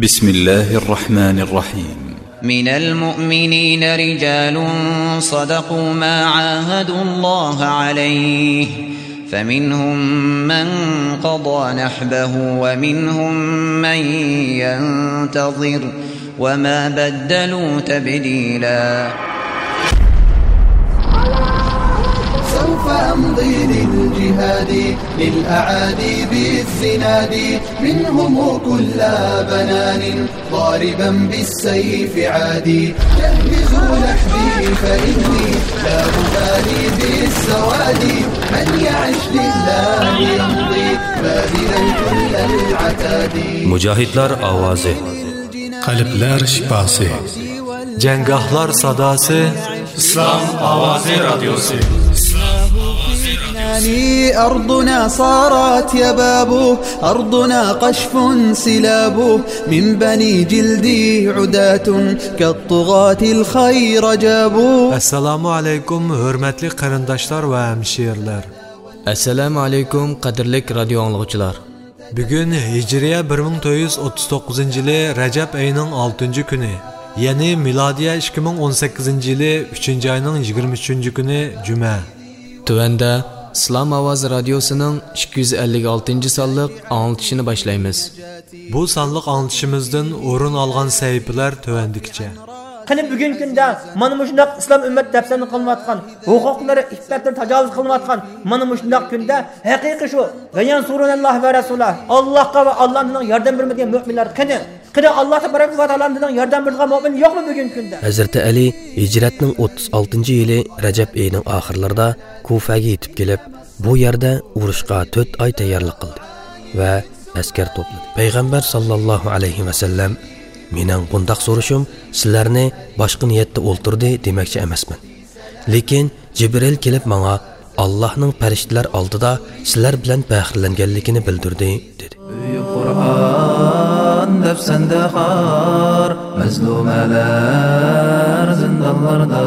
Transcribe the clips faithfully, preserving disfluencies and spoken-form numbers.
بسم الله الرحمن الرحيم. من المؤمنين رجال صدقوا ما عاهدوا الله عليه، فمنهم من قضى نحبه ومنهم من ينتظر، وما بدلوا تبديلا. سوف أمضي للجهاد، للأعادي بالزناد، منهم كل بنان، ضاربا بالسيف عادي. جهزوا نحبي فإني لا أبالي بالسواد، من يعش لله يمضي باذلا كل العتاد. مۇجاھىدلار ئاۋازى. قەلبلەر شىپاسى. جەڭگاھلار ساداسى. ئىسلام ئاۋازى رادىيوسى. أرضنا صارت يباب، أرضنا قشف سلاب، من بني جلدي عداة كالطغاة الخير جابوا. ئەسسالامۇ ئەلەيكۇم، ھۆرمەتلىك قېرىنداشلار ۋە ھەمشىرىلەر. ئەسسالامۇ ئەلەيكۇم، قەدىرلىك رادىيو ئاڭلىغۇچىلار. بۈگۈن ھىجرىيە بىر مىڭ تۆت يۈز ئوتتۇز توققۇزىنچى يىلى رەجەپ ئېيىنىڭ ئالتىنچى كۈنى، يەنى مىلادىيە ئىككى مىڭ ئون سەككىزىنچى يىلى ئۈچىنچى ئاينىڭ يىگىرمە ئۈچىنچى كۈنى جۈمە. تۆۋەندە ئىسلام ئاۋازى رادىيوسىنىڭ ئىككى يۈز ئەللىك ئالتىنچى سانلىق ئاڭلىتىشىنى باشلايمىز. بۇ سانلىق ئاڭلىتىشىمىزدىن ئورۇن ئالغان سەھىپىلەر تۆۋەندىكىچە. قېنى بۈگۈنكى كۈندە مانا مۇشۇنداق ئىسلام ئۈممەت دەپسەندە قىلىنىۋاتقان، ھوقۇقلىرى، ئىپپەتلىرى تاجاۋۇز قىلىنىۋاتقان مانا مۇشۇنداق كۈندە ھەقىقىي شۇ «ۋەيەنسۇرۇنەللاھ ۋە رەسۇلەھ»، ئاللاھقا ۋە ئاللاھنىڭ ياردەم بېرىدىغان مۆمىنلەر قېنى؟ قېنى، ئاللاھ تەبارەك ۋە تائالانىڭ ياردەم بېرىدىغان مۆمىن يوقمۇ بۈگۈنكى كۈندە؟ ھەزرىتى ئەلى ھىجرەتنىڭ ئوتتۇز ئالتىنچى يىلى رەجەپ ئېيىنىڭ ئاخىرلىرىدا كۇفەگە يېتىپ كېلىپ، بۇ يەردە ئۇرۇشقا تۆت ئاي تەييارلىق قىلدى ۋە ئەسكەر توپلىدى. پەيغەمبەر ساللاللاھۇ ئەلەيھى ۋەسەللەم، مېنىڭ بۇنداق سورىشىم سىلەرنى باشقا نىيەتتە ئولتۇردى دېمەكچى ئەمەسمەن. لېكىن جىبرىل كېلىپ ماڭا ئاللاھنىڭ پەرىشتىلەر ئالدىدا سىلەر بىلەن پەخىرلەنگەنلىكىنى بىلدۈردى، دېدى. بۈيۈك قۇرئان دەپسەندە خار، مەزلۇمەلەر زىندانلاردا.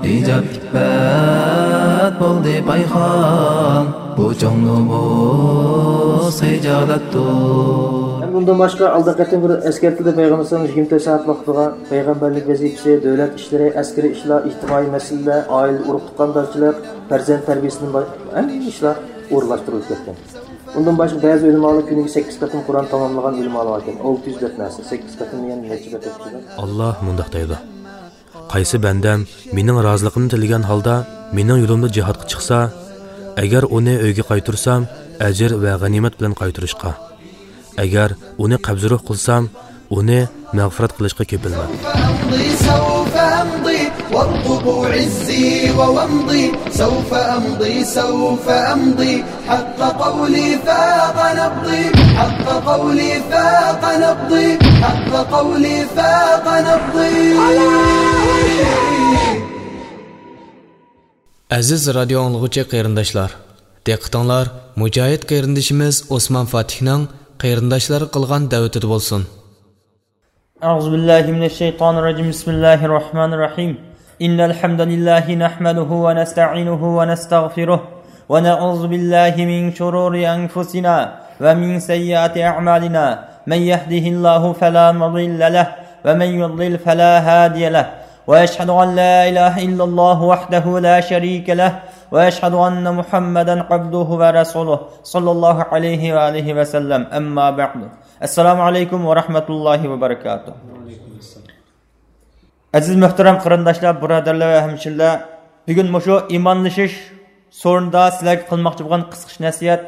ھىجاب ئىپپەت بولدى پايخان، بۇ چوڭ نومۇس خىجالەتتۇر. ھەم ئۇندىن باشقا، ئالدىنقى قېتىم بىر ئەسكەرتىلدى، پەيغەمبەر ئەلەيھىسسالام يىگىرمە تۆت سائەت ۋاقتىغا پەيغەمبەرلىك ۋەزىپىسى، دۆلەت ئىشلىرى، ئەسكىرىي ئىشلار، ئىجتىمائىي مەسىلىلەر، ئائىلە، ئۇرۇق تۇغقاندارچىلىق، پەرزەنت تەربىيەسىدىن باش-، ھەممە ئىشلار ئورۇنلاشتۇرۇلۇپ كەتكەن. ئۇندىن باشقا، بەزى ئۆلىمالار كۈنىگە سەككىز قېتىم قۇرئان تاماملىغان ئۆلىمالار باركەن. ئالتە يۈز دەپ نەرسە، سەككىز قېتىم دېگەن نەچچە بەت ئۆتكۈزگەن؟ ئاللاھ مۇنداق دەيدۇ: قايسى بەندەم مېنىڭ رازىلىقىمنى تىلىگەن ھالدا مېنىڭ يولۇمدا جىھادقا چىقسا، ئەگەر ئۇنى ئۆيگە قايتۇرسام، ئەجىر ۋە غەنىيمەت بىلەن قايتۇرۇشقا، ئەگەر ئۇنى قەبزى روھ قىلسام، ئۇنى مەغپىرەت قىلىشقا كېپىلمەن. سوف أمضي، سوف أمضي، وارقبوا عزي وومضي. سوف أمضي، سوف أمضي، حق قولي فاق نبضي، حق قولي فاق نبضي، حق قولي فاق نبضي. ئەزىز رادىيو ئاڭلىغۇچى قېرىنداشلار، دىققىتىڭلار مۇجاھىد قېرىندىشىمىز ئوسمان فاتىھنىڭ قېرىنداشلارغا قىلغان دەۋىتىدە بولسۇن. أعوذ بالله من الشيطان الرجيم. بسم الله الرحمن الرحيم. إن الحمد لله نحمده ونستعينه ونستغفره، ونعوذ بالله من شرور أنفسنا ومن سيئات أعمالنا. من يهده الله فلا مضل له، ومن يضلل فلا هادي له. وأشهد أن لا إله إلا الله وحده لا شريك له، وأشهد أن محمدا عبده ورسوله، صلى الله عليه وآله وسلم. أما بعد. السلام عليكم ورحمة الله وبركاته. ئەزىز مۆھتەرەم قېرىنداشلار، بۇرادەرلەر ۋە ھەمشىرىلەر، بۈگۈن مۇشۇ ئىمانلىشىش سورۇنىدا سىلەرگە قىلماقچى بولغان قىسقىچە نەسىھەت.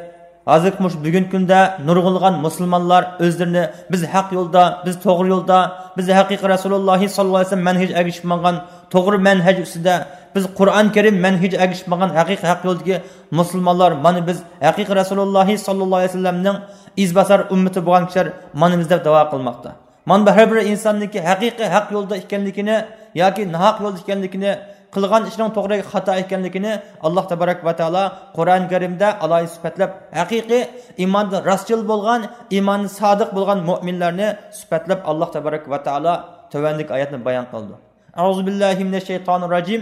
ھازىرقى مۇشۇ بۈگۈنكى كۈندە نۇرغۇنلىغان مۇسۇلمانلار ئۆزلىرىنى بىز ھەق يولدا، بىز توغرا يولدا، بىز ھەقىقىي رەسۇلۇللاھى ساللاللاھۇ ئەلەيھى ۋەسەللەم مەنھىجىگە ئەگىشىپ ماڭغان، توغرا مەنھەج ئۈستىدە، بىز قۇرئان كەرىم مەنھىجىگە ئەگىشىپ ماڭغان ھەقىقىي ھەق يولدىكى مۇسۇلمانلار، مانا بىز ھەقىقىي رەسۇلۇللاھى ساللاللاھۇ ئەلەيھى ۋەسەللەمنىڭ ئىزباسار ئۈممىتى بولغان كىشىلەر مانا بىز دەپ داۋا قىلماقتا. مانا بۇ ھەر بىر ئىنساننىڭكى ھەقىقىي ھەق يولدا ئىكەنلىكىنى ياكى ناھەق يولدا ئىكەنلىكىنى، قىلغان ئىشىنىڭ توغرا ياكى خاتا ئىكەنلىكىنى ئاللاھ تەبارەك ۋە تائالا قۇرئان كەرىمدە ئالاھىدە سۈپەتلەپ، ھەقىقىي ئىماندا راستچىل بولغان، ئىماندا سادىق بولغان مۆمىنلەرنى سۈپەتلەپ ئاللاھ تەبارەك ۋە تائالا تۆۋەندىكى ئايەتنى بايان قىلىدۇ. أعوذ بالله من الشيطان الرجيم.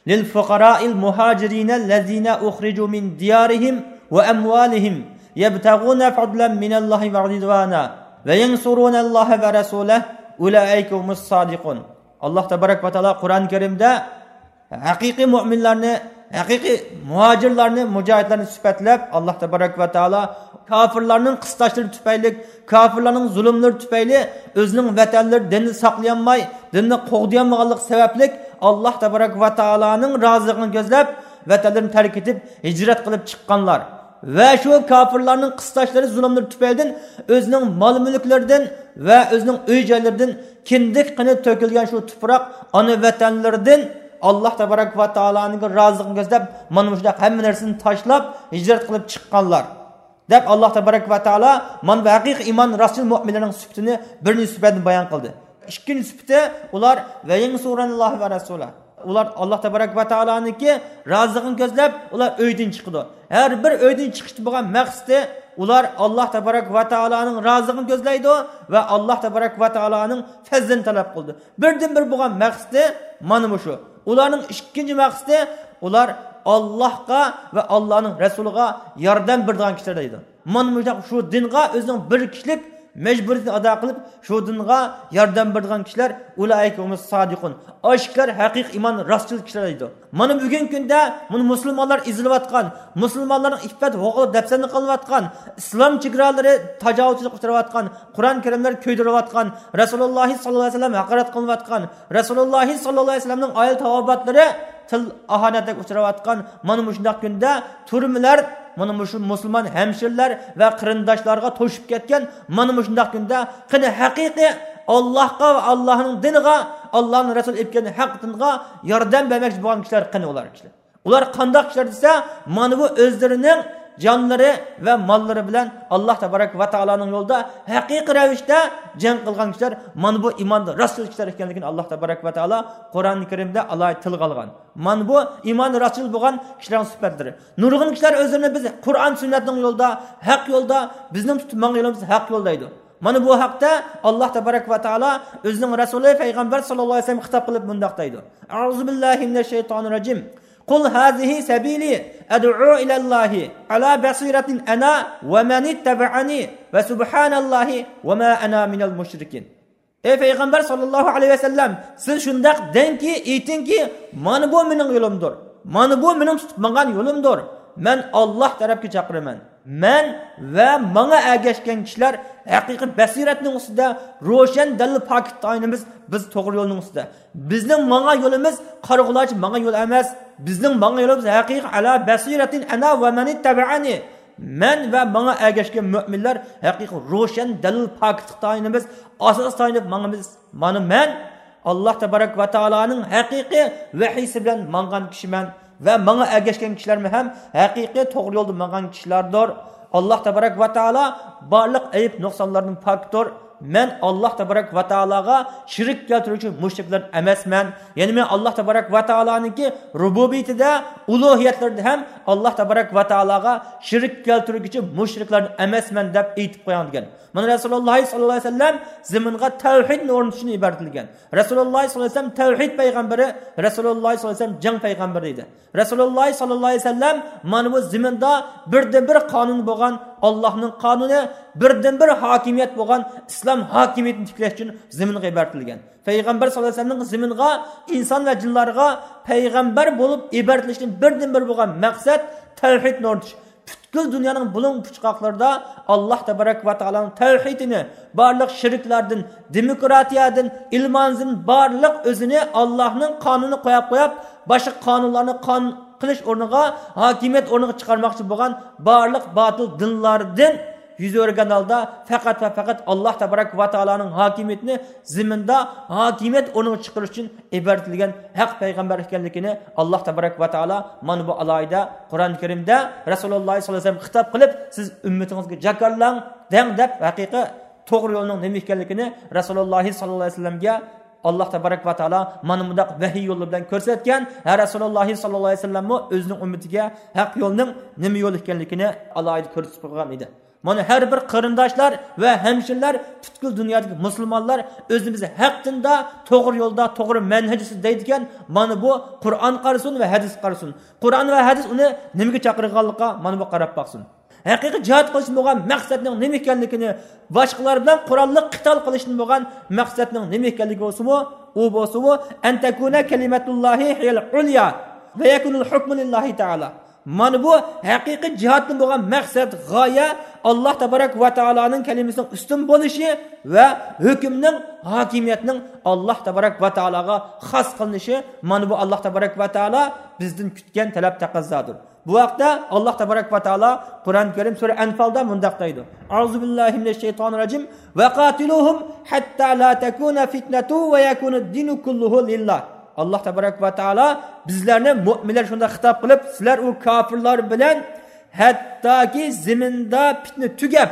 للفقراء المهاجرين الذين أخرجوا من ديارهم وأموالهم يبتغون فضلا من الله ورضوانا وينصرون الله ورسوله أولئك هم الصادقون. ئاللاھ تەبارەك ۋە تائالا قۇرئان كەرىمدە ھەقىقىي مۆمىنلەرنى، ھەقىقىي مۇھاجىرلارنى، مۇجاھىدلارنى سۈپەتلەپ، ئاللاھ تەبارەك ۋە تائالا كاپىرلارنىڭ قىستاشلىرى تۈپەيلى، كاپىرلارنىڭ زۇلۇملىرى تۈپەيلى ئۆزىنىڭ ۋەتەنلىرى، دىننى ساقلىيالماي، دىننى قوغدىيالمىغانلىقى سەۋەبلىك، ئاللاھ تەبارەك ۋە تائالانىڭ رازىلىقىنى كۆزلەپ، ۋەتەنلىرىنى تەرك ئېتىپ، ھىجرەت قىلىپ چىققانلار ۋە شۇ كاپىرلارنىڭ قىستاشلىرى، زۇلۇملىرى تۈپەيلىدىن ئۆزىنىڭ مال-مۈلۈكلىرىدىن ۋە ئۆزىنىڭ ئۆي-جايلىرىدىن كىندىك قېنى تۆكۈلگەن شۇ تۇپراق، ئانا ۋەتەنلىرىدىن ئاللاھ تەبارەك ۋە تائالانىڭ رازىلىقىنى كۆزلەپ، مانا مۇشۇنداق ھەممە نەرسىنى تاشلاپ، ھىجرەت قىلىپ چىققانلار، دەپ، ئاللاھ تەبارەك ۋە تائالا مانا بۇ ھەقىقىي ئىمان راستچىل مۆمىنلەرنىڭ سۈپىتىنى بىرىنچى سۈپەتنى بايان قىلدى. ئىككىنچى سۈپىتى، ئۇلار وينصرون الله ورسوله. ئۇلار ئاللاھ تەبارەك ۋە تائالانىڭكى رازىلىقىنى كۆزلەپ، ئۇلار ئۆيدىن چىقىدۇ. ھەر بىر ئۆيدىن چىقىشتا بولغان مەقسىتى، ئۇلار ئاللاھ تەبارەك ۋە تائالانىڭ رازىلىقىنى كۆزلەيدۇ ۋە ئاللاھ تەبارەك ۋە تائالانىڭ پەزلىنى تەلەپ قىلىدۇ. بىردىن بىر بولغان مەقسىتى مانا مۇشۇ. ئۇلارنىڭ ئىككىنچى مەقسىتى، ئۇلار ئاللاھقا ۋە ئاللاھنىڭ رەسۇلىغا ياردەم بېرىدىغان كىشىلەر دەيدۇ. مانا مۇشۇنداق شۇ دىنغا ئۆزىنىڭ بىر كىشىلىك مەجبۇرىيىتىنى ئادا قىلىپ، شۇ دىنغا ياردەم بېرىدىغان كىشىلەر، ئۇلائىكە ھۇمۇس سادىقۇن. ئاشۇ كىشىلەر ھەقىقىي ئىمان راستچىل كىشىلەر دەيدۇ. مانا بۈگۈنكى كۈندە مانا مۇسۇلمانلار ئېزىلىۋاتقان، مۇسۇلمانلارنىڭ ئىپپەت ھوقۇقى دەپسەندە قىلىنىۋاتقان، ئىسلام چېگرالىرى تاجاۋۇزچىلىققا ئۇچراۋاتقان، قۇرئان كەرىملەر كۆيدۈرۈلۈۋاتقان، رەسۇلۇللاھ ساللاللاھۇ ئەلەيھى ۋەسەللەم ھاقارەت قىلىنىۋاتقان، رەسۇلۇللاھ ساللاللاھۇ ئەلەيھى ۋەسەللەمنىڭ ئائىلە تاۋابىئاتلىرى تىل ئاھانەتلىك ئۇچراۋاتقان مانا مۇشۇنداق كۈندە تۈرمىلەر مانا مۇشۇ مۇسۇلمان ھەمشىرىلەر ۋە قېرىنداشلارغا توشۇپ كەتكەن مانا مۇشۇنداق كۈندە قېنى ھەقىقىي ئاللاھقا ۋە ئاللاھنىڭ دىنىغا، ئاللاھنىڭ رەسۇلى ئېلىپ كەلگەن ھەق دىنغا ياردەم بەرمەكچى بولغان كىشىلەر قېنى ئۇلار كىشىلەر؟ ئۇلار قانداق كىشىلەر دېسە، مانا بۇ ئۆزلىرىنىڭ جانلىرى ۋە ماللىرى بىلەن ئاللاھ تەبارەك ۋە تائالانىڭ يولىدا ھەقىقىي رەۋىشتە جەڭ قىلغان كىشىلەر، مانا بۇ ئىماندا راستچىل كىشىلەر ئىكەنلىكىنى ئاللاھ تەبارەك ۋە تائالا قۇرئان كەرىمدە ئالاھىدە تىلغا ئالغان. مانا بۇ ئىماندا راستچىل بولغان كىشىلەرنىڭ سۈپەتلىرى. نۇرغۇن كىشىلەر ئۆزلىرىنى بىز قۇرئان سۈننەتنىڭ يولىدا، ھەق يولدا، بىزنىڭ تۇتۇپ ماڭغان يولىمىز ھەق يول دەيدۇ. مانا بۇ ھەقتە ئاللاھ تەبارەك ۋە تائالا ئۆزىنىڭ رەسۇلى پەيغەمبەر ساللاللاھۇ ئەلەيھى ۋەسەللەمگە خىتاب قىلىپ مۇنداق دەيدۇ: أعوذ بالله من الشيطان الرجيم. قل هذه سبيلي أدعو إلى الله على بصيرة أنا ومن اتبعني وسبحان الله وما أنا من المشركين. ئەي پەيغەمبەر ساللاللاھۇ ئەلەيھى ۋەسەللەم، سىز شۇنداق دەڭكى، ئېيتىڭكى، مانا بۇ مېنىڭ يولۇمدۇر، مانا بۇ مېنىڭ تۇتۇپ ماڭغان يولۇمدۇر. مەن ئاللاھ تەرەپكە چاقىرىمەن. مەن ۋە ماڭا ئەگەشكەن كىشىلەر ھەقىقىي بەسىرەتنىڭ ئۈستىدە، روشەن دەلىل پاكىت تايىنىمىز، بىز توغرا يولنىڭ ئۈستىدە. بىزنىڭ ماڭغان يولىمىز قارىغۇلارچە ماڭغان يول ئەمەس. بىزنىڭ ماڭغان يولىمىز ھەقىقىي على بصيرة أنا ومن اتبعني. مەن ۋە ماڭا ئەگەشكەن مۆمىنلەر ھەقىقىي روشەن دەلىل پاكىتلىق تايىنىمىز، ئاساس تايىنىپ ماڭىمىز. مانا مەن ئاللاھ تەبارەك ۋە تائالانىڭ ھەقىقىي ۋەھىيسى بىلەن ماڭغان كىشىمەن ۋە ماڭا ئەگەشكەن كىشىلەرمۇ ھەم ھەقىقىي توغرا يولدا ماڭغان كىشىلەردۇر. ئاللاھ تەبارەك ۋە تائالا بارلىق ئەيىب نۇقسانلاردىن پاكتۇر. مەن ئاللاھ تەبارەك ۋە تائالاغا شېرىك كەلتۈرگۈچى مۇشرىكلار ئەمەسمەن. يەنى مەن ئاللاھ تەبارەك ۋە تائالانىڭكى رۇبۇبىيىتىدە، ئۇلۇھىيەتلىرىدە ھەم ئاللاھ تەبارەك ۋە تائالاغا شېرىك كەلتۈرگۈچى مۇشرىكلار ئەمەسمەن دەپ ئېيتىپ قويۇڭ دېگەن. مانا رەسۇلۇللاھ ساللاللاھۇ ئەلەيھى ۋەسەللەم زېمىنغا تەۋھىدنى ئورنىتىشتىن ئىبارەتلىگەن. رەسۇلۇللاھ ساللاللاھۇ ئەلەيھى ۋەسەللەم تەۋھىد پەيغەمبىرى، رەسۇلۇللاھ ساللاللاھۇ ئەلەيھى ۋەسەللەم جەڭ پەيغەمبىرى ئىدى. رەسۇلۇللاھ ساللاللاھۇ ئەلەيھى ۋەسەللەم مانا بۇ زېمىندا بىردىنبىر قانۇن بولغان ئاللاھنىڭ قانۇنى، بىردىنبىر ھاكىمىيەت بولغان ئىسلام ھاكىمىيىتىنى تىكلەش ئۈچۈن زېمىنغا ئىبارەتلىگەن. پەيغەمبەر ساللاللاھۇ ئەلەيھى ۋەسەللەمنىڭ زېمىنغا ئىنسان ۋە جىنلارغا پەيغەمبەر بولۇپ ئىبارەتلىشتىن بىردىنبىر بولغان مەقسەت تەۋھىدنى ئورنىتىش. پۈتكۈل دۇنيانىڭ بۇلۇڭ پۇچقاقلىرىدا ئاللاھ تەبارەك ۋە تائالانىڭ تەۋھىدىنى، بارلىق شېرىكلەردىن، دېموكراتىيەدىن، ئىلمانىزمدىن بارلىق ئۆزىنى ئاللاھنىڭ قانۇنىنى قوياپ قويۇپ، باشقا قانۇنلارنى قانۇن قىلىش ئورنىغا، ھاكىمىيەت ئورنىغا چىقارماقچى بولغان بارلىق باتىل دىنلاردىن يۈز ئۆرۈگەن ھالدا، پەقەت ۋە پەقەت ئاللاھ تەبارەك ۋە تائالانىڭ ھاكىمىيىتىنى زېمىندا ھاكىمىيەت ئورنىغا چىقىرىش ئۈچۈن ئىبارەتلىگەن ھەق پەيغەمبەر ئىكەنلىكىنى ئاللاھ تەبارەك ۋە تائالا مانا بۇ ئالاھىدە قۇرئان كەرىمدە رەسۇلۇللاھ ساللاللاھۇ ئەلەيھى ۋەسەللەمگە خىتاب قىلىپ، سىز ئۈممىتىڭىزگە جاكارلاڭ، دەڭ دەپ، ھەقىقىي توغرا يولنىڭ نېمە ئىكەنلىكىنى رەسۇلۇللاھ ساللاللاھۇ ئەلەيھى ۋەسەللەمگە ئاللاھ تەبارەك ۋە تائالا مانا مۇنداق ۋەھىي يولى بىلەن كۆرسەتكەن. ھە، رەسۇلۇللاھ ساللاللاھۇ ئەلەيھى ۋەسەللەممۇ ئۆزىنىڭ ئۈممىتىگە ھەق يولنىڭ نېمە يول ئىكەنلىكىنى ئالاھىدە كۆرسىتىپ قويغان ئىدى. مانا ھەر بىر قېرىنداشلار ۋە ھەمشىرىلەر، پۈتكۈل دۇنيادىكى مۇسۇلمانلار ئۆزىمىز ھەق دىندا، توغرا يولدا، توغرا مەنھەج ئۈستىدە دەيدىكەن، مانا بۇ قۇرئان قارىسۇن ۋە ھەدىس قارىسۇن. قۇرئان ۋە ھەدىس ئۇنى نېمىگە چاقىرغانلىقىغا مانا بۇ قاراپ باقسۇن. ھەقىقىي جىھاد قىلىشتىن بولغان مەقسەتنىڭ نېمە ئىكەنلىكىنى، باشقىلار بىلەن قوراللىق قىتال قىلىشتىن بولغان مەقسەتنىڭ نېمە ئىكەنلىكى بولسىمۇ، ئۇ بولسىمۇ، أن تكون كلمة الله هي العليا ويكون الحكم لله تعالى. مانا بۇ ھەقىقىي جىھادتىن بولغان مەقسەت، غايە، ئاللاھ تەبارەك ۋە تائالانىڭ كەلىمىسىنىڭ ئۈستۈن بولۇشى ۋە ھۆكۈمنىڭ، ھاكىمىيەتنىڭ ئاللاھ تەبارەك ۋە تائالاغا خاس قىلىنىشى، مانا بۇ ئاللاھ تەبارەك ۋە تائالا بىزدىن كۈتكەن تەلەپ، تەقەززادۇر. بۇ ھەقتە ئاللاھ تەبارەك ۋە تائالا قۇرئان كەرىم سۈرە ئەنفالدا مۇنداق دەيدۇ: أعوذ بالله من الشيطان الرجيم، وقاتلوهم حتى لا تكون فتنة ويكون الدين كله لله. ئاللاھ تەبارەك ۋە تائالا بىزلەرنى، مۆمىنلەر شۇنداق خىتاب قىلىپ، سىلەر ئۇ كاپىرلار بىلەن ھەتتاكى زېمىندا پىتنە تۈگەپ،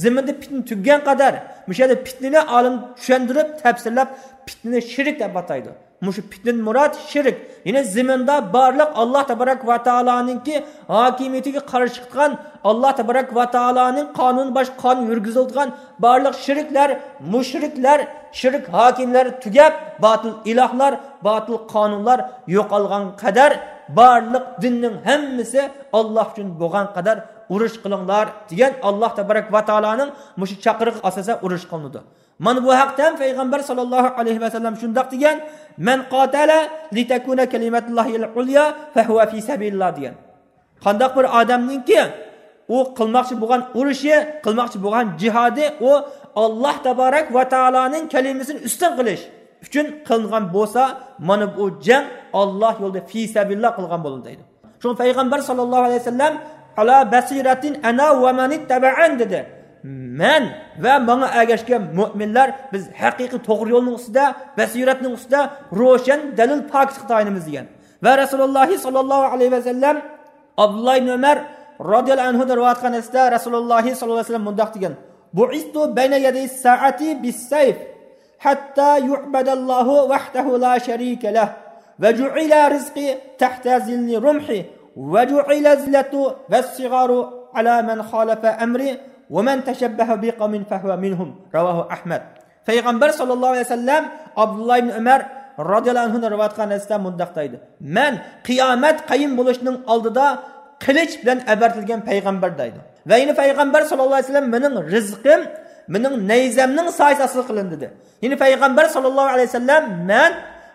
زېمىندا پىتنە تۈگىگەن قەدەر، مۇشۇ يەردە پىتنىنى ئالىم چۈشەندۈرۈپ، تەپسىرلەپ، پىتنىنى شىرك دەپ ئاتايدۇ. مۇشۇ پىتنىدىن مۇراد شىرك. يەنى زېمىندا بارلىق ئاللاھ تەبارەك ۋە تائالانىڭكى ھاكىمىيىتىگە قارشى چىقىدىغان، ئاللاھ تەبارەك ۋە تائالانىڭ قانۇنى باشقا قانۇن يۈرگۈزۈلىدىغان بارلىق شىركلەر، مۇشرىكلەر، شىرك ھاكىملىرى تۈگەپ، باتىل ئىلاھلار، باتىل قانۇنلار يوقالغان قەدەر، بارلىق دىننىڭ ھەممىسى ئاللاھ ئۈچۈن بولغان قەدەر ئۇرۇش قىلىڭلار دېگەن ئاللاھ تەبارەك ۋە تائالانىڭ مۇشۇ چاقىرىقىغا ئاساسەن ئۇرۇش قىلىنىدۇ. مانا بۇ ھەقتە ھەم پەيغەمبەر ساللاللاھۇ ئەلەيھى ۋەسەللەم شۇنداق دېگەن: من قاتل لتكون كلمة الله هي العليا فهو في سبيل الله دېگەن. قانداق بىر ئادەمنىڭكى ئۇ قىلماقچى بولغان ئۇرۇشى، قىلماقچى بولغان جىھادى، ئۇ ئاللاھ تەبارەك ۋە تائالانىڭ كەلىمىسىنى ئۈستۈن قىلىش ئۈچۈن قىلىنغان بولسا، مانا بۇ جەڭ ئاللاھ يولىدا في سبيل الله قىلغان بولىدۇ دەيدۇ. شۇڭا پەيغەمبەر ساللاللاھۇ ئەلەيھى ۋەسەللەم، على بصيرة أنا ومن اتبعني دېدى. مەن ۋە ماڭا ئەگەشكەن مۆمىنلەر، بىز ھەقىقىي توغرا يولنىڭ ئۈستىدە، بەسىرەتنىڭ ئۈستىدە، روشەن دەلىل پاكىتقا تايىنىمىز دېگەن. ۋە رەسۇلۇللاھ ساللاللاھۇ ئەلەيھى ۋەسەللەم ئابدۇللاھ ئىبن ئۆمەر رازىياللاھۇ ئەنھۇدىن رىۋايەت قىلغان ھەدىستە رەسۇلۇللاھ ساللاللاھۇ ئەلەيھى ۋەسەللەم مۇنداق دېگەن: بعثت بين يدي الساعة بالسيف حتى يعبد الله وحده لا شريك له وجعل رزقي تحت ظل رمحي وجعل الذلة والصغار على من خالف أمري ومن تشبه بقوم فهو منهم. رواه أحمد. پەيغەمبەر ساللاللاھۇ ئەلەيھى ۋەسەللەم ئابدۇللاھ ئىبن ئۆمەر رازىياللاھۇ ئەنھۇدىن رىۋايەت قىلغان ھەدىستە مۇنداق دەيدۇ: مەن قىيامەت قايىم بولۇشنىڭ ئالدىدا قىلىچ بىلەن ئەۋەتىلگەن پەيغەمبەر دەيدۇ. ۋە يەنە پەيغەمبەر ساللاللاھۇ ئەلەيھى ۋەسەللەم مېنىڭ رىزقىم مېنىڭ نەيزەمنىڭ سايىسى ئاستىدا قىلىندى دېدى. يەنە پەيغەمبەر ساللاللاھۇ ئەلەيھى ۋەسەللەم مەن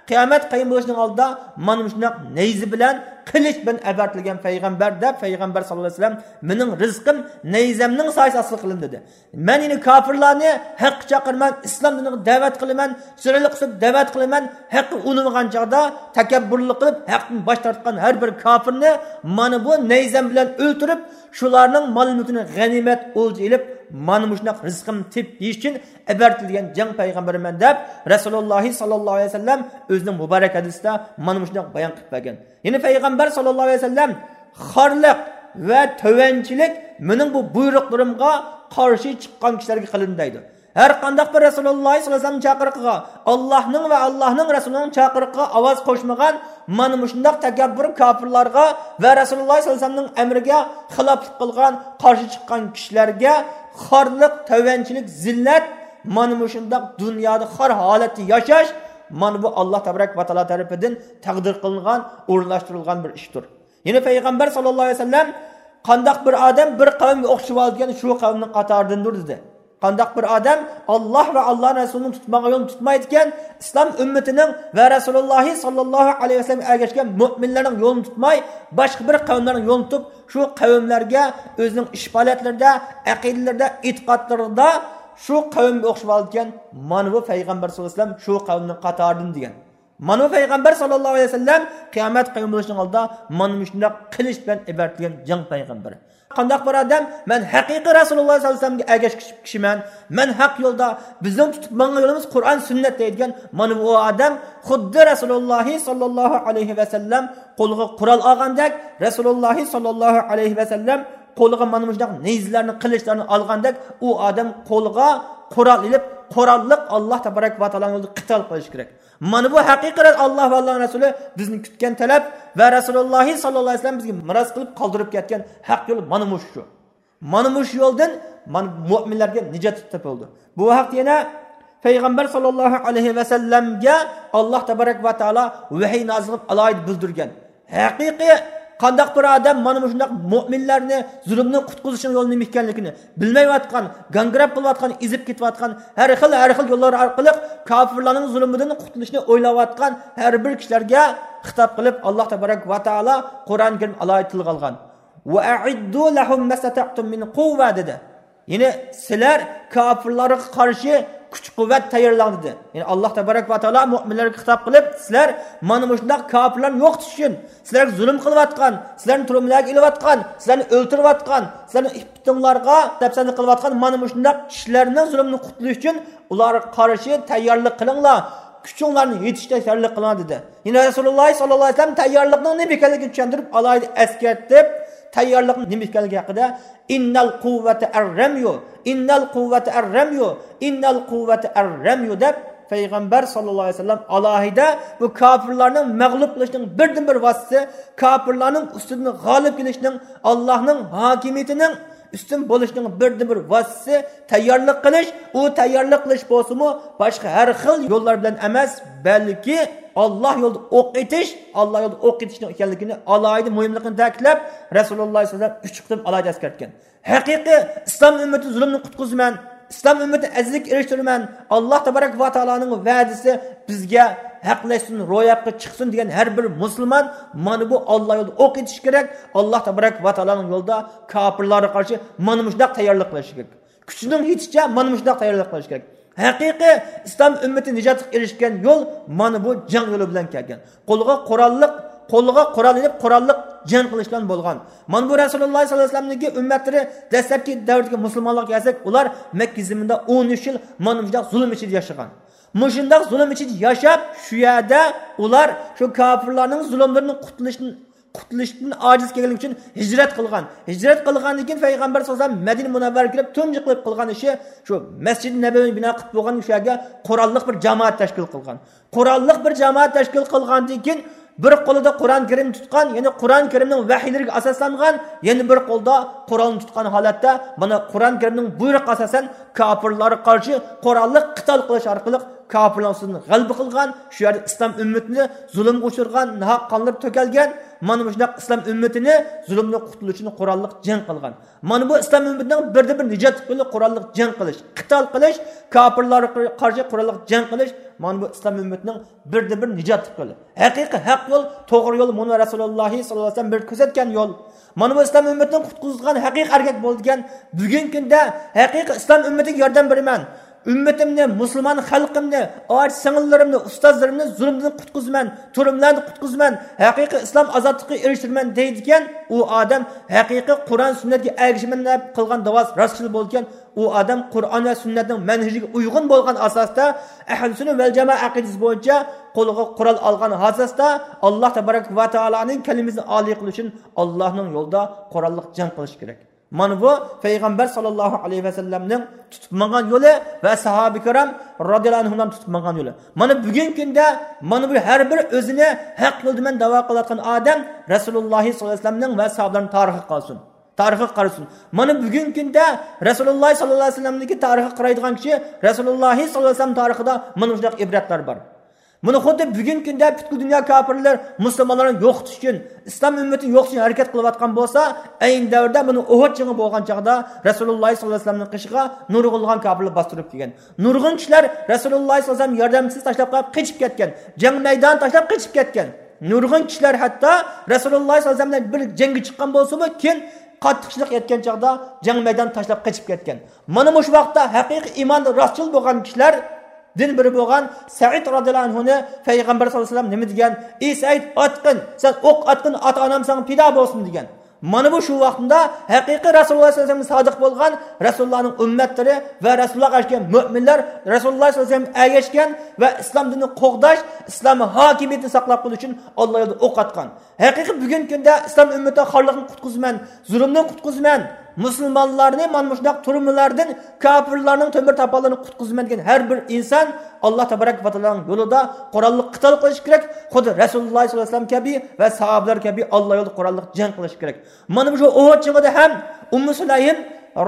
قىيامەت قايىم بولۇشنىڭ ئالدىدا مانا مۇشۇنداق نەيزە بىلەن، قىلىچ بىلەن ئەۋەتىلگەن پەيغەمبەر دەپ پەيغەمبەر ساللاللاھۇ ئەلەيھى ۋەسەللەم مېنىڭ رىزقىم نەيزەمنىڭ سايىسى ئاستىدا قىلىندى دېدى. مەن يەنە كاپىرلارنى ھەققە چاقىرىمەن، ئىسلام دىنىغا دەۋەت قىلىمەن، چىرايلىق ئۈسلۈبتە دەۋەت قىلىمەن، ھەققە ئۇنىمىغان چاغدا تەكەببۇرلۇق قىلىپ، ھەقتىن باش تارتقان ھەر بىر كاپىرنى مانا بۇ نەيزەم بىلەن ئۆلتۈرۈپ، شۇلارنىڭ مال مۈلكىنى غەنىيمەت ئولجا ئېلىپ، مانا مۇشۇنداق رىزقىمنى تېپىپ يېيىش ئۈچۈن ئەۋەتىلگەن جەڭ پەيغەمبىرىمەن دەپ رەسۇلۇللاھ ساللاللاھۇ ئەلەيھى ۋەسەللەم ئۆزىنىڭ مۇبارەك ھەدىسىدە مانا مۇشۇنداق بايان قىلىپ بەرگەن. يەنە پەيغەمبەر ساللاللاھۇ ئەلەيھى ۋەسەللەم خارلىق ۋە تۆۋەنچىلىك مېنىڭ بۇ بۇيرۇقلىرىمغا قارشى چىققان كىشىلەرگە قىلىندى دەيدۇ. ھەر قانداق بىر رەسۇلۇللاھ ساللاللاھۇ ئەلەيھى ۋەسەللەم چاقىرىقىغا، ئاللاھنىڭ ۋە ئاللاھنىڭ رەسۇلىنىڭ چاقىرىقىغا ئاۋاز قوشمىغان مانا مۇشۇنداق تەكەببۇر كاپىرلارغا ۋە رەسۇلۇللاھ ساللاللاھۇ ئەلەيھى ۋەسەللەمنىڭ ئەمرىگە خىلاپلىق قىلغان، قارشى چىققان كىشىلەرگە خارلىق، تۆۋەنچىلىك، زىللەت، مانا مۇشۇنداق دۇنيادا خار ھالەتتە ياشاش، مانا بۇ ئاللاھ تەبارەك ۋە تائالا تەرىپىدىن تەقدىر قىلىنغان، ئورۇنلاشتۇرۇلغان بىر ئىشتۇر. يەنە پەيغەمبەر ساللاللاھۇ ئەلەيھى ۋەسەللەم، قانداق بىر ئادەم بىر قەۋمگە ئوخشىۋالىدىكەن، شۇ قەۋمنىڭ قاتارىدىندۇر دېدى. قانداق بىر ئادەم ئاللاھ ۋە ئاللاھنىڭ رەسۇلىنىڭ تۇتمىغان يولىنى تۇتمايدىكەن، ئىسلام ئۈممىتىنىڭ ۋە رەسۇلۇللاھ ساللاللاھۇ ئەلەيھى ۋەسەللەمگە ئەگەشكەن مۆمىنلەرنىڭ يولىنى تۇتماي، باشقا بىر قەۋملەرنىڭ يولىنى تۇتۇپ، شۇ قەۋملەرگە ئۆزىنىڭ ئىش پائالىيەتلىرىدە، ئەقىدىلىرىدە، ئېتىقادلىرىدا شۇ قەۋمگە ئوخشىۋالىدىكەن، مانا بۇ پەيغەمبەر ساللاللاھۇ ئەلەيھى ۋەسەللەم شۇ قەۋمنىڭ قاتارىدىن دېگەن. مانا بۇ پەيغەمبەر ساللاللاھۇ ئەلەيھى ۋەسەللەم قىيامەت قايىم بولۇشنىڭ ئالدىدا مانا مۇشۇنداق قىلىچ بىلەن ئەۋەتىلگەن جەڭ پەيغەمبىرى. قانداق بىر ئادەم، مەن ھەقىقىي رەسۇلۇللاھ ساللاللاھۇ ئەلەيھى ۋەسەللەمگە ئەگەشكۈچى كىشىمەن، مەن ھەق يولدا، بىزنىڭ تۇتۇپ ماڭغان يولىمىز قۇرئان، سۈننەت دەيدىغان مانا بۇ ئادەم خۇددى رەسۇلۇللاھ ساللاللاھۇ ئەلەيھى ۋەسەللەم قولىغا قورال ئالغاندەك، رەسۇلۇللاھ ساللاللاھۇ ئەلەيھى ۋەسەللەم قولىغا مانا مۇشۇنداق نەيزىلەرنى، قىلىچلارنى ئالغاندەك، ئۇ ئادەم قولىغا قورال ئېلىپ، قوراللىق ئاللاھ تەبارەك ۋە تائالانىڭ يولىدا قىتال قىلىشى كېرەك. مانا بۇ ھەقىقىي ئاللاھ ۋە ئاللاھنىڭ رەسۇلى بىزدىن كۈتكەن تەلەپ ۋە رەسۇلۇللاھ ساللاللاھۇ ئەلەيھى ۋەسەللەم بىزگە مىراس قىلىپ قالدۇرۇپ كەتكەن ھەق يول مانا مۇشۇ. مانا مۇشۇ يولدىن مانا مۆمىنلەرگە نىجات تېپىلىدۇ. بۇ ھەقتە يەنە پەيغەمبەر ساللاللاھۇ ئەلەيھى ۋەسەللەمگە ئاللاھ تەبارەك ۋە تائالا ۋەھىي نازىل قىلىپ ئالاھىدە بىلدۈرگەن. ھەقىقىي قانداق بىر ئادەم مانا مۇشۇنداق مۆمىنلەرنى زۇلۇمدىن قۇتقۇزۇشنىڭ يولى نېمە ئىكەنلىكىنى بىلمەيۋاتقان، گاڭگىراپ قېلىۋاتقان، ئېزىپ كېتىۋاتقان، ھەر خىل، ھەر خىل يوللار ئارقىلىق كاپىرلارنىڭ زۇلۇمىدىن قۇتۇلۇشنى ئويلاۋاتقان ھەر بىر كىشىلەرگە خىتاب قىلىپ، ئاللاھ تەبارەك ۋە تائالا قۇرئان كەرىم ئالاھىدە تىلغا ئالغان. «وأعدوا لهم ما استطعتم من قوة» دېدى. يەنى سىلەر كاپىرلارغا قارشى كۈچ قۇۋۋەت تەييارلاڭ دېدى. يەنى ئاللاھ تەبارەك ۋە تائالا مۆمىنلەرگە خىتاب قىلىپ، سىلەر مانا مۇشۇنداق كاپىرلارنى يوقىتىش ئۈچۈن، سىلەرگە زۇلۇم قىلىۋاتقان، سىلەرنى تۈرمىلەرگە ئېلىۋاتقان، سىلەرنى ئۆلتۈرۈۋاتقان، سىلەرنىڭ ئىپپىتىڭلارغا دەپسەندە قىلىۋاتقان مانا مۇشۇنداق كىشىلەرنىڭ زۇلۇمىدىن قۇتۇلۇش ئۈچۈن ئۇلارغا قارشى تەييارلىق قىلىڭلار، كۈچۈڭلارنى يېتىشكە تەييارلىق قىلىڭلار دېدى. يەنە رەسۇلۇللاھ ساللاللاھۇ ئەلەيھى ۋەسەللەم تەييارلىقنىڭ نېمە ئىكەنلىكىنى چۈشەندۈرۈپ، ئالاھىدە ئەسكەرتىپ، تەييارلىقنىڭ نېمە ئىكەنلىكى ھەققىدە، «إن القوة الرمي، إن القوة الرمي، إن القوة الرمي» دەپ، پەيغەمبەر ساللاللاھۇ ئەلەيھى ۋەسەللەم ئالاھىدە بۇ كاپىرلارنىڭ مەغلۇپ قىلىشنىڭ بىردىنبىر ۋاسىتىسى، كاپىرلارنىڭ ئۈستىدىن غالىب كېلىشنىڭ، ئاللاھنىڭ ھاكىمىيىتىنىڭ ئۈستۈن بولۇشنىڭ بىردىنبىر ۋاسىتىسى تەييارلىق قىلىش. ئۇ تەييارلىق قىلىش بولسىمۇ، باشقا ھەر خىل يوللار بىلەن ئەمەس، بەلكى ئاللاھ يولىدا ئوق ئېتىش، ئاللاھ يولىدا ئوق ئېتىشنىڭ ئىكەنلىكىنى ئالاھىدە مۇھىملىقىنى تەكىتلەپ، رەسۇلۇللاھ ساللاللاھۇ ئەلەيھى ۋەسەللەم ئۈچ قېتىم ئالاھىدە ئەسكەرتكەن. ھەقىقىي ئىسلام ئۈممىتى زۇلۇمدىن قۇتقۇزىمەن، ئىسلام ئۈممىتىنى ئەزىزلىككە ئېرىشتۈرىمەن، ئاللاھ تەبارەك ۋە تائالانىڭ ۋەدىسى بىزگە ھەقلەشسۇن، روياپقا چىقسۇن دېگەن ھەر بىر مۇسۇلمان مانا بۇ ئاللاھ يولىدا ئوق ئېتىشى كېرەك، ئاللاھ تەبارەك ۋە تائالانىڭ يولىدا كاپىرلارغا قارشى مانا مۇشۇنداق تەييارلىق قىلىشى كېرەك. كۈچىنىڭ يېتىشىچە مانا مۇشۇنداق تەييارلىق قىلىشى كېرەك. ھەقىقىي ئىسلام ئۈممىتى نىجاتلىققا ئېرىشكەن يول مانا بۇ جەڭ يولى بىلەن كەلگەن. قولىغا قوراللىق، قولىغا قورال ئېلىپ، قوراللىق جەڭ قىلىش بىلەن بولغان. مانا بۇ رەسۇلۇللاھ ساللاللاھۇ ئەلەيھى ۋەسەللەمنىڭكى ئۈممەتلىرى دەسلەپكى دەۋردىكى مۇسۇلمانلارغا كەلسەك، ئۇلار مەككە زېمىنىدا ئون ئۈچ يىل مانا مۇشۇنداق زۇلۇم ئىچىدە ياشىغان. مۇشۇنداق زۇلۇم ئىچىدە ياشاپ، شۇ يەردە ئۇلار شۇ كاپىرلارنىڭ زۇلۇملىرىدىن قۇتۇلۇشتىن، قۇتۇلۇشتىن ئاجىز كەلگەنلىكى ئۈچۈن ھىجرەت قىلغان. ھىجرەت قىلغاندىن كېيىن پەيغەمبەر ساللاللاھۇ ئەلەيھى ۋەسەللەم مەدىنە مۇنەۋۋەرگە كېلىپ، تۇنجى قىلىپ قىلغان ئىشى شۇ مەسجىدى نەبەۋىنى بىنا قىلىپ بولغان شۇ يەرگە قوراللىق بىر جامائەت تەشكىل قىلغان. قوراللىق بىر جامائەت تەشكىل قىلغاندىن كېيىن، بىر قولىدا قۇرئان كەرىم تۇتقان، يەنى قۇرئان كەرىمنىڭ ۋەھىيلىرىگە ئاساسلانغان، يەنە بىر قولدا قورالنى تۇتقان ھالەتتە، مانا قۇرئان كەرىمنىڭ بۇيرۇقىغا ئاساسەن، كاپىرلارغا قارشى قوراللىق قىتال قىلىش ئارقىلىق كاپىرلارنىڭ ئۈستىدىن غەلىبە قىلغان، شۇ يەردە ئىسلام ئۈممىتىنى زۇلۇمغا ئۇچرىغان، ناھەق قانلىرى تۆكۈلگەن، مانا مۇشۇنداق ئىسلام ئۈممىتىنى زۇلۇمدىن قۇتۇلۇش ئۈچۈن قوراللىق جەڭ قىلغان. مانا بۇ ئىسلام ئۈممىتىنىڭ بىردىنبىر نىجات يولى قوراللىق جەڭ قىلىش، قىتال قىلىش، كاپىرلارغا قارشى قوراللىق جەڭ قىلىش. مانا بۇ ئىسلام ئۈممىتىنىڭ بىردىنبىر نىجات يولى. ھەقىقىي ھەق يول، توغرا يول، مانا رەسۇلۇللاھ ساللاللاھۇ ئەلەيھى ۋەسەللەم بىر كۆرسەتكەن يول. مانا بۇ ئىسلام ئۈممىتىنى قۇتقۇزغان ھەقىقىي ئەركەك بولىدىكەن. بۈگۈنكى كۈندە ھەقىقىي ئىسلام ئۈممىتىگە ياردەم بېرىمەن. ئۈممىتىمنى، مۇسۇلمان خەلقىمنى، ئاچا سىڭىللىرىمنى، ئۇستازلىرىمنى زۇلۇمدىن قۇتقۇزىمەن، تۈرمىلەردىن قۇتقۇزىمەن، ھەقىقىي ئىسلام ئازادلىقىغا ئېرىشتۈرىمەن دەيدىكەن. ئۇ ئادەم ھەقىقىي قۇرئان سۈننەتكە ئەگىشىمەن دەپ قىلغان داۋاسى راستچىل بولىدىكەن. ئۇ ئادەم قۇرئان ۋە سۈننەتنىڭ مەنھىجىگە ئۇيغۇن بولغان ئاساستا، ئەھلى سۈننە ۋەل جامائە ئەقىدىسى بويىچە قولىغا قورال ئالغان ئاساستا، ئاللاھ تەبارەك ۋە تائالانىڭ كەلىمىسىنى ئالىي قىلىش ئۈچۈن ئاللاھنىڭ يولىدا قوراللىق جەڭ قىلىش كېرەك. مانا بۇ پەيغەمبەر ساللاللاھۇ ئەلەيھى ۋەسەللەمنىڭ تۇتۇپ ماڭغان يولى ۋە ساھابە كىرام رازىياللاھۇ ئەنھۇلارنىڭ تۇتۇپ ماڭغان يولى. مانا بۈگۈنكى كۈندە مانا بۇ ھەر بىر ئۆزىنى ھەق يولدىمەن دەۋا قىلىۋاتقان ئادەم رەسۇلۇللاھ ساللاللاھۇ ئەلەيھى ۋەسەللەمنىڭ ۋە ساھابىلەرنىڭ تارىخىغا قارىسۇن. تارىخىغا قارىسۇن. مانا بۈگۈنكى كۈندە رەسۇلۇللاھ ساللاللاھۇ ئەلەيھى ۋەسەللەمنىڭكى تارىخىغا قارايدىغان كىشى رەسۇلۇللاھ ساللاللاھۇ ئەلەيھى ۋەسەللەم تارىخىدا مانا مۇشۇنداق ئىبرەتلەر بار. بۇنى خۇددى بۈگۈنكى كۈندە پۈتكۈل دۇنيا كاپىرلىرى مۇسۇلمانلارنى يوقىتىش ئۈچۈن، ئىسلام ئۈممىتىنى يوقىتىش ئۈچۈن ھەرىكەت قىلىۋاتقان بولسا، ئەينى دەۋردە مانا ئۇھۇد جېڭى بولغان چاغدا رەسۇلۇللاھ ساللاللاھۇ ئەلەيھى ۋەسەللەمنىڭ قېشىغا نۇرغۇنلىغان كاپىرلار باستۇرۇپ كەلگەن. نۇرغۇن كىشىلەر رەسۇلۇللاھ ساللاللاھۇ ئەلەيھى ۋەسەللەم ياردەمچىسىز تاشلاپ قېلىپ قېچىپ كەتكەن. جەڭ مەيدانى تاشلاپ قېچىپ كەتكەن. نۇرغۇن كىشىلەر ھەتتا رەسۇلۇللاھ ساللاللاھۇ ئەلەيھى ۋەسەللەم بىلەن بىر جەڭگە چىققان بولسىمۇ، كېيىن قاتتىق قىيىنچىلىق يەتكەن چاغدا جەڭ مەيدانى تاشلاپ قېچىپ كەتكەن. مانا مۇشۇ ۋاقىتتا ھەقىقىي ئىماندا راستچىل بولغان كىشىلەردىن بىرى بولغان سەئىد رازىياللاھۇ ئەنھۇنى پەيغەمبەر ساللاللاھۇ ئەلەيھى ۋەسەللەم نېمە دېگەن؟ «ئى سەئىد، ئاتقىن، سەن ئوق ئاتقىن، ئاتا-ئانام ساڭا پىدا بولسۇن» دېگەن. مانا بۇ شۇ ۋاقتىدا ھەقىقىي رەسۇلۇللاھ ساللاللاھۇ ئەلەيھى ۋەسەللەمگە سادىق بولغان، رەسۇلۇللاھنىڭ ئۈممەتلىرى ۋە رەسۇلۇللاھقا ئەگەشكەن مۆمىنلەر رەسۇلۇللاھ ساللاللاھۇ ئەلەيھى ۋەسەللەمگە ئەگەشكەن ۋە ئىسلام دىنىنى قوغداش، ئىسلام ھاكىمىيىتىنى ساقلاپ قېلىش ئۈچۈن ئاللا يولىدا ئوق ئاتقان. ھەقىقىي بۈگۈنكى كۈندە ئىسلام ئۈممىتى خارلىقتىن قۇتقۇزىمەن، زۇلۇمدىن قۇتقۇزىمەن، مۇسۇلمانلارنى مانا مۇشۇنداق تۈرمىلەردىن، كاپىرلارنىڭ تۆمۈر تاپانلىرىدىن قۇتقۇزىمەن دېگەن ھەر بىر ئىنسان ئاللا تەبارەك ۋە تائالانىڭ يولىدا قوراللىق قىتال قىلىشى كېرەك. خۇددى رەسۇلۇللاھ ساللاللاھۇ ئەلەيھى ۋەسەللەم كەبى ۋە ساھابىلەر كەبى ئاللا يولىدا قوراللىق جەڭ قىلىشى كېرەك. مانا مۇشۇ ئۇھۇد جېڭىدا ھەم ئۇممۇ سۇلەيم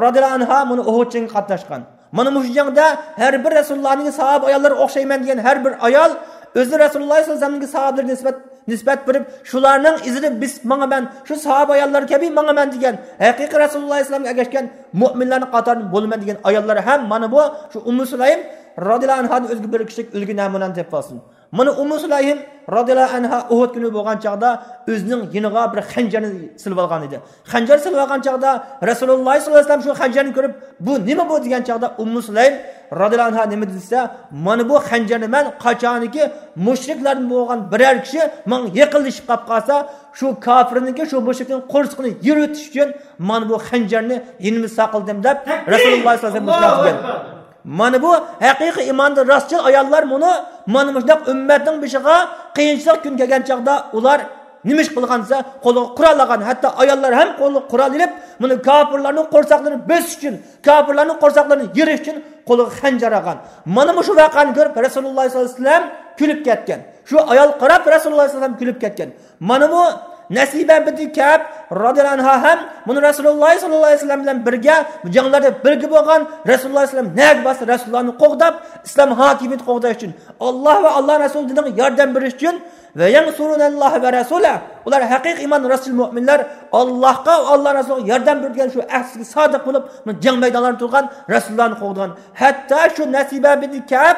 رازىياللاھۇ ئەنھا مانا ئۇھۇد جېڭىگە قاتناشقان. مانا مۇشۇ جەڭدە ھەر بىر رەسۇلۇللاھنىڭ ساھابە ئاياللىرىغا ئوخشايمەن دېگەن ھەر بىر ئايال ئۆزىنى رەسۇلۇللاھ ساللاللاھۇ ئەلەيھى ۋەسەللەمنىڭ ساھابىلىرىگە نىسبەت نىسبەت بېرىپ، شۇلارنىڭ ئىزىدا بېسىپ ماڭىمەن، شۇ ساھابە ئاياللار كەبى ماڭىمەن دېگەن، ھەقىقىي رەسۇلۇللا ئەلەيھىسسالامغا ئەگەشكەن مۆمىنلەرنىڭ قاتارىدىن بولىمەن دېگەن ئاياللار ھەم مانا بۇ شۇ ئۇممۇ سۇلەيم رازىياللاھۇ ئەنھادىن ئۆزگە بىر كىشىلىك ئۈلگە نەمۇنەنى تېپىۋالسۇن. مانا ئۇممۇ سۇلەيم رازىياللاھۇ ئەنھا ئۇھۇد كۈنى بولغان چاغدا ئۆزىنىڭ يېنىغا بىر خەنجەرنى سېلىۋالغان ئىدى. خەنجەر سېلىۋالغان چاغدا رەسۇلۇللا سەللەللاھۇ ئەلەيھى ۋەسەللەم شۇ خەنجەرنى كۆرۈپ، بۇ نېمە بۇ دېگەن چاغدا ئۇممۇ سۇلەيم رازىياللاھۇ ئەنھا نېمە دېسە، مانا بۇ خەنجەرنى مەن قاچانكى مۇشرىكلاردىن بولغان بىرەر كىشى ماڭا يېقىنلىشىپ قاپ قالسا، شۇ كاپىرنىڭكى، شۇ مۇشرىكنىڭ قورسىقىنى يىرتىش ئۈچۈن مانا بۇ خەنجەرنى يېنىمدا ساقلىدىم دەپ رەسۇلۇللا سەللەللاھۇ ئەلەيھى ۋەسەللەم مۇشۇنداق دېگەن. مانا بۇ ھەقىقىي ئىماندا راستچىل ئاياللار مۇنۇ مانا مۇشۇنداق ئۈممەتنىڭ بېشىغا قىيىنچىلىق كۈن كەلگەن چاغدا ئۇلار نېمە ئىش قىلغان دېسە، قولىغا قورال ئالغان، ھەتتا ئاياللار ھەم قولىغا قورال ئېلىپ، مانا كاپىرلارنىڭ قورساقلىرىنى بۆسۈش ئۈچۈن، كاپىرلارنىڭ قورساقلىرىنى يېرىش ئۈچۈن قولىغا خەنجەر ئالغان. مانا مۇشۇ ۋەقەنى كۆرۈپ رەسۇلۇللا سەللەللاھۇ ئەلەيھى ۋەسەللەم كۈلۈپ كەتكەن. شۇ ئايال قاراپ رەسۇلۇللا سەللەللاھۇ ئەلەيھى ۋەسەللەم كۈلۈپ كەتكەن. مانا بۇ نەسىبە بىنتى كەئب رازىياللاھۇ ئەنھا ھەم مۇنۇ رەسۇلۇللا سەللەللاھۇ ئەلەيھى ۋەسەللەم بىلەن بىرگە جەڭلەردە بىرگە بولغان، رەسۇلۇللا سەللەللاھۇ ئەلەيھى ۋەسەللەم نەگە بارسا رەسۇلۇللانى قوغداپ، ئىسلام ھاكىمىيىتى قوغداش ئۈچۈن، ئاللا ۋە ئاللا رەسۇلى دىنىغا ياردەم بېرىش ئۈچۈن ۋە يەنسۇرۇنەللاھ ۋە رەسۇلە. ئۇلار ھەقىقىي ئىمان راستچىل مۆمىنلەر، ئاللاھقا ۋە ئاللا رەسۇلىغا ياردەم بېرىدىگەن شۇ ئەھدىگە سادىق بولۇپ، جەڭ مەيدانلاردا تۇرغان، رەسۇلۇللانى قوغدىغان. ھەتتا شۇ نەسىبە بىنتى كەئب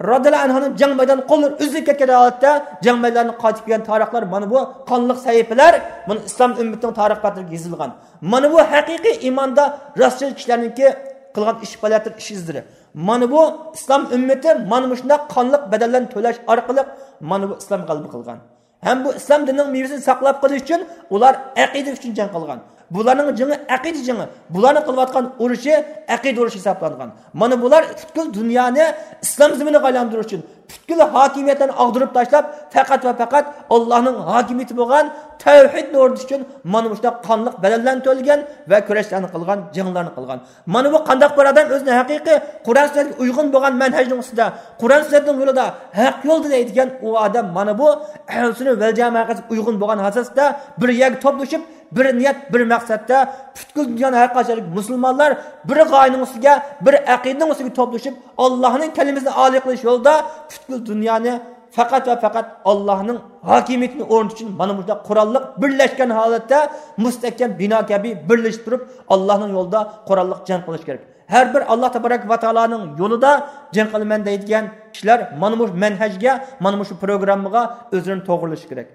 رازىياللاھۇ ئەنھانىڭ جەڭ مەيدانى قوللىرى ئۈزۈلۈپ كەتكەن ھالەتتە جەڭ مەيدانىدىن قايتىپ كەلگەن تارىخلار، مانا بۇ قانلىق سەھىپىلەر، مانا ئىسلام ئۈممىتىنىڭ تارىخ بەتلىرىگە يېزىلغان. مانا بۇ ھەقىقىي ئىماندا راستچىل كىشىلەرنىڭكى قىلغان ئىش پائالىيەتلىرى، ئىش ئىزلىرى. مانا بۇ ئىسلام ئۈممىتى مانا مۇشۇنداق قانلىق بەدەللەرنى تۆلەش ئارقىلىق مانا بۇ ئىسلام غەلىبە قىلغان. ھەم بۇ ئىسلام دىنىنىڭ مېۋىسىنى ساقلاپ قېلىش ئۈچۈن ئۇلار ئەقىدە ئۈچۈن جەڭ قىلغان. بۇلارنىڭ جېڭى ئەقىدە جېڭى، بۇلارنىڭ قىلىۋاتقان ئۇرۇشى ئەقىدە ئۇرۇشى ھېسابلانغان. مانا بۇلار پۈتكۈل دۇنيانى ئىسلام زېمىنىغا ئايلاندۇرۇش ئۈچۈن، پۈتكۈل ھاكىمىيەتلەرنى ئاغدۇرۇپ تاشلاپ، پەقەت ۋە پەقەت ئاللانىڭ ھاكىمىيىتى بولغان تەۋھىدنى ئورنىتىش ئۈچۈن مانا مۇشۇنداق قانلىق بەدەللەرنى تۆلىگەن ۋە كۈرەشلەرنى قىلغان، جەڭلەرنى قىلغان. مانا بۇ قانداق بىر ئادەم ئۆزىنى ھەقىقىي قۇرئان سۈننەتكە ئۇيغۇن بولغان مەنھەجنىڭ ئۈستىدە، قۇرئان سۈننەتنىڭ يولىدا، ھەق يولدا دەيدىگەن ئۇ ئادەم مانا بۇ ئەھلى سۈننە ۋەل جامائەتكە ئۇيغۇن بولغان ئاساستا بىر يەرگە توپلىشىپ، بىر نىيەت، بىر مەقسەتتە پۈتكۈل دۇنيانىڭ ھەر قايسى يەردىكى مۇسۇلمانلار بىر غايىنىڭ ئۈستىگە، بىر ئەقىدىنىڭ ئۈستىگە توپلىشىپ، ئاللانىڭ كەلىمىسىنى ئالىي قىلىش يولىدا پۈتكۈل دۇنيانى پەقەت ۋە پەقەت ئاللانىڭ ھاكىمىيىتىنى ئورنىتىش ئۈچۈن مانا مۇشۇنداق قوراللىق بىرلەشكەن ھالەتتە مۇستەھكەم بىنا كەبى بىرلىشىپ تۇرۇپ، ئاللانىڭ يولىدا قوراللىق جەڭ قىلىش كېرەك. ھەر بىر ئاللا تەبارەك ۋە تائالانىڭ يولىدا جەڭ قىلىمەن دەيدىغان كىشىلەر مانا مۇشۇ مەنھەجگە، مانا مۇشۇ پروگراممىغا ئۆزلىرىنى توغرىلىشى كېرەك.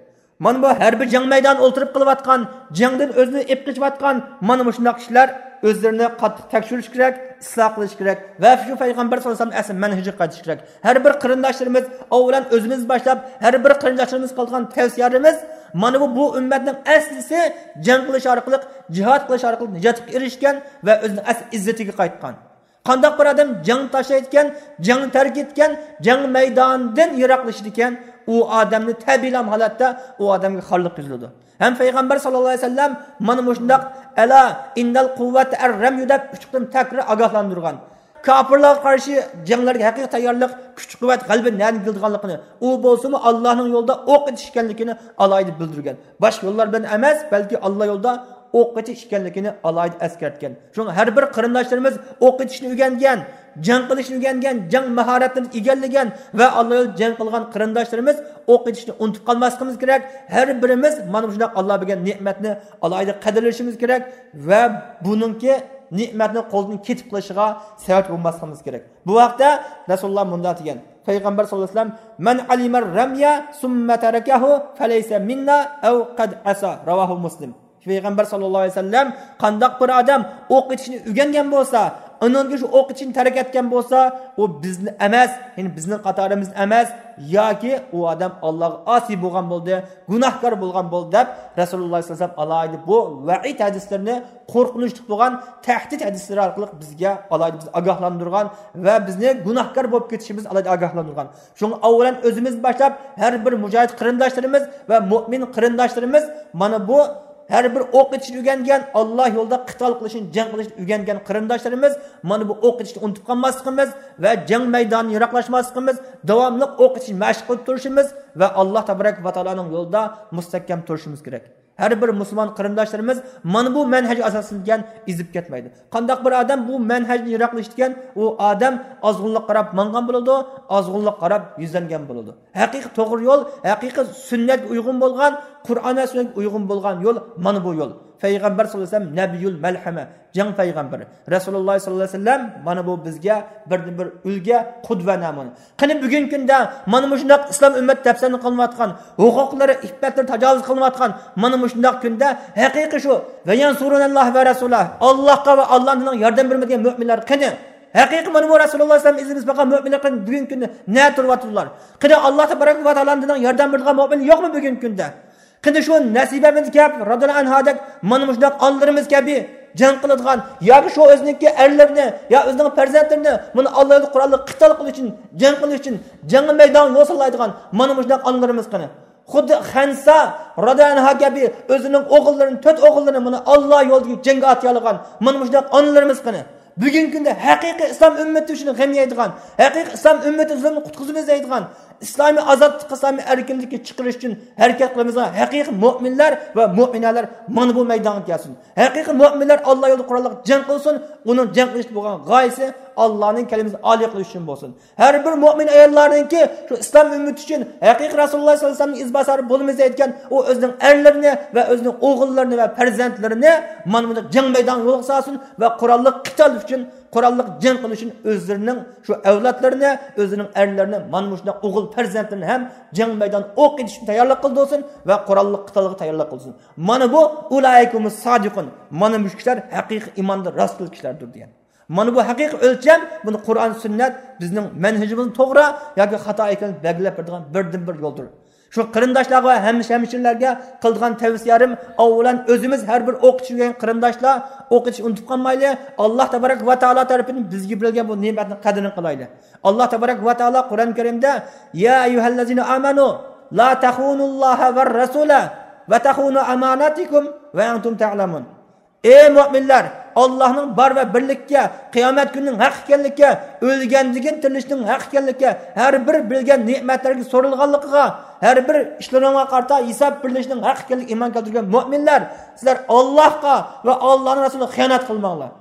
مانا بۇ ھەر بىر جەڭ مەيدانىدا ئولتۇرۇپ قىلىۋاتقان، جەڭدىن ئۆزىنى ئېپ قېچىۋاتقان مانا مۇشۇنداق كىشىلەر ئۆزلىرىنى قاتتىق تەكشۈرۈش كېرەك، ئىسلاھ قىلىش كېرەك ۋە شۇ پەيغەمبەر ساللاللاھۇ ئەلەيھى ۋەسەللەم ئەسلى مەنھىجىگە قايتىش كېرەك. ھەر بىر قېرىنداشلىرىمىز، ئاۋۋالەن ئۆزىمىز باشلاپ، ھەر بىر قېرىنداشلىرىمىز قىلغان تەۋسىيەلىرىمىز، مانا بۇ، بۇ ئۈممەتنىڭ ئەسلىسى جەڭ قىلىش ئارقىلىق، جىھاد قىلىش ئارقىلىق نىجاتقا ئېرىشكەن ۋە ئۆزىنىڭ ئەسلى ئىززىتىگە قايتقان. قانداق بىر ئادەم جەڭ تاشلايدىكەن، جەڭنى تەرك ئېتىدىكەن، جەڭ مەيدانىدىن يىراقلىشىدىكەن، ئۇ ئادەمنى تەبىئىيلا ھالەتتە ئۇ ئادەمگە خارلىق يۈزلىنىدۇ. ھەم پەيغەمبەر ساللاللاھۇ ئەلەيھى ۋەسەللەم مانا مۇشۇنداق، ئەلا ئىننەل قۇۋۋەتە ئەر رەميۇ دەپ ئۈچ قېتىم تەكرار ئاگاھلاندۇرغان. كاپىرلارغا قارشى جەڭلەرگە ھەقىقىي تەييارلىق، كۈچ قۇۋۋەت، غەلىبە نەدىن كېلىدىغانلىقىنى، ئۇ بولسىمۇ ئاللانىڭ يولىدا ئوق ئېتىش ئىكەنلىكىنى ئالاھىدە بىلدۈرگەن. باشقا يوللار بىلەن ئەمەس، بەلكى ئاللا يولىدا ئوق ئېتىش ئىكەنلىكىنى ئالاھىدە ئەسكەرتكەن. شۇڭا ھەر بىر قېرىنداشلىرىمىز ئوق ئېتىشنى ئۆگەنگەن، جەڭ قىلىشنى ئۆگەنگەن، جەڭ ماھارەتلىرىنى ئىگىلىگەن ۋە ئاللا يولىدا جەڭ قىلغان قېرىنداشلىرىمىز ئوق ئېتىشنى ئۇنتۇپ قالماسلىقىمىز كېرەك. ھەر بىرىمىز مانا مۇشۇنداق ئاللا بەرگەن نېمەتنى ئالاھىدە قەدىرلىشىمىز كېرەك ۋە بۇنىڭكى نېمەتنى قولدىن كېتىپ قېلىشىغا سەۋەب بولماسلىقىمىز كېرەك. بۇ ھەقتە رەسۇلۇللا مۇنداق دېگەن، پەيغەمبەر ساللاللاھۇ ئەلەيھى ۋەسەللەم، مەن ئەلىمەر رەميە سۇممە تەرەكەھۇ فەلەيسە مىننا ئەۋ قەد ئەسا. راۋاھۇ مۇسلىم. پەيغەمبەر ساللاللاھۇ ئەلەيھى ۋەسەللەم، قانداق بىر ئادەم ئوق ئېتىشنى ئۆگەنگەن بولسا، ئانان كېيىن شۇ ئوق ئېتىشنى تەرك ئەتكەن بولسا، ئۇ بىزنى ئەمەس، يەنى بىزنىڭ قاتارىمىزدىن ئەمەس، ياكى ئۇ ئادەم ئاللاغا ئاسىي بولغان بولدى، گۇناھكار بولغان بولدى دەپ، رەسۇلۇللا ساللاللاھۇ ئەلەيھى ۋەسەللەم ئالاھىدە بۇ ۋەئىد ھەدىسلىرىنى، قورقۇنچلۇق بولغان تەھدىت ھەدىسلىرى ئارقىلىق بىزگە ئالاھىدە بىزنى ئاگاھلاندۇرغان ۋە بىزنى گۇناھكار بولۇپ كېتىشىمىز ئالاھىدە ئاگاھلاندۇرغان. شۇڭا ئاۋۋالەن ئۆزىمىز باشلاپ، ھەر بىر مۇجاھىد قېرىنداشلىرىمىز ۋە مۆمىن قېرىنداشلىرىمىز مانا بۇ ھەر بىر ئوق ئېتىشنى ئۆگەنگەن، ئاللا يولىدا قىتال قىلىشنى، جەڭ قىلىشنى ئۆگەنگەن قېرىنداشلىرىمىز مانا بۇ ئوق ئېتىشنى ئۇنتۇپ قالماسلىقىمىز ۋە جەڭ مەيدانىدىن يىراقلاشماسلىقىمىز، داۋاملىق ئوق ئېتىش مەشىق قىلىپ تۇرۇشىمىز ۋە ئاللا تەبارەك ۋە تائالانىڭ يولىدا مۇستەھكەم تۇرۇشىمىز كېرەك. ھەر بىر مۇسۇلمان قېرىنداشلىرىمىز مانا بۇ مەنھەج ئاساسىدىكەن ئېزىپ كەتمەيدۇ. قانداق بىر ئادەم بۇ مەنھەجدىن يىراقلىشىدىكەن، ئۇ ئادەم ئازغۇنلۇققا قاراپ ماڭغان بولىدۇ، ئازغۇنلۇققا قاراپ يۈزلەنگەن بولىدۇ. ھەقىقىي توغرا يول، ھەقىقىي سۈننەتكە ئۇيغۇن بولغان، قۇرئان ۋە سۈننەتكە ئۇيغۇن بولغان يول مانا بۇ يول. پەيغەمبەر ساللاللاھۇ ئەلەيھى ۋەسەللەم نەبىيۇل مەلھەمە، جەڭ پەيغەمبىرى. رەسۇلۇللاھ ساللاللاھۇ ئەلەيھى ۋەسەللەم مانا بۇ بىزگە بىردىن بىر ئۈلگە، قۇدۋە نەمۇنە. قېنى بۈگۈنكى كۈندە مانا مۇشۇنداق ئىسلام ئۈممەت دەپسەندە قىلىنىۋاتقان، ھوقۇقلىرى، ئىپپەتلىرى تاجاۋۇز قىلىنىۋاتقان مانا مۇشۇنداق كۈندە ھەقىقىي شۇ ۋەيەنسۇرۇنەللاھ ۋە رەسۇلەھ، ئاللاھقا ۋە ئاللاھنىڭ ياردەم بېرىمىز دېگەن مۆمىنلەر قېنى؟ ھەقىقىي مانا بۇ رەسۇلۇللاھ سەللەللاھۇ ئەلەيھى ۋەسەللەم ئىزىنى بېسىپ باققان مۆمىنلەر قېنى بۈگۈنكى كۈندە نەدە تۇرۇۋاتىدۇلار؟ قېنى ئاللاھ تەبارەك ۋە تائالانىڭ ياردەم بېرىدىغان مۆمىن يوقمۇ بۈگۈنكى كۈندە؟ قېنى شۇ نەسىبەمىز كەپ، رازىياللاھۇ ئەنھادەك مانا مۇشۇنداق ئانىلىرىمىز كەبى جەڭ قىلىدىغان ياكى شۇ ئۆزىنىڭكى ئەرلىرىنى يا ئۆزىنىڭ پەرزەنتلىرىنى مانا ئاللا يولىدا قوراللىق قىتال قىلىش ئۈچۈن، جەڭ قىلىش ئۈچۈن جەڭ مەيدانىغا يول سالايدىغان مانا مۇشۇنداق ئانىلىرىمىز قېنى؟ خۇددى خەنسا رازىياللاھۇ ئەنھا كەبى ئۆزىنىڭ ئوغۇللىرىنى، تۆت ئوغۇللىرىنى مانا ئاللا يولىدىكى جەڭگە ئاتىيالىغان مانا مۇشۇنداق ئانىلىرىمىز قېنى؟ بۈگۈنكى كۈندە ھەقىقىي ئىسلام ئۈممىتى ئۈچۈن غەم يەيدىغان، ھەقىقىي ئىسلام ئۈممىتى زۇلۇمدىن قۇتقۇزۇپ ئىزدەيدىغان، ئىسلامىي ئازادلىققا، ئىسلامىي ئەركىنلىككە چىقىرىش ئۈچۈن ھەرىكەت قىلىمىزغان ھەقىقىي مۆمىنلەر ۋە مۆمىنەلەر مانا بۇ مەيدانغا كەلسۇن. ھەقىقىي مۆمىنلەر ئاللا يولىدا قوراللىق جەڭ قىلسۇن، ئۇنىڭ جەڭ قىلىشتا بولغان غايىسى ئاللانىڭ كەلىمىسىنى ئالىي قىلىش ئۈچۈن بولسۇن. ھەر بىر مۆمىن ئاياللارنىڭكى شۇ ئىسلام ئۈممىتى ئۈچۈن ھەقىقىي رەسۇلۇللاھ سەللەللاھۇ ئەلەيھى ۋەسەللەمنىڭ ئىزباسارى بولىمىز دەيدىكەن، ئۇ ئۆزىنىڭ ئەرلىرىنى ۋە ئۆزىنىڭ ئوغۇللىرىنى ۋە پەرزەنتلىرىنى مانا بۇنداق جەڭ مەيدانىغا يولغا سالسۇن ۋە قوراللىق قىتال ئۈچۈن، قوراللىق جەڭ قىلىش ئۈچۈن ئۆزلىرىنىڭ شۇ ئەۋلادلىرىنى، ئۆزىنىڭ ئەرلىرىنى مانا مۇشۇنداق ئوغۇل پەرزەنتلىرىنى ھەم جەڭ مەيدانىغا ئوق ئېتىش ئۈچۈن تەييارلىق قىلدۇرسۇن ۋە قوراللىق قىتالغا تەييارلىق قىلسۇن. مانا بۇ ئۇلائىكە ھۇمۇس سادىقۇن. مانا مۇشۇ كىشىلەر ھەقىقىي ئىماندا راستچىل كىشىلەردۇر دېگەن. مانا بۇ ھەقىقىي ئۆلچەم، بۇنى قۇرئان، سۈننەت بىزنىڭ مەنھىجىمىزنى توغرا ياكى خاتا ئىكەنلىكىنى بەلگىلەپ بېرىدىغان بىردىنبىر يولدۇر. شۇ قېرىنداشلارغا ۋە ھەممە ھەمشىرىلەرگە قىلىدىغان تەۋسىيەلىرىم، ئاۋۋالەن ئۆزىمىز ھەر بىر ئوق ئېتىش ئۆگەنگەن قېرىنداشلار ئوق ئېتىشنى ئۇنتۇپ قالمايلى. ئاللا تەبارەك ۋە تائالا تەرىپىدىن بىزگە بېرىلگەن بۇ نېمەتنىڭ قەدرىنى قىلايلى. ئاللا تەبارەك ۋە تائالا قۇرئان كەرىمدە، يا ئەييۇھەللەزىنە ئامەنۇ لا تەخۇنۇللاھە ۋە رەسۇلە ۋە تەخۇنۇ ئاماناتىكۇم ۋە ئەنتۇم تەلەمۇن. ئەي مۆمىنلەر، ئاللانىڭ بار ۋە بىرلىككە، قىيامەت كۈنىنىڭ ھەق ئىكەنلىككە، ئۆلگەندىن كېيىن تىرىلىشنىڭ ھەق ئىكەنلىككە، ھەر بىر بىلگەن نېمەتلەرگە سورىلىدىغانلىقىغا، ھەر بىر ئىشلىرىڭغا قارىتا ھېساب بېرىلىشىنىڭ ھەق ئىكەنلىكىگە ئىمان كەلتۈرگەن مۆمىنلەر، سىلەر ئاللاھقا ۋە ئاللانىڭ رەسۇلىغا خىيانەت قىلماڭلار.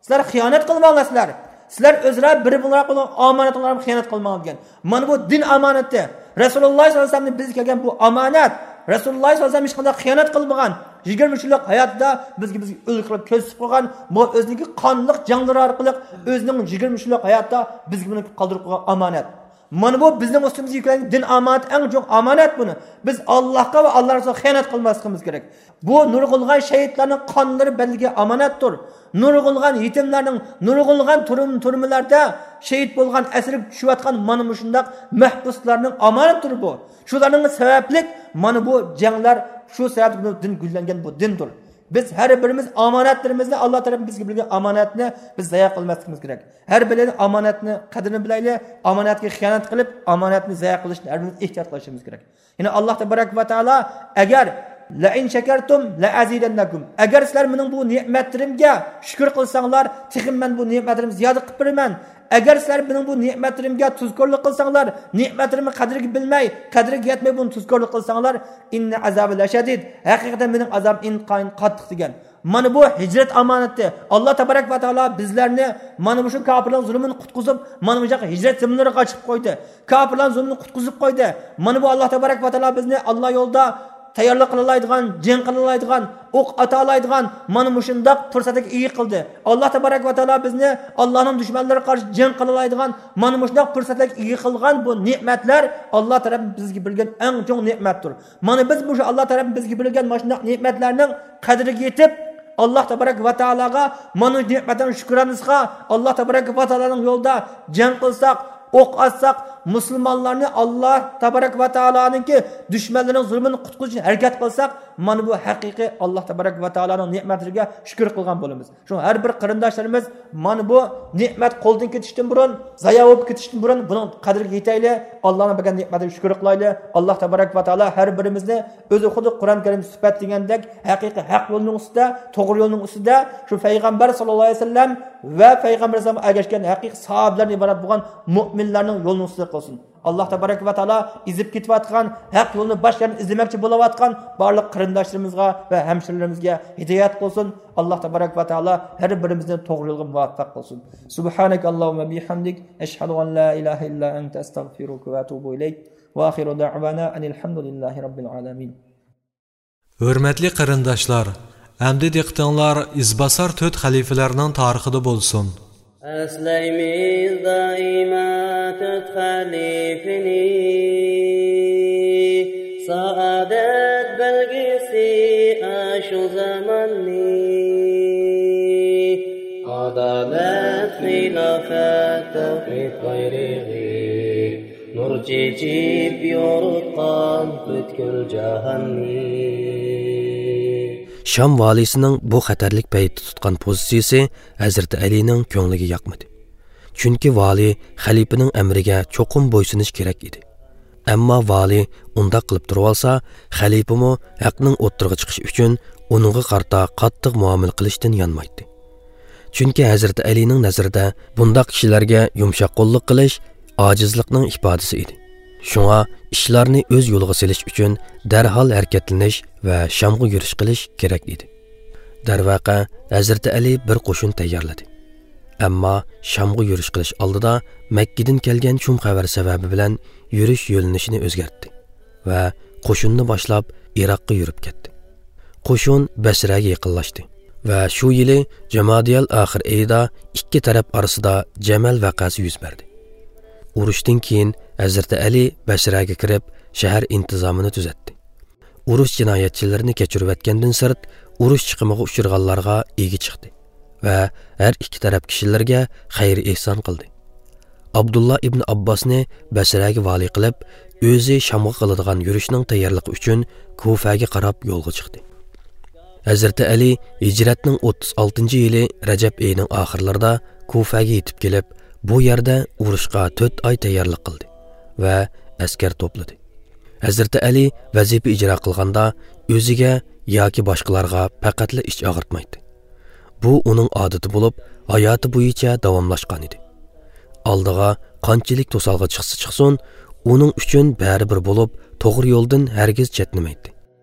سىلەر خىيانەت قىلماڭلار سىلەر. سىلەر ئۆزئارا بىر-بىرىڭلار بولغان ئامانەتلەرگە خىيانەت قىلماڭلار دېگەن. مانا بۇ دىن ئامانىتى. رەسۇلۇللاھ سەللەللاھۇ ئەلەيھى ۋەسەللەمدىن بىزگە كەلگەن بۇ ئامانەت. رەسۇلۇللاھ سەللەللاھۇ ئەلەيھى ۋەسەللەم ھېچقانداق خىيانەت قىلمىغان. يىگىرمە ئۈچ يىللىق ھاياتىدا بىزگە، بىزگە ئۈلگە قىلىپ كۆرسىتىپ قويغان، بۇ ئۆزىنىڭكى قانلىق جەڭلىرى ئارقىلىق ئۆزىنىڭ يىگىرمە ئۈچ يىللىق ھاياتىدا بىزگە بۇنى قالدۇرۇپ قويغان ئامانەت. مانا بۇ بىزنىڭ ئۈستىمىزگە يۈكلەنگەن دىن ئامانىتى، ئەڭ چوڭ ئامانەت بۇنى. بىز ئاللاھقا ۋە ئاللا رەسۇلىغا خىيانەت قىلماسلىقىمىز كېرەك. بۇ نۇرغۇنلىغان شەھىدلەرنىڭ قانلىرى بەدىلىگە ئامانەتتۇر. نۇرغۇنلىغان يېتىملەرنىڭ، نۇرغۇنلىغان تۈرم-، تۈرمىلەردە شېھىت بولغان، ئەسىرگە چۈشۈۋاتقان مانا مۇشۇنداق مەھبۇسلارنىڭ ئامانىتىدۇر بۇ. شۇلارنىڭ سەۋەبلىك مانا بۇ جەڭلەر، شۇ سەۋەبلىك بۇ دىن گۈللەنگەن بۇ دىندۇر. بىز ھەر بىرىمىز ئامانەتلىرىمىزنى، ئاللا تەرەپتىن بىزگە بېرىلگەن ئامانەتنى بىز زايە قىلماسلىقىمىز كېرەك. ھەر بىرىمىز ئامانەتنى قەدرىنى بىلەيلى، ئامانەتكە خىيانەت قىلىپ، ئامانەتنى زايە قىلىشتىن ھەر بىرىمىز ئېھتىيات قىلىشىمىز كېرەك. يەنى ئاللا تەبارەك ۋە تائالا، ئەگەر لەئىن شەكەرتۇم لەئەزىدەننەكۇم، ئەگەر سىلەر مېنىڭ بۇ نېمەتلىرىمگە شۈكۈر قىلساڭلار، تېخىمۇ مەن بۇ نېمەتلىرىمنى زىيادە قىلىپ بېرىمەن. ئەگەر سىلەر مېنىڭ بۇ نېمەتلىرىمگە تۇزكورلۇق قىلساڭلار، نېمەتلىرىمنى قەدرىگە بىلمەي، قەدرىگە يەتمەي بۇنى تۇزكورلۇق قىلساڭلار، ئىننە ئازابى لەشەدىد، ھەقىقەتەن مېنىڭ ئازابىم ئىنتايىن قاتتىق دېگەن. مانا بۇ ھىجرەت ئامانىتى. ئاللا تەبارەك ۋە تائالا بىزلەرنى مانا مۇشۇ كاپىرلارنىڭ زۇلمىدىن قۇتقۇزۇپ، مانا مۇشۇ ھىجرەت زېمىنلىرىغا ئاچىقىپ قويدى. كاپىرلارنىڭ زۇلمىدىن قۇتقۇزۇپ قويدى. مانا بۇ ئاللا تەبارەك ۋە تائالا بىزنى ئاللا يولىدا تەييارلىق قىلالايدىغان، جەڭ قىلالايدىغان، ئوق ئاتالايدىغان مانا مۇشۇنداق پۇرسەتكە ئىگە قىلدى. ئاللا تەبارەك ۋە تائالا بىزنى ئاللانىڭ دۈشمەنلىرىگە قارشى جەڭ قىلالايدىغان مانا مۇشۇنداق پۇرسەتكە ئىگە قىلغان بۇ نېمەتلەر ئاللا تەرەپتىن بىزگە بېرىلگەن ئەڭ چوڭ نېمەتتۇر. مانا بىز مۇشۇ ئاللا تەرەپتىن بىزگە بېرىلگەن مانا شۇنداق نېمەتلەرنىڭ قەدرىگە يېتىپ، ئاللا تەبارەك ۋە تائالاغا مانا شۇ نېمەتلەرنىڭ شۈكرانىسىغا، ئاللا تەبارەك ۋە تائالانىڭ يولىدا جەڭ قىلساق، ئوق ئاتساق، مۇسۇلمانلارنى ئاللا تەبارەك ۋە تائالانىڭكى دۈشمەنلىرىنىڭ زۇلمىدىن قۇتقۇزۇش ئۈچۈن ھەرىكەت قىلساق، مانا بۇ ھەقىقىي ئاللا تەبارەك ۋە تائالانىڭ نېمەتلىرىگە شۈكۈر قىلغان بولىمىز. شۇڭا ھەر بىر قېرىنداشلىرىمىز مانا بۇ نېمەت قولدىن كېتىشتىن بۇرۇن، زايا بولۇپ كېتىشتىن بۇرۇن بۇنىڭ قەدرىگە يېتەيلى، ئاللانىڭ بەرگەن نېمەتلىرىگە شۈكۈر قىلايلى. ئاللا تەبارەك ۋە تائالا ھەر بىرىمىزنى ئۆزى خۇددى قۇرئان كەرىم سۈپەتلىگەندەك ھەقىقىي ھەق يولنىڭ ئۈستىدە، توغرا يولنىڭ ئۈستىدە، شۇ پەيغەمبەر ساللاللاھۇ ئەلەيھى ۋەسەللەم ۋە پەيغەمبەر ئەلەيھىسسالامغا ئەگەشكەن ھەقىقىي ساھابىلەردىن ئىبارەت بولغان مۆمىنلەرنىڭ يولىنىڭ ئۈستىدە قىلسۇن. ئاللاھ تەبارەك ۋە تائالا ئېزىپ كېتىۋاتقان، ھەق يولنى باشقا يەردىن ئىزدىمەكچى بولۇۋاتقان بارلىق قېرىنداشلىرىمىزغا ۋە ھەمشىرىلىرىمىزگە ھىدايەت قىلسۇن. ئاللاھ تەبارەك ۋە تائالا ھەر بىرىمىزنى توغرا يولغا مۇۋەپپەق قىلسۇن. سبحانك اللهم وبحمدك، أشهد أن لا إله إلا أنت، أستغفرك وأتوب إليك. وآخر دعوانا أن الحمد لله رب العالمين. ھۆرمەتلىك قېرىنداشلار، ئەمدى دىققىتىڭلار ئىزباسار تۆت خەلىپىلەرنىڭ تارىخىدا بولسۇن. ئەسلەيمىز دائىما تۆت خەلىپىنى، سائادەت بەلگىسى ئاشۇ زاماننى. ئادالەت، خىلاپەت، تەۋھىد بايرىقى، نۇر چېچىپ يورۇتقان پۈتكۈل جاھاننى. شام ۋالىسىنىڭ بۇ خەتەرلىك پەيتتە تۇتقان پوزىتسىيىسى ھەزرىتى ئەلىنىڭ كۆڭلىگە ياقمىدى. چۈنكى ۋالىي خەلىپىنىڭ ئەمرىگە چوقۇم بويسۇنۇش كېرەك ئىدى. ئەمما ۋالىي ئۇنداق قىلىپ تۇرۇۋالسا، خەلىپىمۇ ھەقنىڭ ئوتتۇرىغا چىقىشى ئۈچۈن ئۇنىڭغا قارىتا قاتتىق مۇئامىلە قىلىشتىن يانمايتتى. چۈنكى ھەزرىتى ئەلىنىڭ نەزىرىدە بۇنداق كىشىلەرگە يۇمشاق قوللۇق قىلىش ئاجىزلىقنىڭ ئىپادىسى ئىدى. شۇڭا ئىشلارنى ئۆز يولىغا سېلىش ئۈچۈن دەرھال ھەرىكەتلىنىش ۋە شامغا يۈرۈش قىلىش كېرەك ئىدى. دەرۋەقە، ھەزرىتى ئەلى بىر قوشۇن تەييارلىدى. ئەمما شامغا يۈرۈش قىلىش ئالدىدا مەككىدىن كەلگەن شۇم خەۋەر سەۋەبى بىلەن يۈرۈش يۆنىلىشىنى ئۆزگەرتتى ۋە قوشۇننى باشلاپ ئىراققا يۈرۈپ كەتتى. قوشۇن بەسرەگە يېقىنلاشتى ۋە شۇ يىلى جامادىيال ئاخىر ئېيىدا ئىككى تەرەپ ئارىسىدا جەمەل ۋەقەسى يۈز بەردى. ئۇرۇشتىن كېيىن ھەزرىتى ئەلى بەسرەگە كىرىپ، شەھەر ئىنتىزامىنى تۈزەتتى. ئۇرۇش جىنايەتچىلىرىنى كەچۈرۈۋەتكەندىن سىرت، ئۇرۇش چىقىمىغا ئۇچرىغانلارغا ئىگە چىقتى ۋە ھەر ئىككى تەرەپ كىشىلىرىگە خەير-ئېھسان قىلدى. ئابدۇللا ئىبن ئابباسنى بەسرەگە ۋالىي قىلىپ، ئۆزى شامغا قىلىدىغان يۈرۈشنىڭ تەييارلىقى ئۈچۈن كۇفەگە قاراپ يولغا چىقتى. ھەزرىتى ئەلى ھىجرەتنىڭ ئوتتۇز ئالتىنچى يىلى رەجەب ئېيىنىڭ ئاخىرلىرىدا كۇفەگە يېتىپ كېلىپ، بۇ يەردە ئۇرۇشقا تۆت ئاي تەييارلىق قىلدى ۋە ئەسكەر توپلىدى. ھەزرىتى ئەلى ۋەزىپە ئىجرا قىلغاندا ئۆزىگە ياكى باشقىلارغا پەقەتلا ئىچ ئاغرىتمايتتى. بۇ ئۇنىڭ ئادىتى بولۇپ، ھاياتى بويىچە داۋاملاشقان ئىدى. ئالدىغا قانچىلىك توسالغۇ چىقسا چىقسۇن، ئۇنىڭ ئۈچۈن بەرىبىر بولۇپ، توغرا يولدىن ھەرگىز چەتنىمەيتتى.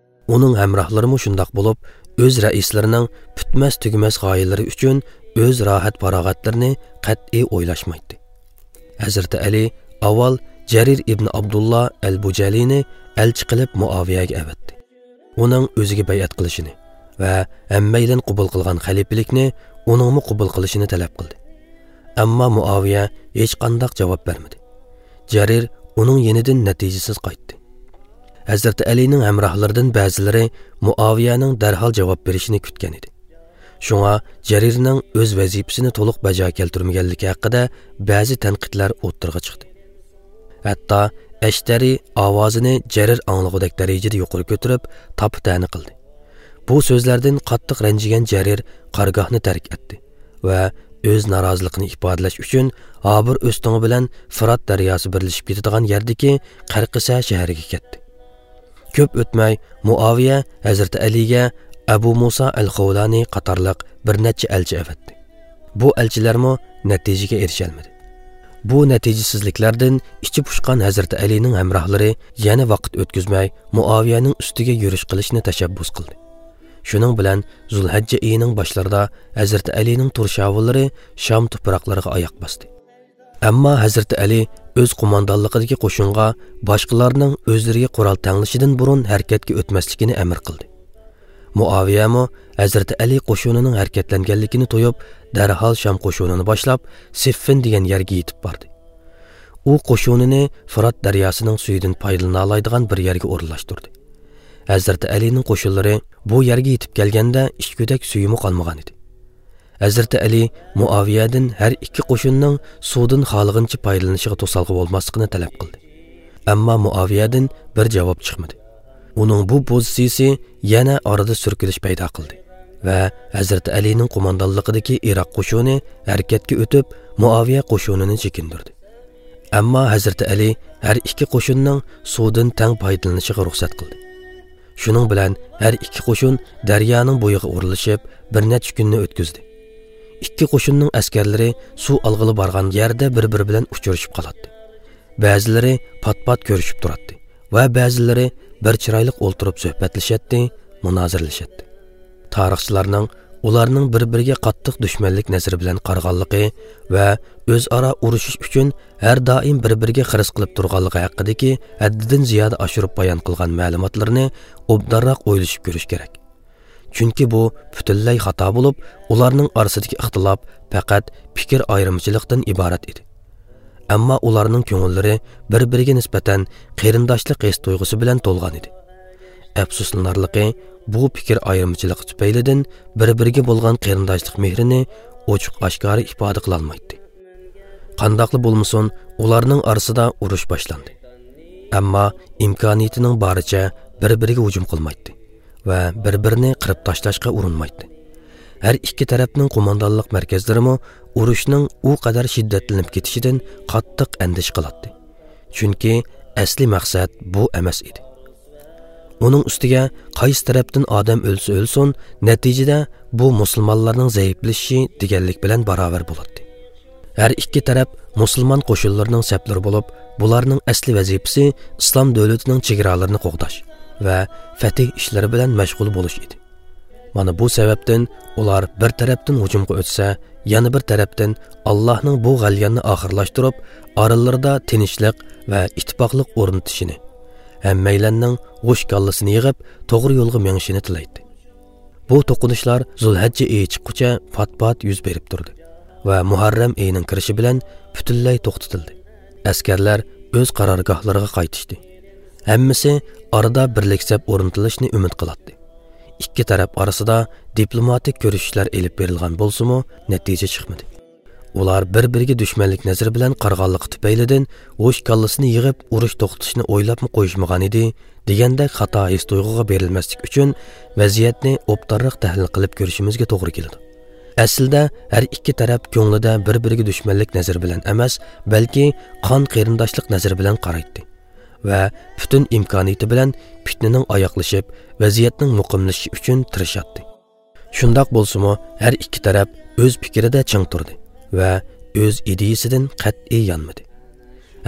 ئۇنىڭ ھەمراھلىرىمۇ شۇنداق بولۇپ، ئۆز رەئىسلىرىنىڭ پۈتمەس-تۈگىمەس غايىلىرى ئۈچۈن ئۆز راھەت-پاراغەتلىرىنى قەتئىي ئويلاشمايتتى. ھەزرىتى ئەلى ئاۋۋال جەرىر ئىبن ئابدۇللا ئەل بۇجەلىنى ئەلچى قىلىپ مۇئاۋىيەگە ئەۋەتتى. ئۇنىڭ ئۆزىگە بەيئەت قىلىشىنى ۋە ھەممەيلەن قوبۇل قىلغان خەلىپىلىكنى ئۇنىڭمۇ قوبۇل قىلىشىنى تەلەپ قىلدى. ئەمما مۇئاۋىيە ھېچقانداق جاۋاب بەرمىدى. جەرىر ئۇنىڭ يېنىدىن نەتىجىسىز قايتتى. ھەزرىتى ئەلىنىڭ ھەمراھلىرىدىن بەزىلىرى مۇئاۋىيەنىڭ دەرھال جاۋاب بېرىشىنى كۈتكەن ئىدى. شۇڭا جەرىرنىڭ ئۆز ۋەزىپىسىنى تولۇق بەجا كەلتۈرمىگەنلىكى ھەققىدە بەزى تەنقىدلەر ئوتتۇرىغا چىقتى. ھەتتا ئەشتەرى ئاۋازىنى جەرىر ئاڭلىغۇدەك دەرىجىدە يۇقىرى كۆتۈرۈپ، تاپا-تەنە قىلدى. بۇ سۆزلەردىن قاتتىق رەنجىگەن جەرىر قارگاھنى تەرك ئەتتى ۋە ئۆز نارازىلىقىنى ئىپادىلەش ئۈچۈن ھابىر ئۆستىڭى بىلەن فۇرات دەرياسى بىرلىشىپ كېتىدىغان يەردىكى قەرقىسە شەھىرىگە كەتتى. كۆپ ئۆتمەي، مۇئاۋىيە ھەزرىتى ئەلىگە ئەبۇ مۇسا ئەل خەۋلانى قاتارلىق بىر نەچچە ئەلچى ئەۋەتتى. بۇ ئەلچىلەرمۇ نەتىجىگە ئېرىشەلمىدى. بۇ نەتىجىسىزلىكلەردىن ئىچى پۇشقان ھەزرىتى ئەلىنىڭ ھەمراھلىرى يەنە ۋاقىت ئۆتكۈزمەي، مۇئاۋىيەنىڭ ئۈستىگە يۈرۈش قىلىشنى تەشەببۇس قىلدى. شۇنىڭ بىلەن زۇلھەججە ئېيىنىڭ باشلىرىدا ھەزرىتى ئەلىنىڭ تۇرشاۋۇللىرى شام توپراقلىرىغا ئاياق باستى. ئەمما ھەزرىتى ئەلى ئۆز قوماندانلىقىدىكى قوشۇنغا باشقىلارنىڭ ئۆزلىرىگە قورال تەڭلىشىدىن بۇرۇن ھەرىكەتكە ئۆتمەسلىكىنى ئەمىر قىلدى. مۇئاۋىيەمۇ ھەزرىتى ئەلى قوشۇنىنىڭ ھەرىكەتلەنگەنلىكىنى تۇيۇپ، دەرھال شام قوشۇنىنى باشلاپ، سىففىن دېگەن يەرگە يېتىپ باردى. ئۇ قوشۇنىنى فۇرات دەرياسىنىڭ سۈيىدىن پايدىلىنالايدىغان بىر يەرگە ئورۇنلاشتۇردى. ھەزرىتى ئەلىنىڭ قوشۇنلىرى بۇ يەرگە يېتىپ كەلگەندە، ئىچكۈدەك سۈيىمۇ قالمىغان ئىدى. ھەزرىتى ئەلى مۇئاۋىيەدىن ھەر ئىككى قوشۇننىڭ سۇدىن خالىغىنىچە پايدىلىنىشىغا توسالغۇ بولماسلىقىنى تەلەپ قىلدى. ئەمما مۇئاۋىيەدىن بىر جاۋاب چىقمىدى. ئۇنىڭ بۇ پوزىتسىيىسى يەنە ئارىدا سۈركىلىش پەيدا قىلدى ۋە ھەزرىتى ئەلىنىڭ قوماندانلىقىدىكى ئىراق قوشۇنى ھەرىكەتكە ئۆتۈپ، مۇئاۋىيە قوشۇنىنى چېكىندۈردى. ئەمما ھەزرىتى ئەلى ھەر ئىككى قوشۇننىڭ سۇدىن تەڭ پايدىلىنىشىغا رۇخسەت قىلدى. شۇنىڭ بىلەن ھەر ئىككى قوشۇن دەريانىڭ بويىغا ئورۇنلىشىپ، بىر نەچچە كۈننى ئۆتكۈزدى. ئىككى قوشۇننىڭ ئەسكەرلىرى سۇ ئالغىلى بارغان يەردە بىر-بىرى بىلەن ئۇچرىشىپ قالاتتى. بەزىلىرى پات-پات كۆرۈشۈپ تۇراتتى ۋە بەزىلىرى بىر چىرايلىق ئولتۇرۇپ سۆھبەتلىشەتتى، مۇنازىرىلىشەتتى. تارىخچىلارنىڭ ئۇلارنىڭ بىر-بىرىگە قاتتىق دۈشمەنلىك نەزىرى بىلەن قارىغانلىقى ۋە ئۆزئارا ئۇرۇشۇش ئۈچۈن ھەر دائىم بىر-بىرىگە خىرىس قىلىپ تۇرغانلىقى ھەققىدىكى ھەددىدىن زىيادە ئاشۇرۇپ بايان قىلغان مەلۇماتلىرىنى ئوبدانراق ئويلىشىپ كۆرۈش كېرەك. چۈنكى بۇ پۈتۈنلەي خاتا بولۇپ، ئۇلارنىڭ ئارىسىدىكى ئىختىلاپ پەقەت پىكىر ئايرىمىچىلىقتىن ئىبارەت ئىدى. ئەمما ئۇلارنىڭ كۆڭۈللىرى بىر-بىرىگە نىسبەتەن قېرىنداشلىق ھېس تۇيغۇسى بىلەن تولغان ئىدى. ئەپسۇسلىنارلىقى، بۇ پىكىر ئايرىمىچىلىقى تۈپەيلىدىن بىر-بىرىگە بولغان قېرىنداشلىق مېھرىنى ئوچۇق-ئاشكارا ئىپادە قىلالمايتتى. قانداقلا بولمىسۇن، ئۇلارنىڭ ئارىسىدا ئۇرۇش باشلاندى. ئەمما ئىمكانىيىتىنىڭ بارىچە بىر-بىرىگە ھۇجۇم قىلمايتتى ۋە بىر-بىرىنى قىرىپ تاشلاشقا ئۇرۇنمايتتى. ھەر ئىككى تەرەپنىڭ قوماندانلىق مەركەزلىرىمۇ ئۇرۇشنىڭ ئۇ قەدەر شىددەتلىنىپ كېتىشىدىن قاتتىق ئەندىشە قىلاتتى. چۈنكى ئەسلىي مەقسەت بۇ ئەمەس ئىدى. ئۇنىڭ ئۈستىگە قايسى تەرەپتىن ئادەم ئۆلسە ئۆلسۇن، نەتىجىدە بۇ مۇسۇلمانلارنىڭ زەئىپلىشىشى دېگەنلىك بىلەن باراۋەر بولاتتى. ھەر ئىككى تەرەپ مۇسۇلمان قوشۇنلىرىنىڭ سەپلىرى بولۇپ، بۇلارنىڭ ئەسلىي ۋەزىپىسى ئىسلام دۆلىتىنىڭ چېگرالىرىنى قوغداش ۋە فەتھ ئىشلىرى بىلەن مەشغۇل بولۇش ئىدى. مانا بۇ سەۋەبتىن ئۇلار بىر تەرەپتىن ھۇجۇمغا ئۆتسە، يەنە بىر تەرەپتىن ئاللاھنىڭ بۇ غەلياننى ئاخىرلاشتۇرۇپ، ئارىلىرىدا تىنچلىق ۋە ئىتتىپاقلىق ئورنىتىشىنى، ھەممەيلەننىڭ ھوش كاللىسىنى يىغىپ، توغرا يولغا مېڭىشىنى تىلەيتتى. بۇ توقۇنۇشلار زۇلھەججە ئېيى چىققۇچە پات-پات يۈز بېرىپ تۇردى ۋە مۇھەررەم ئېيىنىڭ كىرىشى بىلەن پۈتۈنلەي توختىتىلدى. ئەسكەرلەر ئۆز قارارگاھلىرىغا قايتىشتى. ھەممىسى ئارىدا بىرلىك سەپ ئورنىتىلىشىنى ئۈمىد قىلاتتى. ئىككى تەرەپ ئارىسىدا دىپلوماتىك كۆرۈشۈشلەر ئېلىپ بېرىلغان بولسىمۇ، نەتىجە چىقمىدى. ئۇلار بىر-بىرىگە دۈشمەنلىك نەزىرى بىلەن قارىغانلىقى تۈپەيلىدىن، ھوش كاللىسىنى يىغىپ، ئۇرۇش توختىتىشنى ئويلاپمۇ قويۇشمىغان ئىدى، دېگەندەك خاتا ھېس تۇيغۇغا بېرىلمەسلىك ئۈچۈن، ۋەزىيەتنى ئوبدانراق تەھلىل قىلىپ كۆرۈشىمىزگە توغرا كېلىدۇ. ئەسلىدە ھەر ئىككى تەرەپ كۆڭلىدە بىر-بىرىگە دۈشمەنلىك نەزىرى بىلەن ئەمەس، بەلكى قان قېرىنداشلىق نەزىرى بىلەن قارايتتى ۋە پۈتۈن ئىمكانىيىتى بىلەن پىتنىنىڭ ئاياغلىشىپ، ۋەزىيەتنىڭ مۇقىملىشىشى ئۈچۈن تىرىشاتتى. شۇنداق بولسىمۇ، ھەر ئىككى تەرەپ ئۆز پىكرىدە چىڭ تۇردى ۋە ئۆز ئىدىيىسىدىن قەتئىي يانمىدى.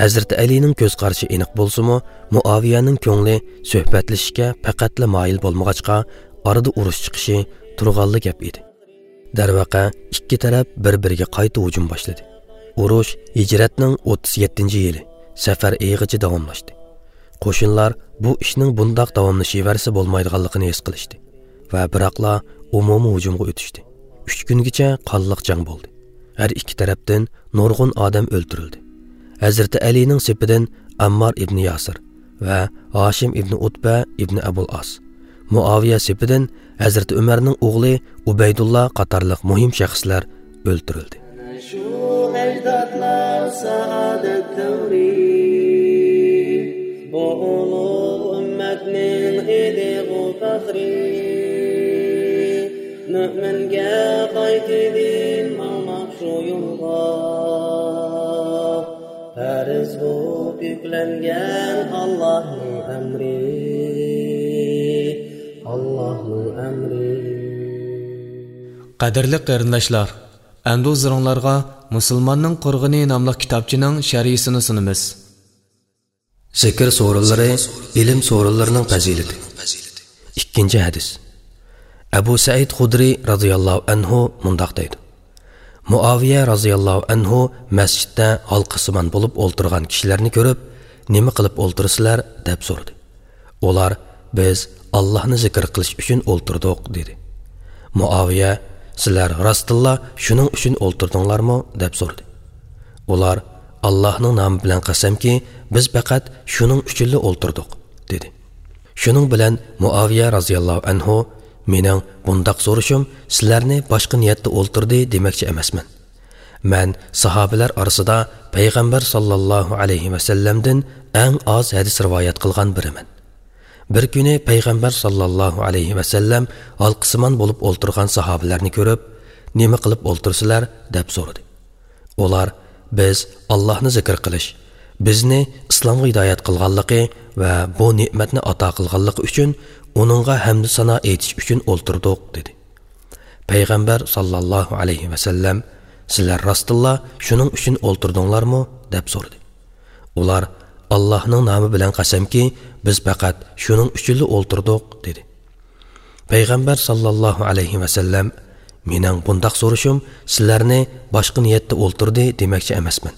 ھەزرىتى ئەلىنىڭ كۆز قارىشى ئېنىق بولسىمۇ، مۇئاۋىيەنىڭ كۆڭلى سۆھبەتلىشىشكە پەقەتلا مايىل بولمىغاچقا، ئارىدا ئۇرۇش چىقىشى تۇرغانلا گەپ ئىدى. دەرۋەقە، ئىككى تەرەپ بىر-بىرىگە قايتا ھۇجۇم باشلىدى. ئۇرۇش ھىجرەتنىڭ ئوتتۇز يەتتىنچى يىلى، سەفەر ئېيىغىچە داۋاملاشتى. قوشۇنلار بۇ ئىشنىڭ بۇنداق داۋاملىشىۋەرسە بولمايدىغانلىقىنى ھېس قىلىشتى ۋە بىراقلا ئومۇمىي ھۇجۇمغا ئۆتۈشتى. ئۈچ كۈنگىچە قانلىق جەڭ بولدى. ھەر ئىككى تەرەپتىن نۇرغۇن ئادەم ئۆلتۈرۈلدى. ھەزرىتى ئەلىنىڭ سېپىدىن ئەممار ئىبنى ياسىر ۋە ھاشىم ئىبنى ئۇتبە ئىبنى ئەبۇل ئاس، مۇئاۋىيە سېپىدىن ھەزرىتى ئۆمەرنىڭ ئوغلى ئۇبەيدۇللا قاتارلىق مۇھىم شەخسلەر ئۆلتۈرۈلدى. شۇ ئەجدادلار سائادەت دەۋرى، بۇ ئۇلۇغ ئۈممەتنىڭ ئىدىغۇ پەخرى. مۆمىنگە قايتىدىن ماڭماق شۇ يولغا، پەرز بولۇپ يۈكلەنگەن ئاللاھنىڭ ئەمرى، ئاللاھنىڭ ئەمرى. قەدىرلىك قېرىنداشلار، ئەمدى ھۇزۇرۇڭلارغا مۇسۇلماننىڭ قۇرغىنى ناملىق كىتابچىنىڭ شەرھىسىنى سۇنىمىز. زىكىر سورۇنلىرى، ئىلىم سورۇنلىرىنىڭ پەزىلىتى. ئىككىنچى ھەدىس. ئەبۇ سەئىد خۇدرى رازىياللاھۇ ئەنھۇ مۇنداق دەيدۇ: مۇئاۋىيە رازىياللاھۇ ئەنھۇ مەسچىتتە ھالقىسىمان بولۇپ ئولتۇرغان كىشىلەرنى كۆرۈپ، «نېمە قىلىپ ئولتۇرىسىلەر؟» دەپ سورىدى. ئۇلار، «بىز ئاللاھنى زىكىر قىلىش ئۈچۈن ئولتۇردۇق» دېدى. مۇئاۋىيە، «سىلەر راستتىنلا شۇنىڭ ئۈچۈن ئولتۇردۇڭلارمۇ؟» دەپ سورىدى. ئۇلار، «ئاللاھنىڭ نامى بىلەن قەسەمكى، بىز پەقەت شۇنىڭ ئۈچۈنلا ئولتۇردۇق» دېدى. شۇنىڭ بىلەن مۇئاۋىيە رازىياللاھۇ ئەنھۇ، «مېنىڭ بۇنداق سورىشىم سىلەرنى باشقا نىيەتتە ئولتۇردى دېمەكچى ئەمەسمەن. مەن ساھابىلەر ئارىسىدا پەيغەمبەر ساللاللاھۇ ئەلەيھى ۋەسەللەمدىن ئەڭ ئاز ھەدىس رىۋايەت قىلغان بىرىمەن. بىر كۈنى پەيغەمبەر ساللاللاھۇ ئەلەيھى ۋەسەللەم ھالقىسىمان بولۇپ ئولتۇرغان ساھابىلەرنى كۆرۈپ، 'نېمە قىلىپ ئولتۇرسىلەر؟' دەپ سورىدى. ئۇلار، «بىز ئاللاھنى زىكىر قىلىش، بىزنى ئىسلامغا ھىدايەت قىلغانلىقى ۋە بۇ نېمەتنى ئاتا قىلغانلىقى ئۈچۈن ئۇنىڭغا ھەمدۇ سانا ئېيتىش ئۈچۈن ئولتۇردۇق» دېدى. پەيغەمبەر ساللاللاھۇ ئەلەيھى ۋەسەللەم، «سىلەر راستتىنلا شۇنىڭ ئۈچۈن ئولتۇردۇڭلارمۇ؟» دەپ سورىدى. ئۇلار، «ئاللاھنىڭ نامى بىلەن قەسەمكى، بىز پەقەت شۇنىڭ ئۈچۈنلا ئولتۇردۇق» دېدى. پەيغەمبەر ساللاللاھۇ ئەلەيھى ۋەسەللەم، «مېنىڭ بۇنداق سورىشىم سىلەرنى باشقا نىيەتتە ئولتۇردى دېمەكچى ئەمەسمەن.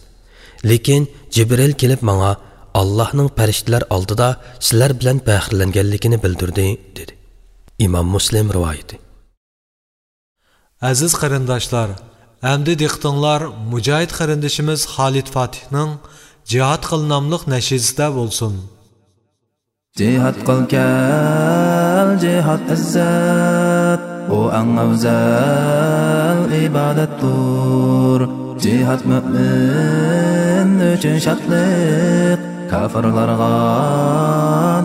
لېكىن جىبرىل كېلىپ ماڭا ئاللاھنىڭ پەرىشتىلەر ئالدىدا سىلەر بىلەن پەخىرلەنگەنلىكىنى بىلدۈردى» دېدى. ئىمام مۇسلىم رىۋايىتى. ئەزىز قېرىنداشلار، ئەمدى دىققىتىڭلار مۇجاھىد قېرىندىشىمىز خالىد فاتىھنىڭ جىھاد قىل ناملىق نەشىدىسىدە بولسۇن. جىھاد قىل كەل، جىھاد ئىززەت، ئۇ ئەڭ ئەۋزەل ئىبادەتتۇر. جىھاد مۆمىن ئۈچۈن شادلىق، كاپىرلارغا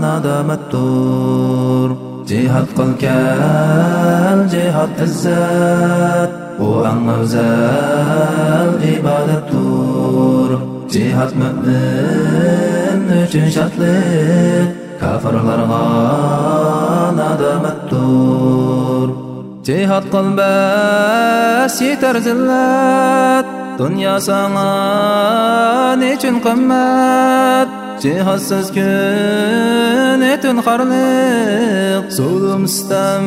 نادامەتتۇر. جىھاد قىل كەل، جىھاد ئىززەت، ئۇ ئەڭ ئەۋزەل ئىبادەتتۇر. جىھاد مۆمىن ئۈچۈن شادلىق، كاپىرلارغا نادامەتتۇر. جىھاد قىل بەس يېتەر زىللەت، دۇنيا ساڭا نېچۈن قىممەت؟ جىھادسىز كۈن ئۆتۈن خارلىق، زۇلۇم سىتەم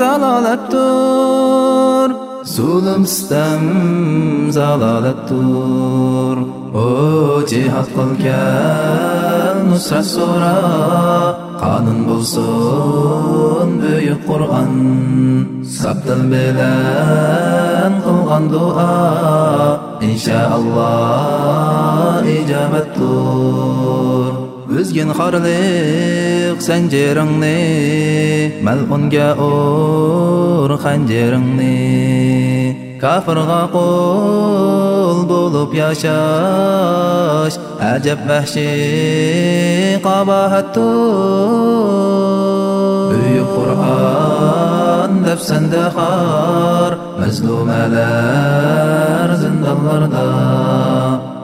زالالەتتۇر. زۇلۇم سىتەم زالالەتتۇر. ئۇ جىھاد قىل كەل، نۇسرەت سورا، قانۇن بولسۇن بۈيۈك قۇرئان. ساپ دىل بىلەن قىلغان دۇئا، ئىنشائاللا ئىجابەتتۇر. ئۈزگىن خارلىق زەنجىرىڭنى، مەلئۇنگە ئۇر خەنجىرىڭنى. كاپىرغا قۇل بولۇپ ياشاش ئەجەب ۋەھشىي قاباھەتتۇر. بۈيۈك قۇرئان دەپسەندە خار، مەزلۇمەلەر زىندانلاردا.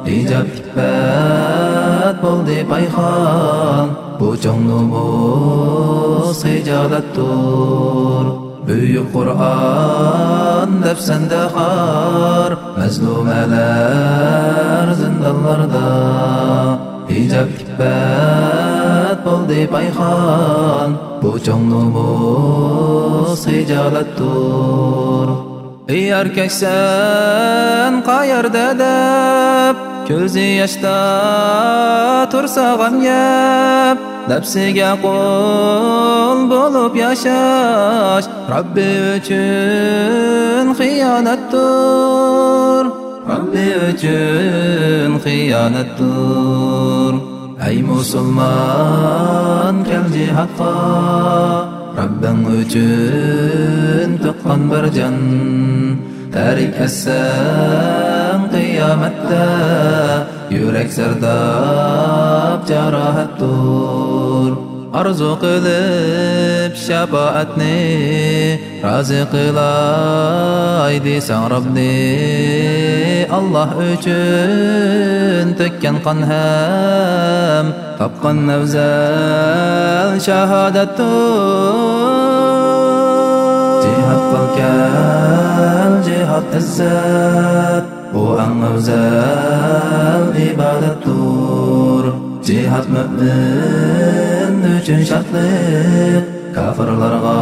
ھىجاب ئىپپەت بولدى پايخان، بۇ چوڭ نومۇس خىجالەتتۇر. بۈيۈك قۇرئان دەپسەندە خار، مەزلۇمەلەر زىندانلاردا. ھىجاب ئىپپەت بولدى پايخان، بۇ چوڭ نومۇس خىجالەتتۇر. ئى ئەركەكسەن قەيەردە دەپ، كۆزى ياشتا تۇرسا غەم يەپ، نەپسىگە قۇل بولۇپ ياشاش رەببى ئۈچۈن خىيانەتتۇر. رەببى ئۈچۈن خىيانەتتۇر. ئەي مۇسۇلمان، كەل جىھادقا، رەببىڭ ئۈچۈن تۇغقان بىر جان. تەرك ئەتسەڭ قىيامەتتە، يۈرەك زەرداب جاراھەتتۇر. ئارزۇ قىلىپ شاپائەتنى، رازى قىلاي دېسەڭ رەبنى. ئاللا ئۈچۈن تۆككەن قان ھەم تاپقان ئەۋزەل شاھادەتتۇر. جىھاد قىل كەل، جىھاد ئىززەت، ئۇ ئەڭ ئەۋزەل ئىبادەتتۇر. جىھاد مۆمىن ئۈچۈن شادلىق، كاپىرلارغا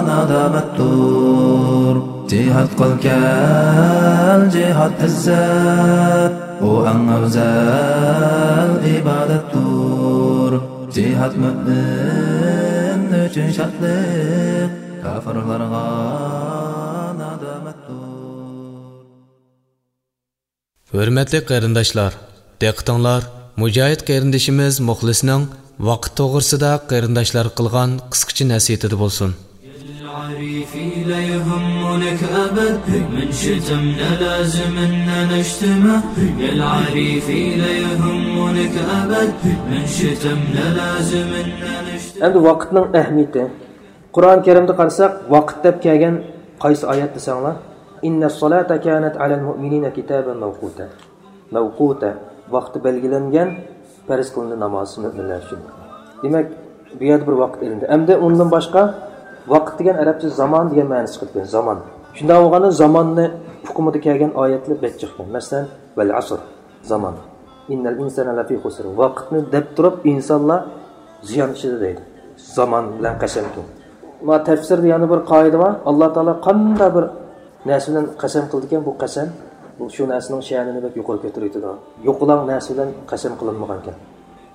نادامەتتۇر. جىھاد قىل كەل، جىھاد ئىززەت، ئۇ ئەڭ ئەۋزەل ئىبادەتتۇر. جىھاد مۆمىن ئۈچۈن شادلىق، كاپىرلارغا نادامەتتۇر. ھۆرمەتلىك قېرىنداشلار، دىققىتىڭلار مۇجاھىد قېرىندىشىمىز مۇخلىسنىڭ ۋاقىت توغرىسىدا قېرىنداشلارغا قىلغان قىسقىچە نەسىھىتىدە بولسۇن. يا العريفي لا يهمنك أبد، من شتمنا لازم إننا نجتمع. يا العريفي لا يهمنك أبد، من شتمنا لازم إننا نجتمع. ئەمدى ۋاقىتنىڭ ئەھمىيىتى. قۇرئان كەرىمدە قارىساق، ۋاقىت دەپ كەلگەن قايسى ئايەت دېسەڭلار؟ إن الصلاة كانت على المؤمنين كتابا موقوتا. مەۋقۇتە، ۋاقتى بەلگىلەنگەن، پەرز قىلىندى ناماز مۆمىنلەر ئۈچۈن. دېمەك، بۇ يەردە بىر ۋاقىت ئېلىندى. ئەمدى ئۇندىن باشقا، ۋاقىت دېگەن ئەرەبچە زامان دېگەن مەنىسى چىقىدىكەن، زامان. شۇنداق بولغاندا زاماننى ئۇقۇمىدا كەلگەن ئايەتلەر بەك جىق ئىكەن. مەسىلەن، ۋەل ئەسر، زامان. إن الإنسان لفي خسر. ۋاقىتنى دەپ تۇرۇپ، ئىنسانلار زىيان ئىچىدە دەيدۇ. زامان بىلەن قەسەمكەن. ما تەپسىردە يەنە بىر قائىدە بار. ئاللا تائالا قانداق بىر نەرسە بىلەن قەسەم قىلىدىكەن، بۇ قەسەم، بۇ شۇ نەرسىنىڭ شەنىنى بەك يۇقىرى كۆتۈرۈۋېتىدۇ. يوقىلاڭ نەرسە بىلەن قەسەم قىلىنمىغانكەن.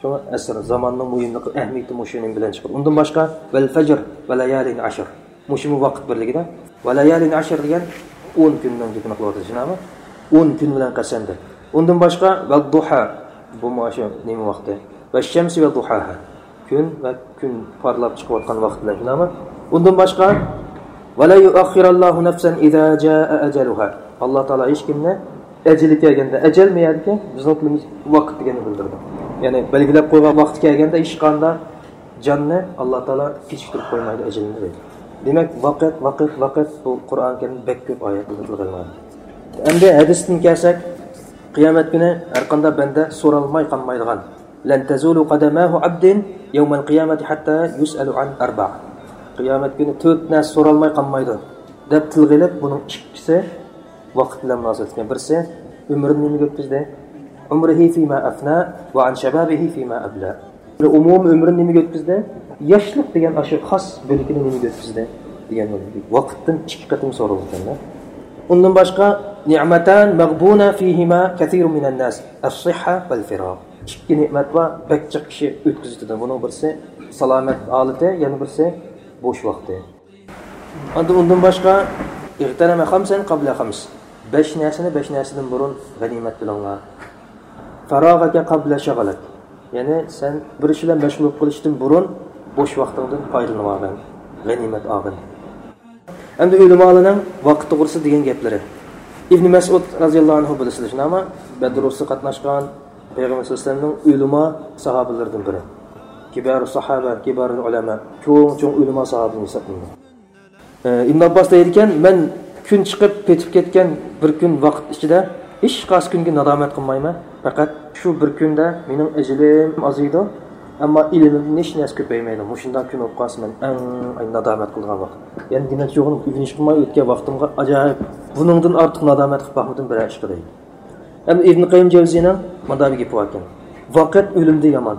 شۇڭا ئەسىر زاماننىڭ مۇھىملىقى، ئەھمىيىتى مۇشۇ نېمە بىلەن چىقىدۇ. ئۇندىن باشقا، ۋەل فەجر ۋە لەيالىن ئەشر. مۇشۇمۇ ۋاقىت بىرلىكىدە. ۋە لەيالىن ئەشر دېگەن ئون كۈننىڭ گېپىنى قىلىۋاتىدۇ، شۇنداقمۇ؟ ئون كۈن بىلەن قەسەم دەپ. ئۇندىن باشقا، ۋەددۇھا، بۇمۇ شۇ نېمە ۋاقتى؟ ۋەششەمسى ۋەددۇھاھا. كۈن ۋە كۈن پارلاپ چىقىۋاتقان ۋاقىت بىلەن، شۇنداقمۇ؟ ئۇندىن باشقا، ۋەلەن يۇئەخخىرەللاھۇ نەفسەن ئىزا جائە ئەجەلۇھا. ئاللا تائالا ھېچ كىمنى ئەجىلى كەلگەندە، ئەجەل مەيەدىكى بىزنىڭ تىلىمىز ۋاقىت دېگەننى بىلدۈرىدۇ. يەنى بەلگىلەپ قويغان ۋاقتى كەلگەندە ھېچقانداق جاننى ئاللا تائالا كېچىكتۈرۈپ قويمايدۇ ئەجىلىنى دەيدۇ. دېمەك، ۋاقىت، ۋاقىت، ۋاقىت، بۇ قۇرئان كەرىمدە بەك كۆپ ئايەتلەردە تىلغا ئېلىنغان. ئەمدى ھەدىستىن كەلسەك، قىيامەت كۈنى ھەرقانداق بەندە سورالماي قالمايدىغان، لەن تەزۇلۇ قەدەماھۇ ئەبدىن يەۋمەل قىيامەتى ھەتتا يۇسئەلۇ ئەن ئەربە. قىيامەت كۈنى تۆت نەرسە سورالماي قالمايدۇ، دەپ تىلغا ئېلىپ، بۇنىڭ ئىككىسى ۋاقىت بىلەن مۇناسىۋەتلىك. بىرسى، ئۆمرىنى نېمىگە ئۆتكۈزدى؟ عمره فيما أفنى وعن شبابه فيما أبلى. ئومۇمىي ئۆمرىنى نېمىگە ئۆتكۈزدى؟ ياشلىق دېگەن ئاشۇ خاس بۆلىكىنى نېمىگە ئۆتكۈزدى؟ دېگەن بولىدۇ. ۋاقىتتىن ئىككى قېتىم سورىلىدىكەن. ئۇندىن باشقا، نعمتان مغبون فيهما كثير من الناس، الصحة والفراغ. ئىككى نېمەت بار، بەك جىق كىشى ئۆتكۈزۈۋېتىدۇ. بۇنىڭ بىرسى سالامەت ھالىتى، يەنە بىرسى بوش ۋاقتى. ئاندىن ئۇندىن باشقا، اغتنم خمسا قبل خمس. بەش نەرسىنى بەش نەرسىدىن بۇرۇن غەنىيمەت بىلىڭلار. فراغك قبل شغلك. يەنى سەن بىر ئىش بىلەن مەشغۇل بولۇپ قېلىشتىن بۇرۇن بوش ۋاقتىڭدىن پايدىلىنىۋالغىن، غەنىيمەت ئالغىن. ئەمدى ئۆلىمالارنىڭ ۋاقىت توغرىسىدا دېگەن گەپلىرى. ئىبنى مەسئۇد رازىياللاھۇ ئەنھۇ بىلىسىلەر، شۇنداقمۇ؟ بەدر ئۇرۇشىغا قاتناشقان، پەيغەمبەر سەللەللاھۇ ئەلەيھى ۋەسەللەمنىڭ ئۆلىما ساھابىلىرىدىن بىرى. كىبارۇ ساھابە، كىبارۇل ئۇلەما، چوڭ-چوڭ ئۆلىما ساھابىدىن ھېسابلىنىدۇ. ئىبن ئابباس دەيدىكەن، مەن كۈن چىقىپ پېتىپ كەتكەن بىر كۈن ۋاقىت ئىچىدە ھېچقايسى كۈنگە نادامەت قىلمايمەن. پەقەت شۇ بىر كۈندە مېنىڭ ئەجىلىم ئازىيىدۇ، ئەمما ئىلمىمدىن ھېچ نەرسە كۆپەيمەيدۇ. مۇشۇنداق كۈن بولۇپ قالسا، مەن ئەڭ نادامەت قىلىدىغان ۋاقىت. يەنى دېمەكچى بولغىنىم، ئۆگىنىش قىلماي ئۆتكەن ۋاقتىمغا ئاجايىپ، بۇنىڭدىن ئارتۇق نادامەت قىلىپ باقمىدىم بىرەر ئىشقا دەيدۇ. ئەمدى ئىبن قەييىم جەۋزىينىڭ مۇنداق بىر گېپى باركەن، ۋاقىت ئۆلۈمدىن يامان.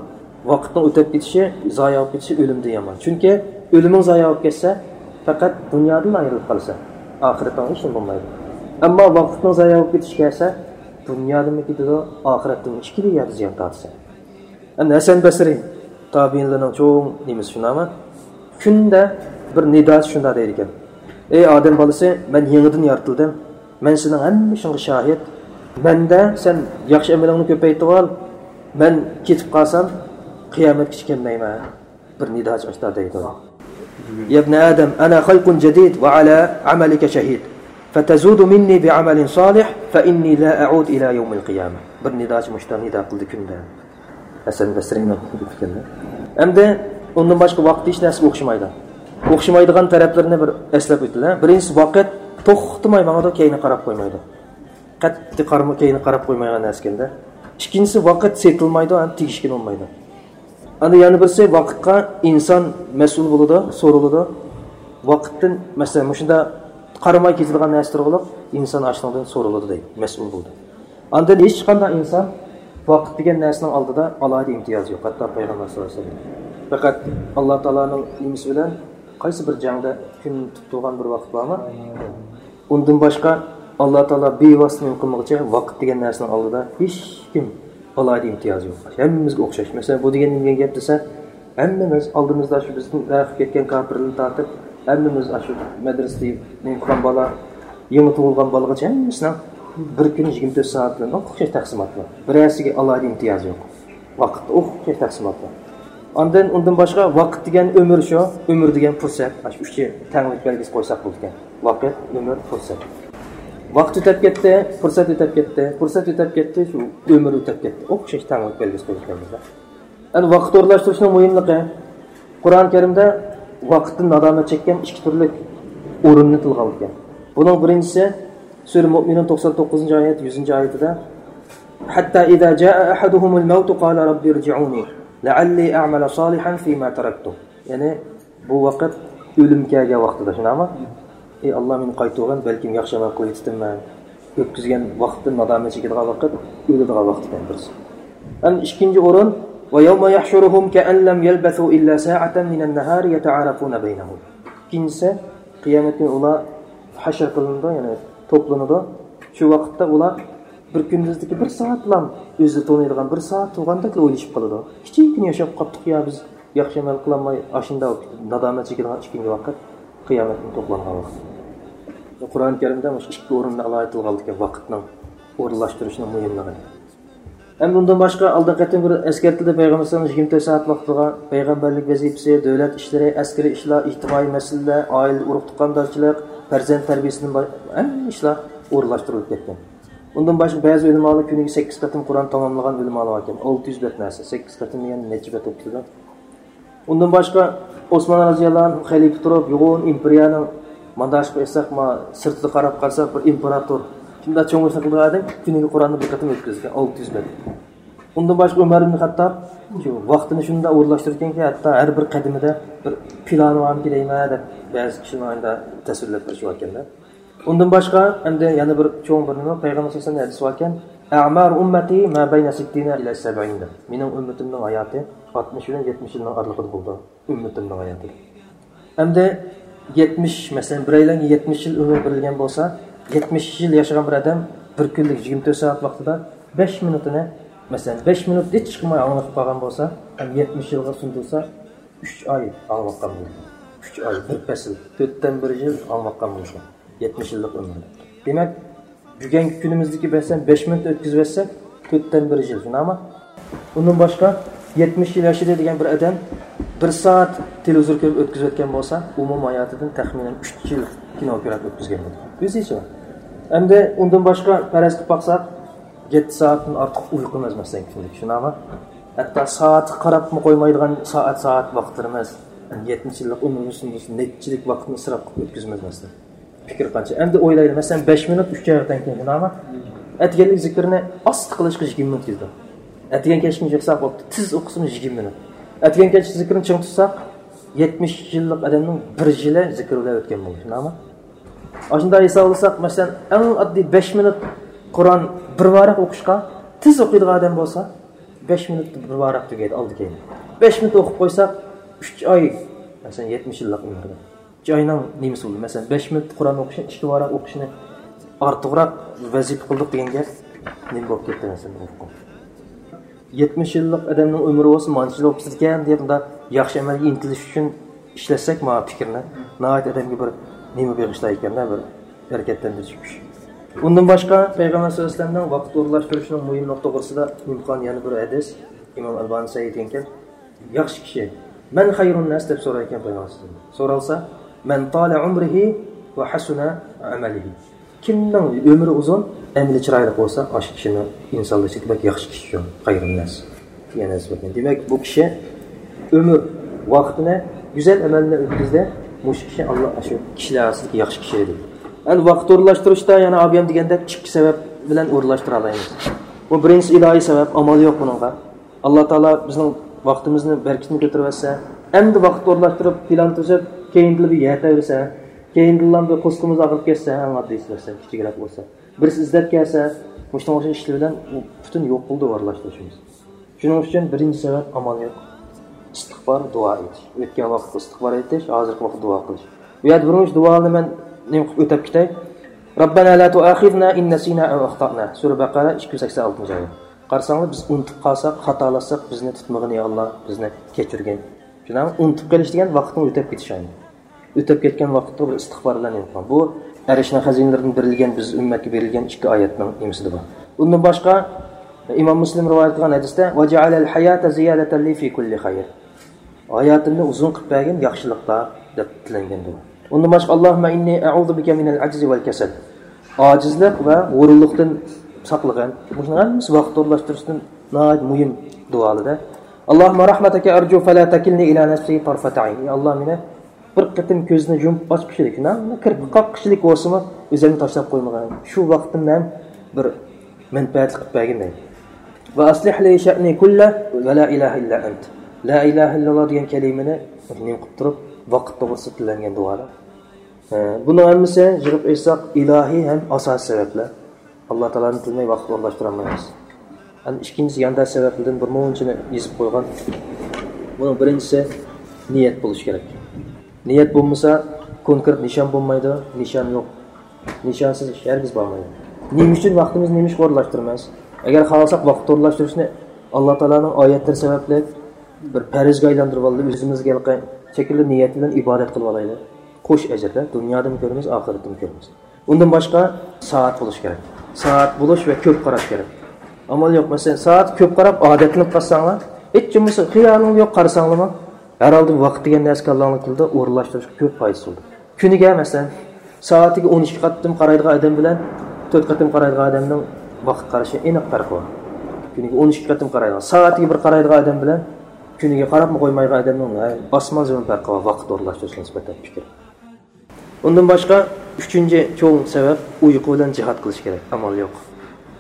ۋاقىتنىڭ ئۆتۈپ كېتىشى، زايە بولۇپ كېتىشى ئۆلۈمدىن يامان. چۈنكى ئۆلۈمۈڭ زايە بولۇپ كەتسە، پەقەت دۇنيادىنلا ئايرىلىپ قالىسەن. ئاخىرىتىڭ ھېچنېمە بولمايدۇ. ئەمما ۋاقىتنىڭ زايە بولۇپ كېتىشى كەلسە، دۇنيادىنمۇ كېتىدۇ، ئاخىرەتتىنمۇ، ئىككىلا يەردە زىيان تارتىسەن. ئەمدى ھەسەن بەسرى، تابىئىنلارنىڭ چوڭ نېمىسى شۇنداقمۇ؟ كۈندە بىر نىداسى شۇنداق دەيدىكەن، ئەي ئادەم بالىسى، مەن يېڭىدىن يارىتىلدىم. مەن سېنىڭ ھەممە ئىشىڭغا شاھىت. مەندە سەن ياخشى ئەمىلىڭنى كۆپەيتىۋال. مەن كېتىپ قالسام، قىيامەتكىچە كەلمەيمەن. بىر نىداسى ئاشتا دەيدۇ. يا ابن آدم، أنا خلق جديد وعلى عملك شهيد. فتزود مني بعمل صالح فإني لا أعود إلى يوم القيامة. بىر نىداسى مۇشتا نىدا قىلدى كۈندە. ھەسەن بەسرىنىڭ گېپى ئىكەن. ئەمدى ئۇندىن باشقا ۋاقىت ھېچ نەرسىگە ئوخشىمايدۇ. ئوخشىمايدىغان تەرەپلىرىنى بىر ئەسلەپ ئۆتىلە. بىرىنچىسى، ۋاقىت توختىماي ماڭىدۇ، كەينىگە قاراپ قويمايدۇ. قەتئىي قارىما-، كەينىگە قاراپ قويمايدىغان نەرسىكەندە. ئىككىنچىسى، ۋاقىت سېتىلمايدۇ ھەم تېگىشكىنى بولمايدۇ. ئاندىن يەنە بىرسى، ۋاقىتقا ئىنسان مەسئۇل بولىدۇ، سورىلىدۇ. ۋاقىتتىن، مەسىلەن، مۇشۇنداق قارىماي كېتىدىغان نەرسە تۇرغۇلۇق ئىنسان ئاشۇنىڭدىن سورىلىدۇ دەيدۇ، مەسئۇل بولىدۇ. ئاندىن ھېچقانداق ئىنسان ۋاقىت دېگەن نەرسىنىڭ ئالدىدا ئالاھىدە ئىمتىيازى يوق، ھەتتا پەيغەمبەر سەللەللاھۇ ئەلەيھى ۋەسەللەم. پەقەت ئاللا تائالانىڭ نېمىسى بىلەن قايسى بىر جەڭدە كۈن تۇتۇپ تۇرغان بىر ۋاقىت بارمۇ؟ ئۇندىن باشقا ئاللا تائالا بىۋاسىتە نېمە قىلمىغۇچە، ۋاقىت دېگەن نەرسىنىڭ ئالدىدا ھېچكىم ئالاھىدە ئىمتىيازى يوق. ھەممىمىزگە ئوخشاش. مەسىلەن، بۇ دېگەن نېمە دېگەن گەپ دېسە، ھەممىمىز ئالدىمىزدا شۇ بىزدىن ۋەقىپ كەتكەن كاپىرلىرىنى تارتىپ، ھەممىمىز ئاشۇ مەدرىسىدە نېمە قىلغان بالا، يېڭى تۇغۇلغان بالىغىچە ھەممىسىنىڭ بىر كۈنى يىگىرمە تۆت سائەت بىلەن ئوخشاش تەقسىمات بار. بىرەرسىگە ئالاھىدە ئىمتىيازى يوق. ۋاقىتتا ئوخشاش تەقسىمات بار. ئاندىن، ئۇندىن باشقا، ۋاقىت دېگەن ئۆمۈر شۇ، ئۆمۈر دېگەن پۇرسەت. ئاشۇ ئۈچى تەڭلىك بەلگىسى قويساق بولىدىكەن. ۋاقىت، ئۆمۈر، پۇرسەت. ۋاقىت ئۆتەپ كەتتى، پۇرسەت ئۆتەپ كەتتى، پۇرسەت ئۆتەپ كەتتى، شۇ ئۆمۈر ئۆتەپ كەتتى. ئوخشاش تەڭلىك بەلگىسى قويۇپ كەلدى. ئەمدى ۋاقىت ئورۇنلاشتۇرۇشنىڭ مۇھىملىقى. قۇرئان كەرىمدە ۋاقىتتىن نادامەت چەككەن ئىككى تۈرلۈك ئورۇننى تىلغا ئالىدىكەن. بۇنىڭ بىرىنچىسى، سۈرە مۇئمىنۇن توقسان توققۇزىنچى ئايەت، يۈزىنچى ئايىتىدە، حتى إذا جاء أحدهم الموت قال رب ارجعون لعلي أعمل صالحا فيما تركت. يەنى بۇ ۋاقىت ئۆلۈم كەلگەن ۋاقتىدا، شۇنداقمۇ؟ ئەي ئاللا، مېنى قايتۇرغىن، بەلكىم ياخشى ئەمەل قىلىۋېتىپتىمەن. ئۆتكۈزگەن ۋاقىتتىن نادامەت چېكىدىغان ۋاقىت، ئۆلىدىغان ۋاقىت ئىكەن بىرسى. ئەمدى ئىككىنچى ئورۇن، ۋە يەۋمە يەھشۇرۇھۇم كەئەن لەم يەلبەسۇ ئىللا سائەتەن مىنەن نەھارى يەتەئارەفۇنە بەينەھۇم. ئىككىنچىسى، قىيامەت كۈنى ئۇلار ھەشر قىلىنىدۇ، يەنى توپلىنىدۇ. شۇ ۋاقىتتا ئۇلار بىر كۈندۈزدىكى بىر سائەتلام ئۆزى تونۇيدىغان بىر سائەت تۇرغاندەكلا ئويلىشىپ قالىدۇ. كىچىككىنە ياشاپ قاپتۇق يا بىز، ياخشى ئەمەل قىلالماي ئاشۇنداق نادامەت چېكىدىغان ئىككىنچى ۋاقىت قىيامەتتىن توپلانغان ۋاقىت. قۇرئان كەرىمدە مۇشۇ ئىككى ئورۇندا ئالاھىدە تىلغا ئالىدىكەن ۋاقىتنىڭ ئورۇنلاشتۇرۇشنىڭ مۇھىملىقىنى. ئەمدى ئۇندىن باشقا ئالدىنقى قېتىم بىر ئەسكەرتىلدى پەيغەمبەر ئەلەيھىسسالام يىگىرمە تۆت سائەت ۋاقتىغا پەيغەمبەرلىك ۋەزىپىسى، دۆلەت ئىشلىرى، ئەسكىرىي ئىشلار، ئىجتىمائىي مەسىلىلەر، ئائىلە ئۇرۇق تۇغقاندارچىلىق، پەرزەنت تەربىيەسىدىن باش-، ھەممە ئىشلار ئورۇنلاشتۇرۇلۇپ كەتكەن. ئۇندىن باشقا بەزى ئۆلىمالار كۈنىگە سەككىز قېتىم قۇرئان تاماملىغان ئۆلىمالار باركەن. ئالتە يۈز بەت نەرسە، سەككىز قېتىم دېگەن نەچچە بەت بولۇپ كېتىدۇ؟ ئۇندىن باشقا ئوسمان رازىياللاھۇ ئەنھۇ خەلىپە تۇرۇپ، يوغان ئىمپېرىيەنىڭ مانداشقا ئېيتساق، ما، سىرتىدا قاراپ قالسا، بىر ئىمپېراتور، شۇنداق چوڭ ئىشنى قىلىدىغان ئادەم كۈنىگە قۇرئاننى بىر قېتىم ئۆتكۈزگەن، ئالتە يۈز بەت. ئۇندىن باشقا ئۆمەر ئىبن خەتتاب شۇ ۋاقتىنى شۇنداق ئورۇنلاشتۇرىدىكەنكى، ھەتتا ھەر بىر قەدىمىدە بىر پىلانى بارمىكىن دەيمەن دەپ، بەزى كىشىلەر ئايدا تەسۋىرلەپ بېرىشى باركەن-دە. ئۇندىن باشقا ئەمدى يەنە بىر چوڭ بىر نېمە، پەيغەمبەر سەللەللاھۇ ئەلەيھى ۋەسەللەم ھەدىسى باركەن، «ئەئمارۇ ئۈممەتى ما بەينە سىتتىنە ئىلە سەبئىن» دەپ. مېنىڭ ئۈممىتىمنىڭ ھاياتى ئاتمىش بىلەن يەتمىش يىلنىڭ ئارىلىقىدا بولىدۇ. ئۈممىتىمنىڭ ھاياتى. ئەمدى يەتمىش، مەسىلەن، بىرەيلەنگە يەتمىش يىل ئۆمۈر بېرىلگەن بولسا، يەتمىش يىل ياشىغان بىر ئادەم بىر كۈنلۈك يىگىرمە تۆت سائەت ۋاقتىدا بەش مىنۇتىنى، مەسىلەن، بەش مىنۇت ھېچ قىلماي ئاڭلىشىپ قالغان بولسا، ھەم يەتمىش يىلغا سۇندۇرسا، ئۈچ ئاي ئاڭلاۋاتقان بولىدۇ. ئۈچ ئاي، بىر پەسىل، تۆتتىن بىر يىل ئاڭلاۋاتقان بولىدۇ. يەتمىش يىللىق ئۆمرى. دېمەك، بۈگۈنكى كۈنىمىزدىكى مەسىلەن بەش مىنۇت ئۆتكۈزۈۋەتسەك، تۆتتىن بىر يىل، شۇنداقمۇ؟ ئۇندىن باشقا، يەتمىش يىل ياشىدى دېگەن بىر ئادەم بىر سائەت تېلېۋىزور كۆرۈپ ئۆتكۈزۈۋەتكەن بولسا، ئومۇم ھاياتىدىن تەخمىنەن ئۈچ يىل كىنو كۆرۈپ ئۆتكۈزگەن بولىدۇ. ئۆزىچە. ئەمدى ئۇندىن باشقا پەرەز قىلىپ باقساق، يەتتە سائەتتىن ئارتۇق ئۇيقۇ ئەمەس مەسىلەن كۈندىلىك، شۇنداقمۇ؟ ھەتتا سائەتكە قاراپمۇ قويمايدىغان سائەت، سائەت ۋاقىتلىرىمىز، يەتمىش يىللىق ئۆمرىمىزنى نەچچىلىك ۋاقىتنى ئىسراپ قىلىپ ئۆتكۈزىمىز مەسىلەن. پىكىر قانچە؟ ئەمدى ئويلايلى، مەسىلەن، بەش مىنۇت ئۈچ ئايغا تەڭ كېلىدۇ، شۇنداقمۇ؟ ئەتىگەنلىك زىكىرنى ئاستا قىلىشقا يىگىرمە مىنۇت كېتىدۇ. ئەتىگەن كەچكىنى يىغساق بوپتۇ، تېز ئوقۇسىمۇ يىگىرمە مىنۇت. ئەتىگەن كەچ زىكىرنى چىڭ تۇتساق، يەتمىش يىللىق ئادەمنىڭ بىر يىلى زىكىر بىلەن ئۆتكەن بولىدۇ، شۇنداقمۇ؟ ئاشۇنداق ھېسابلىساق، مەسىلەن، ئەڭ ئاددىي بەش مىنۇت قۇرئان بىر ۋاراق ئوقۇشقا تېز ئوقۇيدىغان ئادەم بولسا، بەش مىنۇتتا بىر ۋاراق تۈگەيدۇ ئالدى كەينى. بەش مىنۇت ئوقۇپ قويساق، ئۈچ ئاي، مەسىلەن، يەتمىش يىللىق ئۆمرىدە. ئۈچ ئاينىڭ نېمىسى بولدى؟ مەسىلەن، بەش مىنۇتتا قۇرئان ئوقۇشنى، ئىككى ۋاراق ئوقۇشنى ئارتۇقراق ۋەزىپە قىلدۇق دېگەن گەپ نېمە بولۇپ كەتتى، مەسىلەن، ئوقۇپ. يەتمىش يىللىق ئادەمنىڭ ئۆمرى بولسا مانچىلا بولۇپ كېتىدىكەن دەپ، مۇنداق ياخشى ئەمەلگە ئىنتىلىش ئۈچۈن ئىشلەتسەك، ماۋۇ پىكىرنى، ناھايىتى ئادەمگە بىر نېمە بېغىشلايدىكەن-دە، بىر ھەرىكەتلەندۈرۈش كۈچ. ئۇندىن باشقا، پەيغەمبەر سەللەللاھۇ ئەلەيھى ۋەسەللەمنىڭ ۋاقىت ئورۇنلاشتۇرۇشىنىڭ مۇھىملىقى توغرىسىدا نېمە قىلغان يەنە بىر ھەدىس، ئىمام ئەلبانى سەھىھ دېگەنكەن، ياخشى كىشى، «مەن خەيرۇن ناس؟» دەپ سورايدىكەن پەيغەمبەر سەللەللاھۇ ئەلەيھى ۋەسەللەم. سورالسا، «مەن تالە ئۆمرىھى ۋە ھەسۇنە ئەمەلىھى». كىمنىڭ ئۆمرى ئۇزۇن، ئەمىلى چىرايلىق بولسا، ئاشۇ كىشىنىڭ ئىنسانلار ئىچىدە بەك ياخشى كىشى شۇ، خەيرۇن ناس دېگەن ھەدىس بار. دېمەك، بۇ كىشى ئۆمۈر ۋاقتىنى گۈزەل ئەمەل بىلەن ئۆتكۈزدى، مۇشۇ كىشى ئاللا ئاشۇ كىشىلەر ئارىسىدىكى ياخشى كىشى دېدى. ئەمدى ۋاقىت ئورۇنلاشتۇرۇشتا يەنە ئابىيەم دېگەندەك ئىككى سەۋەب بىلەن ئورۇنلاشتۇرالايمىز. بۇ بىرىنچىسى ئىلاھىي سەۋەب، ئامال يوق بۇنىڭغا. ئاللا تائالا بىزنىڭ ۋاقتىمىزنى، بەرىكىتىنى كۆتۈرۈۋەتسە، ئەمدى ۋاقىت ئورۇنلاشتۇرۇپ، پىلان تۈزۈپ، كەينىدىن بىر يەر تەۋرىسە، كەينىدىنلا بىر قورسىقىمىز ئاغرىپ كەتسە، ئەڭ ئاددىيسى مەسىلەن، كىچىكرەك بولسا، بىرسى ئىزدەپ كەلسە، مۇشۇنىڭغا ئوخشاش ئىشلار بىلەن ئۇ پۈتۈن يوق قىلدى ئورۇنلاشتۇرۇشىمىز. شۇنىڭ ئۈچۈن بىرىنچى سەۋەب ئامال يوق. ئىستىغپار، دۇئا ئېيتىش. ئۆتكەن ۋاقىتتا ئىستىغپار ئېيتىش، ھازىرقى ۋاقىتتا دۇئا قىلىش. بۇ يەردە بىرىنچى دۇئانى مەن نېمە قىلىپ ئۆتەپ كېتەي. رەببەنا لا تۇئاخىزنا ئىن نەسىنا ئەۋ ئەختەئنا. سۈرە بەقەرە ئىككى يۈز سەكسەن ئالتىنچى ئايەت. قارىساڭلار، بىز ئۇنتۇپ قالساق، خاتالاشساق، بىزنى تۇتمىغىن، يا ئاللا، بىزنى كەچۈرگىن. شۇنداقمۇ؟ ئۇنتۇپ قېلىش دېگەن ۋاقىتنىڭ ئۆتۈپ كېتىشى ئاينى. ئۆتۈپ كەتكەن ۋاقىتتا بىر ئىستىغپار بىلەن يوقىلىڭ. بۇ ئەرشنىڭ خەزىنىلىرىدىن بېرىلگەن، بىز ئۈممەتكە بېرىلگەن ئىككى ئايەتنىڭ نېمىسىدە بار. ئۇندىن باشقا، ئىمام مۇسلىم رىۋايەت قىلغان ھەدىستە، «ۋەجەئەلەل ھاياتە زىيادەتەن لى فى كۇللى خەير». ھاياتىمنى ئۇزۇن قىلىپ بەرگىن ياخشىلىقتا، دەپ تىلەنگەن دۇئا. ئۇندىن باشقا، «ئاللاھۇممە ئىننى ئەئۇزۇ بىكە مىنەل ئەجزى ۋەل كەسەل». ئاجىزلىق ۋە ھۇرۇنلۇقتىن ساقلىغىن. مۇشۇنىڭ ھەممىسى ۋاقىت ئورۇنلاشتۇرۇشتىن ناھايىتى مۇھىم دۇئالىرى. «ئاللاھۇممە رەھمەتەكە ئەرجۇ فەلا تەكىلنى ئىلا نەفسى تارفەتە ئەين». ئى ئاللا، مېنى بىر قېتىم كۆزنى يۇمۇپ ئاچقۇچىلىك، نە، كىرپىك قاققۇچىلىك بولسىمۇ، ئۆزۈمنى تاشلاپ قويمىغىن. شۇ ۋاقتىمنى ھەم بىر مەنپەئەتلىك قىلىپ بەرگىن دەيدۇ. «ۋە ئەسلىھ لى شەئنى كۇللە ۋە لا ئىلاھە ئىللا ئەنت». لا ئىلاھە ئىللاللا دېگەن كەلىمىنى نېمە قىلىپ تۇرۇپ، ۋاقىت توغرىسىدا تىلەنگەن دۇئالار. ئە، بۇنىڭ ھەممىسى يىغىپ ئېيتساق، ئىلاھىي ھەم ئاساسىي سەۋەبلەر. ئاللا تائالانى تىلىمەي ۋاقىت ئورۇنلاشتۇرالمايمىز. ئەمدى ئىككىنچىسى يانداش سەۋەبلىرىدىن بىر مۇنچىنى يېزىپ قويغان. بۇنىڭ بىرىنچىسى نىيەت بولۇش كېرەك. نىيەت بولمىسا، كونكرېت نىشان بولمايدۇ، نىشان يوق. نىشانسىز ئىش ھەرگىز بارمايدۇ. نېمە ئۈچۈن ۋاقتىمىزنى نېمە ئىشقا ئورۇنلاشتۇرىمىز؟ ئەگەر خالىساق، ۋاقىت ئورۇنلاشتۇرۇشنى ئاللا تائالانىڭ ئايەتلىرى سەۋەبلىك بىر پەرزگە ئايلاندۇرۇپ ئالدى، ئۆزىمىزگە ھېلىقى شەكىلدە نىيەت بىلەن ئىبادەت قىلىپ ئالايلى. قوش ئەجىردە، دۇنيادىمۇ كۆرىمىز، ئاخىرەتتىمۇ كۆرىمىز. ئۇندىن باشقا سائەت بولۇش كېرەك. سائەت بولۇش ۋە كۆپ قاراش كېرەك. ئامال يوق، مەسىلەن، سائەتكە كۆپ قاراپ ئادەتلىنىپ قالساڭلار، ھېچ بولمىسا خىيالىڭ يوق، قارىساڭلىمۇ، ھەر ھالدا ۋاقىت دېگەن نەرسە كاللاڭلاردا ئورۇنلاشتۇرۇشقا كۆپ پايدىسى بولىدۇ. كۈنىگە، مەسىلەن، سائىتىگە ئون ئىككى قېتىم قارايدىغان ئادەم بىلەن تۆت قېتىم قارايدىغان ئادەمنىڭ ۋاقىت قارىشى ئېنىق پەرقى بار. كۈنىگە ئون ئىككى قېتىم قارايدىغان، سائىتىگە بىر قارايدىغان ئادەم بىلەن كۈنىگە قاراپمۇ قويمايدىغان ئادەمنىڭ، ھە، ئاسمان زېمىن پەرقى بار ۋاقىت ئورۇنلاشتۇرۇش نىسبەتەن پىكىر. ئۇندىن باشقا، ئۈچىنچى چوڭ سەۋەب، ئۇيقۇ بىلەن جىھاد قىلىش كېرەك. ئامال يوق.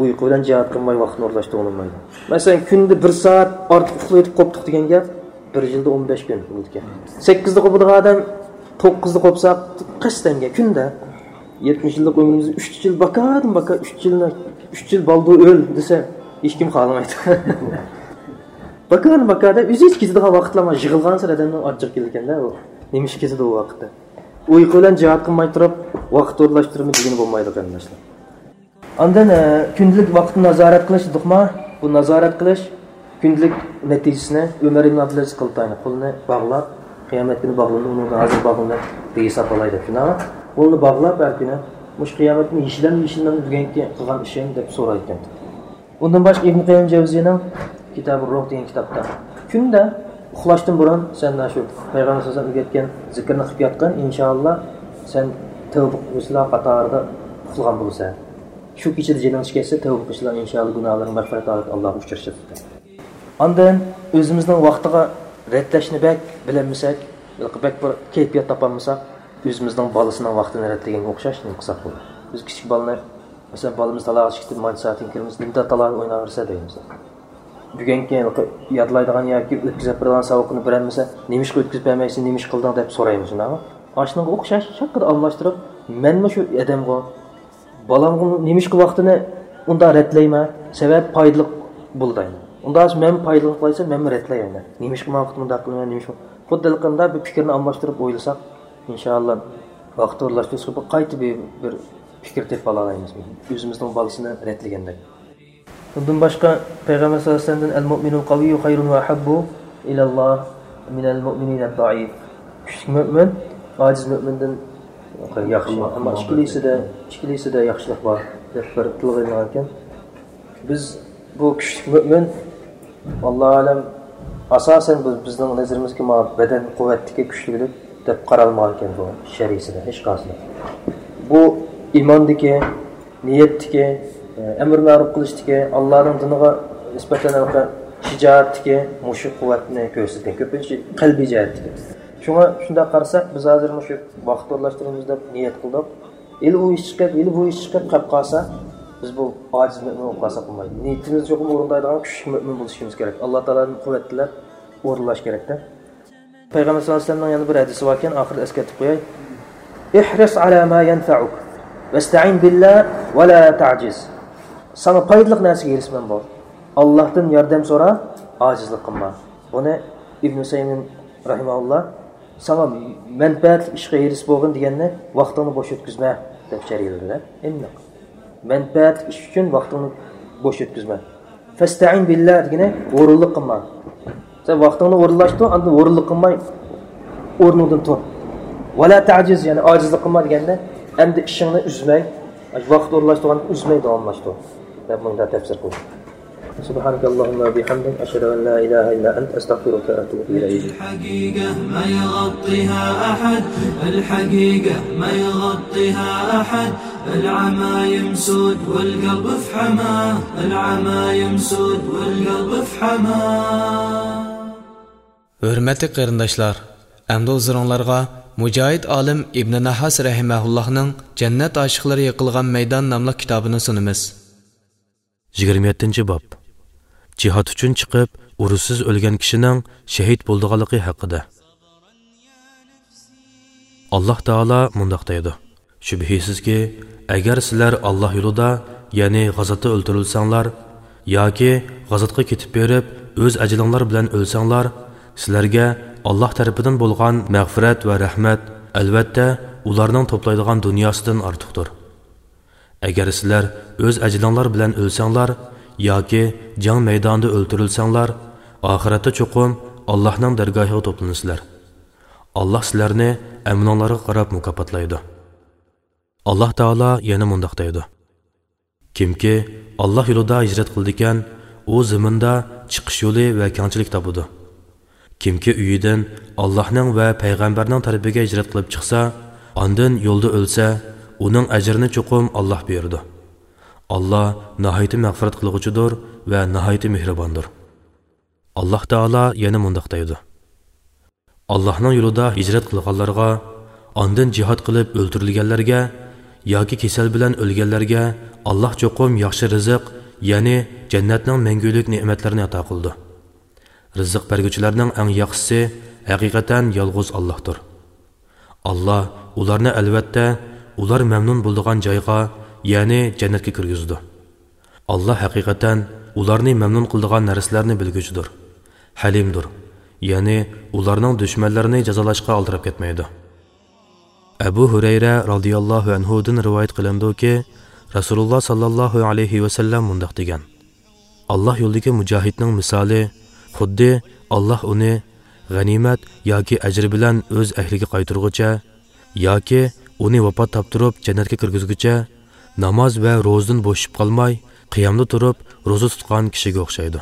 ئۇيقۇ بىلەن جىھاد قىلماي ۋاقىتنى ئورۇنلاشتۇرغىلى بولمايدۇ. مەسىلەن، كۈندە بىر سائەت ئارتۇق ئۇخلاۋېتىپ قوپتۇق دېگەن گەپ بىر يىلدا ئون بەش كۈن بولىدىكەن. سەككىزدە قوپىدىغان ئادەم توققۇزدا قوپسا، قەستەنگە كۈندە يەتمىش يىللىق ئۆمرىمىزدە ئۈچ يىل باكادىن باكا، ئۈچ يىلنى، ئۈچ يىل بالدۇر ئۆل دېسە، ھېچكىم خالىمايدۇ. باكادىن باكا دەپ، ئۆزى ھېچ كېتىدىغان ۋاقىتلار يىغىلغانسېرى ئادەمنىڭ ئاچچىقى كېلىدىكەن-دە، ئۇ نېمە ئىش كېتىدۇ ئۇ ۋاقىتتا. ئۇيقۇ بىلەن جىھاد قىلماي تۇرۇپ، ۋاقىت ئورۇنلاشتۇرىمىز دېگىلى بولمايدۇ، قېرىنداشلار. ئاندىن، ئە، كۈندىلىك ۋاقىتنى نازارەت قىلىش دېدۇقما؟ بۇ نازارەت قىلىش كۈندىلىك نەتىجىسىنى ئۆمەر ئىبن ئابدۇلئەزىز قىلىپ تايىنى قولىنى باغلاپ، قىيامەت كۈنى باغلىنىدۇ، ئۇنىڭدىن ھازىر باغلىنىپ بىر ھېساب ئالاي دەپ شۇنداقمۇ؟ قولىنى باغلاپ ھەر كۈنى، مۇشۇ قىيامەت كۈنى يېشىلەمدۇ، يېشىلمەمدۇ بۈگۈنكى قىلغان ئىشىم دەپ سورايدىكەن. ئۇندىن باشقا ئىبن قەييىم جەۋزىينىڭ كىتابى روھ دېگەن كىتابتا، كۈندە ئۇخلاشتىن بۇرۇن سەن شۇ پەيغەمبەر سەللەللاھۇ ئەلەيھى ۋەسەللەم ئۆگەتكەن زىكىرنى قىلىپ ياتقىن، ئىنشائاللا سەن تەۋبە قىلغۇچىلار قاتارىدا ئۇخلىغان بولىسەن. شۇ كېچىدە جېنىڭ چىقىپ كەتسە، تەۋبە قىلغۇچىلار ئىنشائاللا گۇناھلىرىڭ مەغپىرەت ھالىتىدە ئاللاغا ئۇچرىشىسەن. ئاندىن ئۆزىمىزنىڭ ۋاقتىغا رەتلەشنى بەك بىلەلمىسەك، بەك بىر كەيپىيات تاپالمىساق، ئۆزىمىزنىڭ بالىسىنىڭ ۋاقتىنى رەتلىگەنگە ئوخشاش نېمە قىلساق بولىدۇ. بىز كىچىك بالىنى، مەسىلەن، بالىمىز تالاغا چىقىپ كېتىپ، مانچە سائەتتىن كېيىن، نېمىدە تالاغا ئويناۋېرىسە دەيمىز. بۈگۈنكى يادلايدىغان ياكى ئۆتكۈزۈپ بېرىدىغان ساۋاقنى بېرەلمىسە، نېمىشقا ئۆتكۈزۈپ بەرمەيسەن، نېمىشقا قىلدىڭ دەپ سورايمىز، شۇنداقمۇ؟ ئاشۇنىڭغا ئوخشاش شاكىدە ئالماشتۇرۇپ، مەنمۇ شۇ ئادەمغۇ، بالامغا نېمىشقا ۋاقتىنى ئۇنداق رەتلەيمەن؟ سەۋەب پايدىلىق بولىدۇ. ئۇنداق مەن پايدىلىق قىلايسەن، مەنمۇ رەتلەيمەن. نېمىشقا ماڭا ئۇنداق قىلىمەن، نېمىشقا؟ خۇددى ھېلىقى بۇ پىكىرنى ئالماشتۇرۇپ ئويلىساق، ئىنشائاللا، ۋاقىت ئورۇنلاشتۇرۇشقا بىر قايتا بىر، بىر پىكىر تېپىپ ئالالايمىز. ئۆزىمىزنىڭ بالىسىنى رەتلىگەندەك. بۇندىن باشقا، پەيغەمبەر سەللەللاھۇ ئەلەيھى ۋەسەللەمدىن، «المؤمن القوي خير وأحب إلى الله من المؤمن الضعيف». كۈچلۈك مۆمىن ئاجىز مۆمىندىن ياخشى. ئەمما ئىككىلىسىدە، ئىككىلىسىدە ياخشىلىق بار، دەپ بىر تىلغا ئېلىنغان ئىكەن. بىز بۇ كۈچلۈك مۆمىن، ۋاللاھۇ ئەلەم، ئاساسەن بىز، بىزنىڭ نەزىرىمىزگە مانا بەدەن قۇۋۋەتلىكى، كۈچلۈكلۈك دەپ قارالمىغان ئىكەن بۇ شەرىئىسىدە ھېچقايسىدا. بۇ ئىماندىكى، نىيەتتىكى، ئەمر مەرۇپ قىلىشتىكى، ئاللانىڭ دىنىغا نىسبەتەن ھېلىقى شىجائەتتىكى مۇشۇ قۇۋۋەتنى كۆرسىتىدىكەن. كۆپىنچە قەلبىي جەھەتتىكى. شۇڭا شۇنداق قارىساق، بىز ھازىر مۇشۇ ۋاقىت ئورۇنلاشتۇرىمىز دەپ نىيەت قىلدۇق. ھېلى ئۇ ئىش چىقىپ، ھېلى بۇ ئىش چىقىپ قاپ قالسا، بىز بۇ ئاجىز مۆمىن بولۇپ قالساق بولمايدۇ. نىيىتىمىزنى چوقۇم ئورۇندايدىغان كۈچلۈك مۆمىن بولۇشىمىز كېرەك. ئاللا تائالادىن قۇۋۋەت تىلەپ ئورۇنلاش كېرەكتە. پەيغەمبەر سەللەللاھۇ ئەلەيھى ۋەسەللەمنىڭ يەنە بىر ھەدىسى باركەن، ئاخىرىدا ئەسكەرتىپ قوياي. «احرص على ما ينفعك، واستعن بالله ولا تعجز». ساڭا پايدىلىق نەرسىگە ھېرىسمەن بول. ئاللاھتىن ياردەم سورا، ئاجىزلىق قىلما. بۇنى ئىبن ئۇسەيمىن رەھىمەھۇللا، ساڭا مەنپەئەتلىك ئىشقا ھېرىس بولغىن دېگەننى ۋاقتىڭنى بوش ئۆتكۈزمە دەپ شەرھلىدى-دە. ئېنىق. مەنپەئەتلىك ئىش ئۈچۈن ۋاقتىڭنى بوش ئۆتكۈزمە. فەستەئىن بىللا دېگىنى ھۇرۇنلۇق قىلما. سەن ۋاقتىڭنى ئورۇنلاشتۇر، ئاندىن ھۇرۇنلۇق قىلماي ئورنۇڭدىن تۇر. ۋەلا تەجىز، يەنى ئاجىزلىق قىلما دېگەندە، ئەمدى ئىشىڭنى ئۈزمەي، ۋاقىت ئورۇنلاشتۇرغاندا ئۈزمەي داۋاملاشتۇر دەپ مۇنداق تەپسىر قىلدى. سبحانك اللهم وبحمدك، أشهد أن لا إله إلا أنت، أستغفرك وأتوب إليك. الحقيقة ما يغطيها أحد، الحقيقة ما يغطيها أحد، العمى يمسود والقلب في حماه، العمى يمسود والقلب في حماه. ھۆرمەتلىك قېرىنداشلار، ئەمدى ھۇزۇرۇڭلارغا مۇجاھىد ئالىم ئىبنى نەھاس رەھىمەھۇللاھنىڭ جەننەت ئاشىقلىرى يىقىلغان مەيدان ناملىق كىتابىنى سۇنىمىز. يىگىرمە يەتتىنچى باب. جىھاد ئۈچۈن چىقىپ، ئۇرۇشسىز ئۆلگەن كىشىنىڭ شېھىت بولىدىغانلىقى ھەققىدە. ئاللاھ تائالا مۇنداق دەيدۇ: شۈبھىسىزكى، ئەگەر سىلەر ئاللاھ يولىدا، يەنى غازاتتا ئۆلتۈرۈلسەڭلار، ياكى غازاتقا كېتىپ بېرىپ، ئۆز ئەجىلىڭلار بىلەن ئۆلسەڭلار، سىلەرگە ئاللاھ تەرىپىدىن بولغان مەغپىرەت ۋە رەھمەت، ئەلۋەتتە، ئۇلارنىڭ توپلايدىغان دۇنياسىدىن ئارتۇقتۇر. ئەگەر سىلەر ئۆز ئەجىلىڭلار بىلەن ئۆلسەڭلار ياكى جەڭ مەيدانىدا ئۆلتۈرۈلسەڭلار، ئاخىرەتتە چوقۇم ئاللاھنىڭ دەرگاھىغا توپلىنىسىلەر. ئاللاھ سىلەرنى ئەمىلىڭلارغا قاراپ مۇكاپاتلايدۇ. ئاللاھ تائالا يەنە مۇنداق دەيدۇ: كىمكى ئاللاھ يولىدا ھىجرەت قىلىدىكەن، ئۇ زېمىندا چىقىش يولى ۋە كەڭچىلىك تاپىدۇ. كىمكى ئۆيىدىن ئاللاھنىڭ ۋە پەيغەمبەرنىڭ تەلىپىگە ھىجرەت قىلىپ چىقسا، ئاندىن يولدا ئۆلسە، ئۇنىڭ ئەجرىنى چوقۇم ئاللاھ بېرىدۇ. ئاللاھ ناھايىتى مەغپىرەت قىلغۇچىدۇر ۋە ناھايىتى مېھرىباندۇر. ئاللاھ تائالا يەنە مۇنداق دەيدۇ: ئاللاھنىڭ يولىدا ھىجرەت قىلغانلارغا، ئاندىن جىھاد قىلىپ ئۆلتۈرۈلگەنلەرگە ياكى كېسەل بىلەن ئۆلگەنلەرگە ئاللاھ چوقۇم ياخشى رىزىق، يەنى جەننەتنىڭ مەڭگۈلۈك نېمەتلىرىنى ئاتا قىلىدۇ. رىزىق بەرگۈچىلەرنىڭ ئەڭ ياخشىسى ھەقىقەتەن يالغۇز ئاللاھتۇر. ئاللاھ ئۇلارنى ئەلۋەتتە ئۇلار مەمنۇن بولىدىغان جايغا، يەنى جەننەتكە كىرگۈزىدۇ. ئاللاھ ھەقىقەتەن ئۇلارنى مەمنۇن قىلىدىغان نەرسىلەرنى بىلگۈچىدۇر، ھەلىمدۇر، يەنى ئۇلارنىڭ دۈشمەنلىرىنى جازالاشقا ئالدىراپ كەتمەيدۇ. ئەبۇ ھۇرەيرە رازىياللاھۇ ئەنھۇدىن رىۋايەت قىلىنىدۇكى، رەسۇلۇللاھ ساللاللاھۇ ئەلەيھى ۋەسەللەم مۇنداق دېگەن: ئاللاھ يولىدىكى مۇجاھىدنىڭ مىسالى خۇددى ئاللاھ ئۇنى غەنىيمەت ياكى ئەجىر بىلەن ئۆز ئەھلىگە قايتۇرغۇچە ياكى ئۇنى ۋاپات تاپتۇرۇپ جەننەتكە كىرگۈزگۈچە ناماز ۋە روزىدىن بوشىشىپ قالماي، قىيامدا تۇرۇپ روزا تۇتقان كىشىگە ئوخشايدۇ.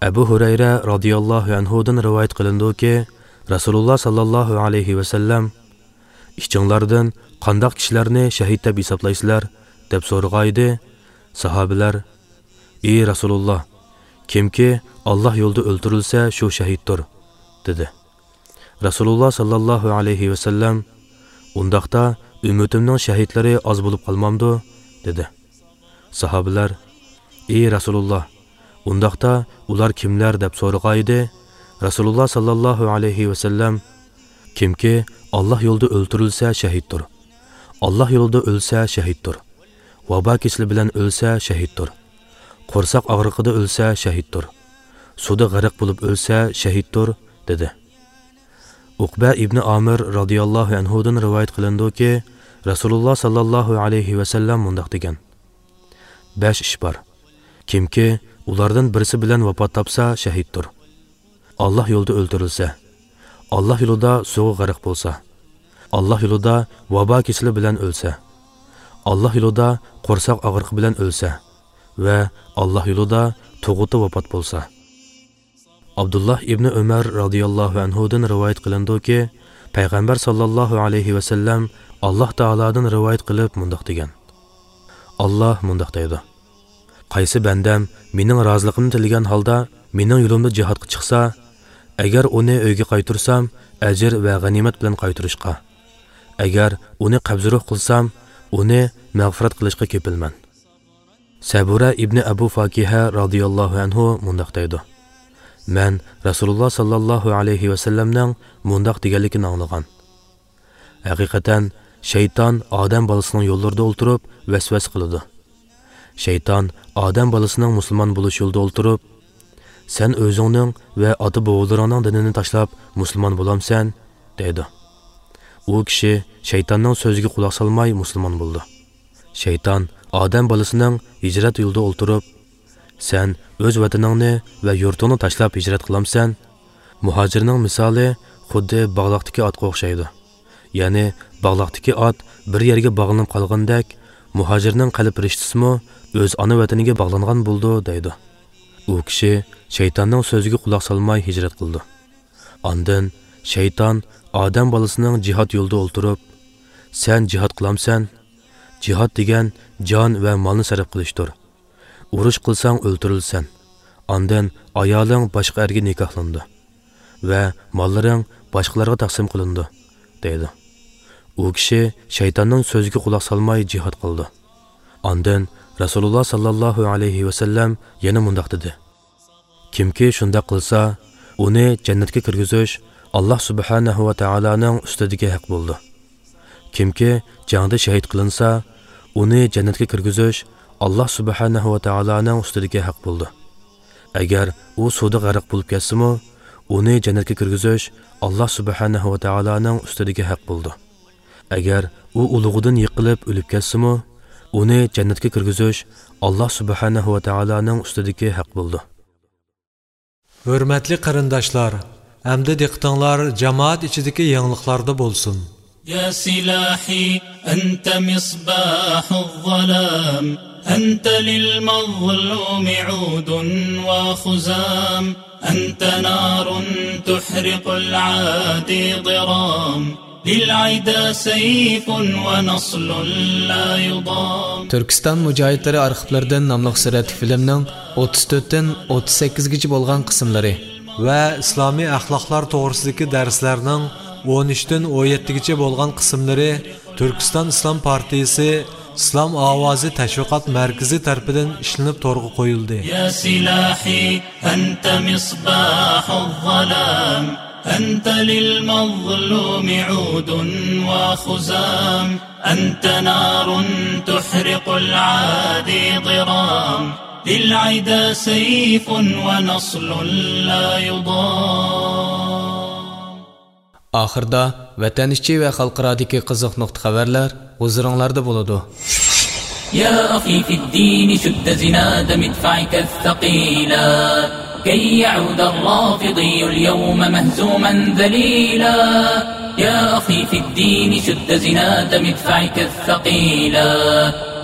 ئەبۇ ھۇرەيرە رازىياللاھۇ ئەنھۇدىن رىۋايەت قىلىنىدۇكى، رەسۇلۇللاھ ساللاللاھۇ ئەلەيھى ۋەسەللەم: ئىچىڭلاردىن قانداق كىشىلەرنى شەھىد دەپ ھېسابلايسىلەر؟ دەپ سورىغانىدى. ساھابىلەر: ئى رەسۇلۇللاھ، كىمكى ئاللاھ يولىدا ئۆلتۈرۈلسە، شۇ شەھىدتۇر، دېدى. رەسۇلۇللاھ ساللاللاھۇ ئەلەيھى ۋەسەللەم: ئۇنداقتا ئۈممىتىمنىڭ شەھىدلىرى ئاز بولۇپ قالمامدۇ؟ دېدى. ساھابىلەر: ئى رەسۇلۇللاھ، ئۇنداقتا ئۇلار كىملەر؟ دەپ سورىغانىدى. رەسۇلۇللاھ ساللاللاھۇ ئەلەيھى ۋەسەللەم: كىمكى ئاللاھ يولىدا ئۆلتۈرۈلسە شەھىدتۇر. ئاللاھ يولىدا ئۆلسە شەھىدتۇر. ۋابا كېسىلى بىلەن ئۆلسە شەھىدتۇر. قورساق ئاغرىقىدا ئۆلسە شەھىدتۇر. سۇدا غەرق بولۇپ ئۆلسە شەھىدتۇر، دېدى. ئۇقبە ئىبنى ئامىر رازىياللاھۇ ئەنھۇدىن رىۋايەت قىلىنىدۇكى، رەسۇلۇللاھ ساللاللاھۇ ئەلەيھى ۋەسەللەم مۇنداق دېگەن: بەش ئىش بار. كىمكى ئۇلاردىن بىرسى بىلەن ۋاپات تاپسا، شەھىدتۇر. ئاللاھ يولىدا ئۆلتۈرۈلسە، ئاللاھ يولىدا سۇغا غەرق بولسا، ئاللاھ يولىدا ۋابا كېسىلى بىلەن ئۆلسە، ئاللاھ يولىدا قورساق ئاغرىقى بىلەن ئۆلسە ۋە ئاللاھ يولىدا تۇغۇتتا ۋاپات بولسا. ئابدۇللاھ ئىبنى ئۆمەر رازىياللاھۇ ئەنھۇدىن رىۋايەت قىلىنىدۇكى، پەيغەمبەر ساللاللاھۇ ئەلەيھى ۋەسەللەم ئاللاھ تائالادىن رىۋايەت قىلىپ مۇنداق دېگەن: ئاللاھ مۇنداق دەيدۇ: قايسى بەندەم مېنىڭ رازىلىقىمنى تىلىگەن ھالدا مېنىڭ يولۇمدا جىھادقا چىقسا، ئەگەر ئۇنى ئۆيگە قايتۇرسام، ئەجىر ۋە غەنىيمەت بىلەن قايتۇرۇشقا، ئەگەر ئۇنى قەبزى روھ قىلسام، ئۇنى مەغپىرەت قىلىشقا كېپىلمەن. سەبۇرە ئىبنى ئەبۇ فاكىھە رازىياللاھۇ ئەنھۇ مۇنداق دەيدۇ: مەن رەسۇلۇللاھ ساللاللاھۇ ئەلەيھى ۋەسەللەمنىڭ مۇنداق دېگەنلىكىنى ئاڭلىغان: ھەقىقەتەن، شەيتان ئادەم بالىسىنىڭ يوللىرىدا ئولتۇرۇپ ۋەسۋەسە قىلىدۇ. شەيتان ئادەم بالىسىنىڭ مۇسۇلمان بولۇش يولىدا ئولتۇرۇپ، سەن ئۆزۈڭنىڭ ۋە ئاتا-بوۋىلىرىڭنىڭ دىنىنى تاشلاپ مۇسۇلمان بولامسەن؟ دەيدۇ. ئۇ كىشى شەيتاننىڭ سۆزىگە قۇلاق سالماي مۇسۇلمان بولىدۇ. شەيتان ئادەم بالىسىنىڭ ھىجرەت يولىدا ئولتۇرۇپ، سەن ئۆز ۋەتىنىڭنى ۋە يۇرتۇڭنى تاشلاپ ھىجرەت قىلامسەن؟ مۇھاجىرنىڭ مىسالى خۇددى باغلاقتىكى ئاتقا ئوخشايدۇ. يەنى باغلاقتىكى ئات بىر يەرگە باغلىنىپ قالغىنىدەك، مۇھاجىرنىڭ قەلب رىشتىسىمۇ ئۆز ئانا ۋەتىنىگە باغلانغان بولىدۇ، دەيدۇ. ئۇ كىشى شەيتاننىڭ سۆزىگە قۇلاق سالماي ھىجرەت قىلىدۇ. ئاندىن شەيتان ئادەم بالىسىنىڭ جىھاد يولىدا ئولتۇرۇپ، سەن جىھاد قىلامسەن؟ جىھاد دېگەن جان ۋە مالنى سەرپ قىلىشتۇر. ئۇرۇش قىلساڭ ئۆلتۈرۈلىسەن. ئاندىن ئايالىڭ باشقا ئەرگە نىكاھلىنىدۇ ۋە ماللىرىڭ باشقىلارغا تەقسىم قىلىنىدۇ، دەيدۇ. ئۇ كىشى شەيتاننىڭ سۆزىگە قۇلاق سالماي جىھاد قىلىدۇ. ئاندىن رەسۇلۇللاھ ساللاللاھۇ ئەلەيھى ۋەسەللەم يەنە مۇنداق دېدى: كىمكى شۇنداق قىلسا، ئۇنى جەننەتكە كىرگۈزۈش ئاللاھ سۇبھانەھۇ ۋە تائالانىڭ ئۈستىدىكى ھەق بولىدۇ. كىمكى جەڭدە شەھىد قىلىنسا، ئۇنى جەننەتكە كىرگۈزۈش ئاللا سۇبھانەھۇ ۋە تائالانىڭ ئۈستىدىكى ھەق بولىدۇ. ئەگەر ئۇ سۇدا غەرق بولۇپ كەتسىمۇ، ئۇنى جەننەتكە كىرگۈزۈش ئاللا سۇبھانەھۇ ۋە تائالانىڭ ئۈستىدىكى ھەق بولىدۇ. ئەگەر ئۇ ئۇلۇغىدىن يىقىلىپ ئۆلۈپ كەتسىمۇ، ئۇنى جەننەتكە كىرگۈزۈش ئاللا سۇبھانەھۇ ۋە تائالانىڭ ئۈستىدىكى ھەق بولىدۇ. ھۆرمەتلىك قېرىنداشلار، ئەمدى دىققىتىڭلار جامائەت ئىچىدىكى يېڭىلىقلاردا بولسۇن. يا سلاحي أنت مصباح الظلام، أنت للمظلوم عود وخزام، أنت نار تحرق العادي ضرام، للعدا سيف ونصل لا يضام. تۈركىستان مۇجاھىدلىرى ئارخىپلىرىدىن ناملىق سۈرەتلىك فىلىمنىڭ ئوتتۇز تۆتتىن ئوتتۇز سەككىزگىچە بولغان قىسىملىرى ۋە ئىسلامىي ئەخلاقلار توغرىسىدىكى دەرسلەرنىڭ ئون ئۈچتىن ئون يەتتىگىچە بولغان قىسىملىرى تۈركىستان ئىسلام پارتىيىسى ئىسلام ئاۋازى تەشۋىقات مەركىزى تەرىپىدىن ئىشلىنىپ تورغا قويۇلدى. يا سلاحي أنت مصباح الظلام، أنت للمظلوم عود وخزام، أنت نار تحرق العادي ضرام، للعدا سيف ونصل لا يضام. ئاخىردا ۋەتەن ئىچى ۋە خەلقئارادىكى قىزىق نۇقتا خەۋەرلەر ھۇزۇرۇڭلاردا بولىدۇ. يا أخي في الدين شد زناد مدفعك الثقيلا، كي يعود الرافضي اليوم مهزوما ذليلا. يا أخي في الدين شد زناد مدفعك الثقيلا،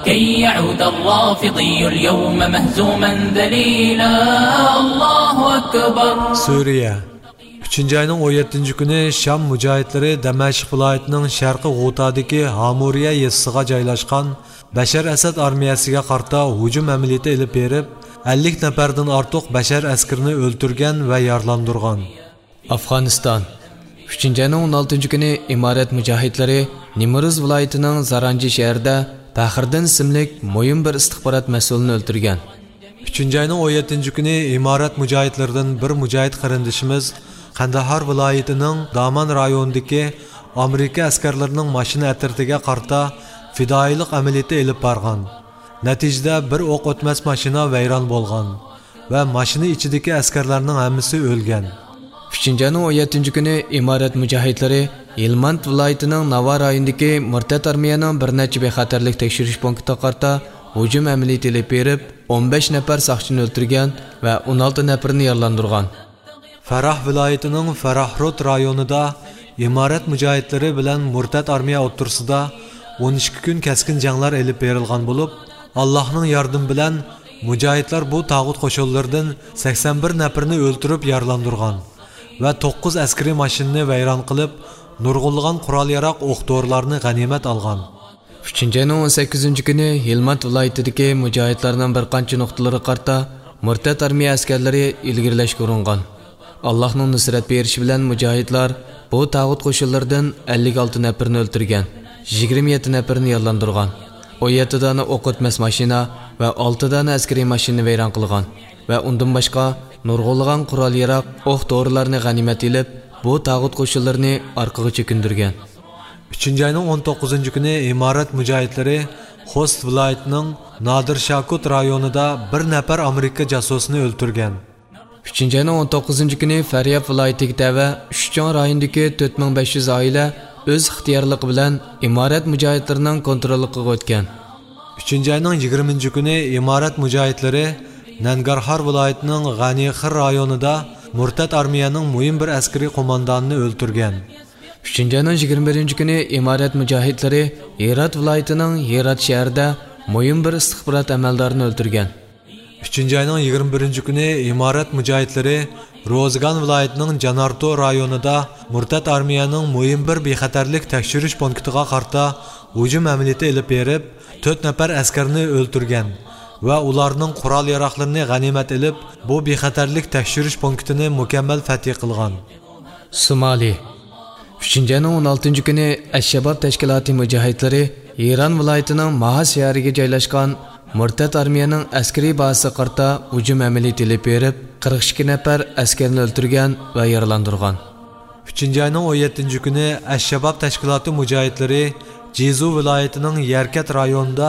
كي يعود الرافضي اليوم مهزوما ذليلا. الله أكبر. سۈرىيە. ئۈچىنچى ئاينىڭ ئون يەتتىنچى كۈنى شام مۇجاھىدلىرى دەمەشق ۋىلايىتىنىڭ شەرقىي غۇتادىكى ھامۇرىيە يېزىسىغا جايلاشقان بەشەر ئەسەد ئارمىيەسىگە قارىتا ھۇجۇم ئەمەلىيىتى ئېلىپ بېرىپ، ئەللىك نەپەردىن ئارتۇق بەشەر ئەسكىرىنى ئۆلتۈرگەن ۋە يارىلاندۇرغان. ئافغانىستان. ئۈچىنچى ئاينىڭ ئون ئالتىنچى كۈنى ئىمارەت مۇجاھىدلىرى نېمروز ۋىلايىتىنىڭ زارانجى شەھىرىدە پەخرىدىن ئىسىملىك مۇھىم بىر ئىستىخبارات مەسئۇلىنى ئۆلتۈرگەن. ئۈچىنچى ئاينىڭ ئون يەتتىنچى كۈنى ئىمارەت مۇجاھىدلىرىدىن بىر مۇجاھىد قېرىندىشىمىز قەندەھار ۋىلايىتىنىڭ دامان رايونىدىكى ئامېرىكا ئەسكەرلىرىنىڭ ماشىنا ئەترىتىگە قارىتا پىدائىيلىق ئەمەلىيىتى ئېلىپ بارغان. نەتىجىدە بىر ئوق ئۆتمەس ماشىنا ۋەيران بولغان ۋە ماشىنا ئىچىدىكى ئەسكەرلەرنىڭ ھەممىسى ئۆلگەن. ئۈچىنچى ئاينىڭ ئون يەتتىنچى كۈنى ئىمارەت مۇجاھىدلىرى ھىلماند ۋىلايىتىنىڭ ناۋا رايونىدىكى مۇرتەت ئارمىيەنىڭ بىر نەچچە بىخەتەرلىك تەكشۈرۈش پونكىتىغا قارىتا ھۇجۇم ئەمەلىيىتى ئېلىپ بېرىپ، ئون بەش نەپەر ساقچىنى ئۆلتۈرگەن ۋە ئون ئالتە نەپىرىنى يارىلاندۇرغان. فەراھ ۋىلايىتىنىڭ فەراھرود رايونىدا ئىمارەت مۇجاھىدلىرى بىلەن مۇرتەت ئارمىيە ئوتتۇرىسىدا ئون ئىككى كۈن كەسكىن جەڭلەر ئېلىپ بېرىلغان بولۇپ، ئاللاھنىڭ ياردىمى بىلەن مۇجاھىدلار بۇ تاغۇت قوشۇنلىرىدىن سەكسەن بىر نەپىرىنى ئۆلتۈرۈپ يارىلاندۇرغان ۋە توققۇز ئەسكىرىي ماشىنىنى ۋەيران قىلىپ، نۇرغۇنلىغان قورال-ياراغ، ئوق-دورىلارنى غەنىيمەت ئالغان. ئۈچىنچى ئاينىڭ ئون سەككىزىنچى كۈنى ھىلماند ۋىلايىتىدىكى مۇجاھىدلارنىڭ بىر قانچە نۇقتىلىرىغا قارىتا مۇرتەت ئارمىيە ئەسكەرلىرى ئىلگىرىلەشكە ئۇرۇنغان. ئاللاھنىڭ نۇسرەت بېرىشى بىلەن مۇجاھىدلار بۇ تاغۇت قوشۇنلىرىدىن ئەللىك ئالتە نەپىرىنى ئۆلتۈرگەن، يىگىرمە يەتتە نەپىرىنى يارىلاندۇرغان، ئون يەتتە دانە ئوق ئۆتمەس ماشىنا ۋە ئالتە دانە ئەسكىرىي ماشىنىنى ۋەيران قىلغان ۋە ئۇندىن باشقا نۇرغۇنلىغان قورال-ياراغ، ئوق-دورىلارنى غەنىيمەت ئېلىپ، بۇ تاغۇت قوشۇنلىرىنى ئارقىغا چېكىندۈرگەن. ئۈچىنچى ئاينىڭ ئون توققۇزىنچى كۈنى ئىمارەت مۇجاھىدلىرى خوست ۋىلايىتىنىڭ نادىر شاكۇت رايونىدا بىر نەپەر ئامېرىكا جاسۇسىنى ئۆلتۈرگەن. ئۈچىنچى ئاينىڭ ئون توققۇزىنچى كۈنى فارياب ۋىلايىتىگە تەۋە ئۈچ چوڭ رايوندىكى تۆت مىڭ بەش يۈز ئائىلە ئۆز ئىختىيارلىقى بىلەن ئىمارەت مۇجاھىدلىرىنىڭ كونتروللۇقىغا ئۆتكەن. ئۈچىنچى ئاينىڭ يىگىرمىنچى كۈنى ئىمارەت مۇجاھىدلىرى نەنگارھار ۋىلايىتىنىڭ غەنىخىر رايونىدا مۇرتەت ئارمىيەنىڭ مۇھىم بىر ئەسكىرىي قوماندانىنى ئۆلتۈرگەن. ئۈچىنچى ئاينىڭ يىگىرمە بىرىنچى كۈنى ئىمارەت مۇجاھىدلىرى ھىرات ۋىلايىتىنىڭ ھىرات شەھىرىدە مۇھىم بىر ئىستىخبارات ئەمەلدارىنى ئۆلتۈرگەن. ئۈچىنچى ئاينىڭ يىگىرمە بىرىنچى كۈنى ئىمارەت مۇجاھىدلىرى روزگان ۋىلايىتىنىڭ جانارتو رايونىدا مۇرتەت ئارمىيەنىڭ مۇھىم بىر بىخەتەرلىك تەكشۈرۈش پونكىتىغا قارىتا ھۇجۇم ئەمەلىيىتى ئېلىپ بېرىپ، تۆت نەپەر ئەسكەرنى ئۆلتۈرگەن ۋە ئۇلارنىڭ قورال-ياراغلىرىنى غەنىيمەت ئېلىپ، بۇ بىخەتەرلىك تەكشۈرۈش پونكىتىنى مۇكەممەل فەتھى قىلغان. سومالى. ئۈچىنچى ئاينىڭ ئون ئالتىنچى كۈنى ئەششەباب تەشكىلاتى مۇجاھىدلىرى ھىران ۋىلايىتىنىڭ ماھا شەھىرىگە جايلاشقان مۇرتەت ئارمىيەنىڭ ئەسكىرىي بازىسىغا قارىتا ھۇجۇم ئەمەلىيىتى ئېلىپ بېرىپ، قىرىق ئىككى نەپەر ئەسكەرنى ئۆلتۈرگەن ۋە يارىلاندۇرغان. ئۈچىنچى ئاينىڭ ئون يەتتىنچى كۈنى ئەششەباب تەشكىلاتى مۇجاھىدلىرى جىزۇ ۋىلايىتىنىڭ يەركەنت رايونىدا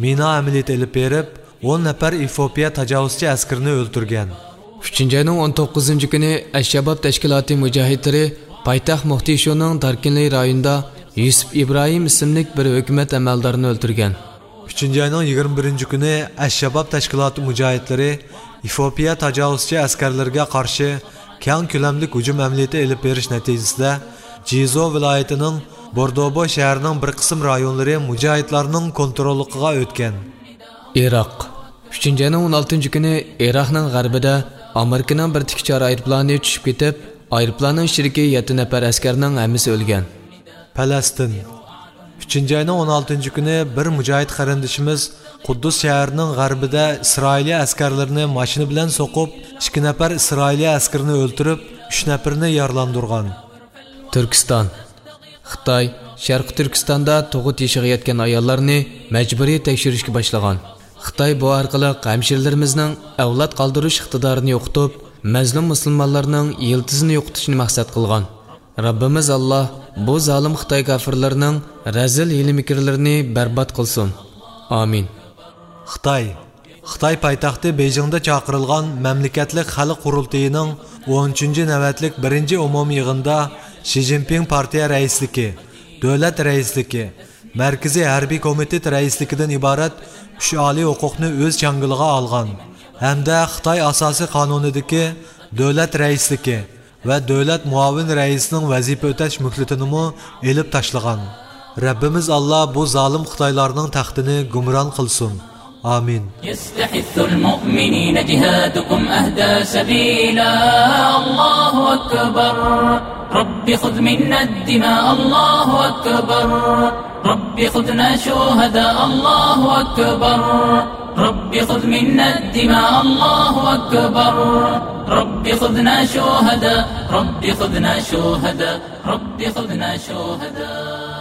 مىنا ئەمەلىيىتى ئېلىپ بېرىپ، ئون نەپەر ئېفىئوپىيە تاجاۋۇزچى ئەسكىرىنى ئۆلتۈرگەن. ئۈچىنچى ئاينىڭ ئون توققۇزىنچى كۈنى ئەششاباب تەشكىلاتى مۇجاھىدلىرى پايتەخت موقدىشۇنىڭ داركىنلى رايونىدا يۈسۈپ ئىبراھىم ئىسىملىك بىر ھۆكۈمەت ئەمەلدارىنى ئۆلتۈرگەن. ئۈچىنچى ئاينىڭ يىگىرمە بىرىنچى كۈنى ئەششاباب تەشكىلاتى مۇجاھىدلىرى ئېفىئوپىيە تاجاۋۇزچى ئەسكەرلىرىگە قارشى كەڭ كۆلەملىك ھۇجۇم ئەمەلىيىتى ئېلىپ بېرىش نەتىجىسىدە، جىزۇ ۋىلايىتىنىڭ بوردوبو شەھىرىنىڭ بىر قىسىم رايونلىرى مۇجاھىدلارنىڭ كونتروللۇقىغا ئۆتكەن. ئىراق. ئۈچىنچى ئاينىڭ ئون ئالتىنچى كۈنى ئىراقنىڭ غەربىدە ئامېرىكىنىڭ بىر تىككۈچار ئايروپىلانى چۈشۈپ كېتىپ، ئايروپىلاننىڭ ئىچىدىكى يەتتە نەپەر ئەسكەرنىڭ ھەممىسى ئۆلگەن. پەلەستىن. ئۈچىنچى ئاينىڭ ئون ئالتىنچى كۈنى بىر مۇجاھىد قېرىندىشىمىز قۇددۇس شەھىرىنىڭ غەربىدە ئىسرائىلىيە ئەسكەرلىرىنى ماشىنا بىلەن سوقۇپ، ئىككى نەپەر ئىسرائىلىيە ئەسكىرىنى ئۆلتۈرۈپ، ئۈچ نەپىرىنى يارىلاندۇرغان. تۈركىستان. خىتاي شەرقىي تۈركىستاندا تۇغۇت يېشىغا يەتكەن ئاياللارنى مەجبۇرىي تەكشۈرۈشكە باشلىغان. خىتاي بۇ ئارقىلىق ھەمشىرىلىرىمىزنىڭ ئەۋلاد قالدۇرۇش ئىقتىدارىنى يوقىتىپ، مەزلۇم مۇسۇلمانلارنىڭ يىلتىزىنى يوقىتىشنى مەقسەت قىلغان. رەببىمىز ئاللا بۇ زالىم خىتاي كافىرلىرىنىڭ رەزىل ھىيلە-مىكىرلىرىنى بەربات قىلسۇن. ئامىن. خىتاي. خىتاي پايتەختى بېيجىڭدا چاقىرىلغان مەملىكەتلىك خەلق قۇرۇلتىيىنىڭ ئون ئۈچىنچى نۆۋەتلىك بىرىنچى ئومۇمىي يىغىنىدا شى جىنپىڭ پارتىيە رەئىسلىكى، دۆلەت رەئىسلىكى، مەركىزىي ھەربىي كومىتېت رەئىسلىكىدىن ئىبارەت ئۈچ ئالىي ھوقۇقنى ئۆز چاڭگىلىغا ئالغان ھەمدە خىتاي ئاساسىي قانۇنىدىكى دۆلەت رەئىسلىكى ۋە دۆلەت مۇئاۋىن رەئىسىنىڭ ۋەزىپە ئۆتەش مۆھلىتىنىمۇ ئېلىپ تاشلىغان. رەببىمىز ئاللا بۇ زالىم خىتايلارنىڭ تەختىنى گۇمران قىلسۇن. ئامىن. يستحث المؤمنين جهادكم أهدى سبيلا. الله أكبر. رب خذ منا الدماء. الله أكبر. رب خذنا شهداء. الله أكبر. رب خذ منا الدماء. الله أكبر. رب خذنا شهداء. رب خذنا شهداء. رب خذنا شهداء.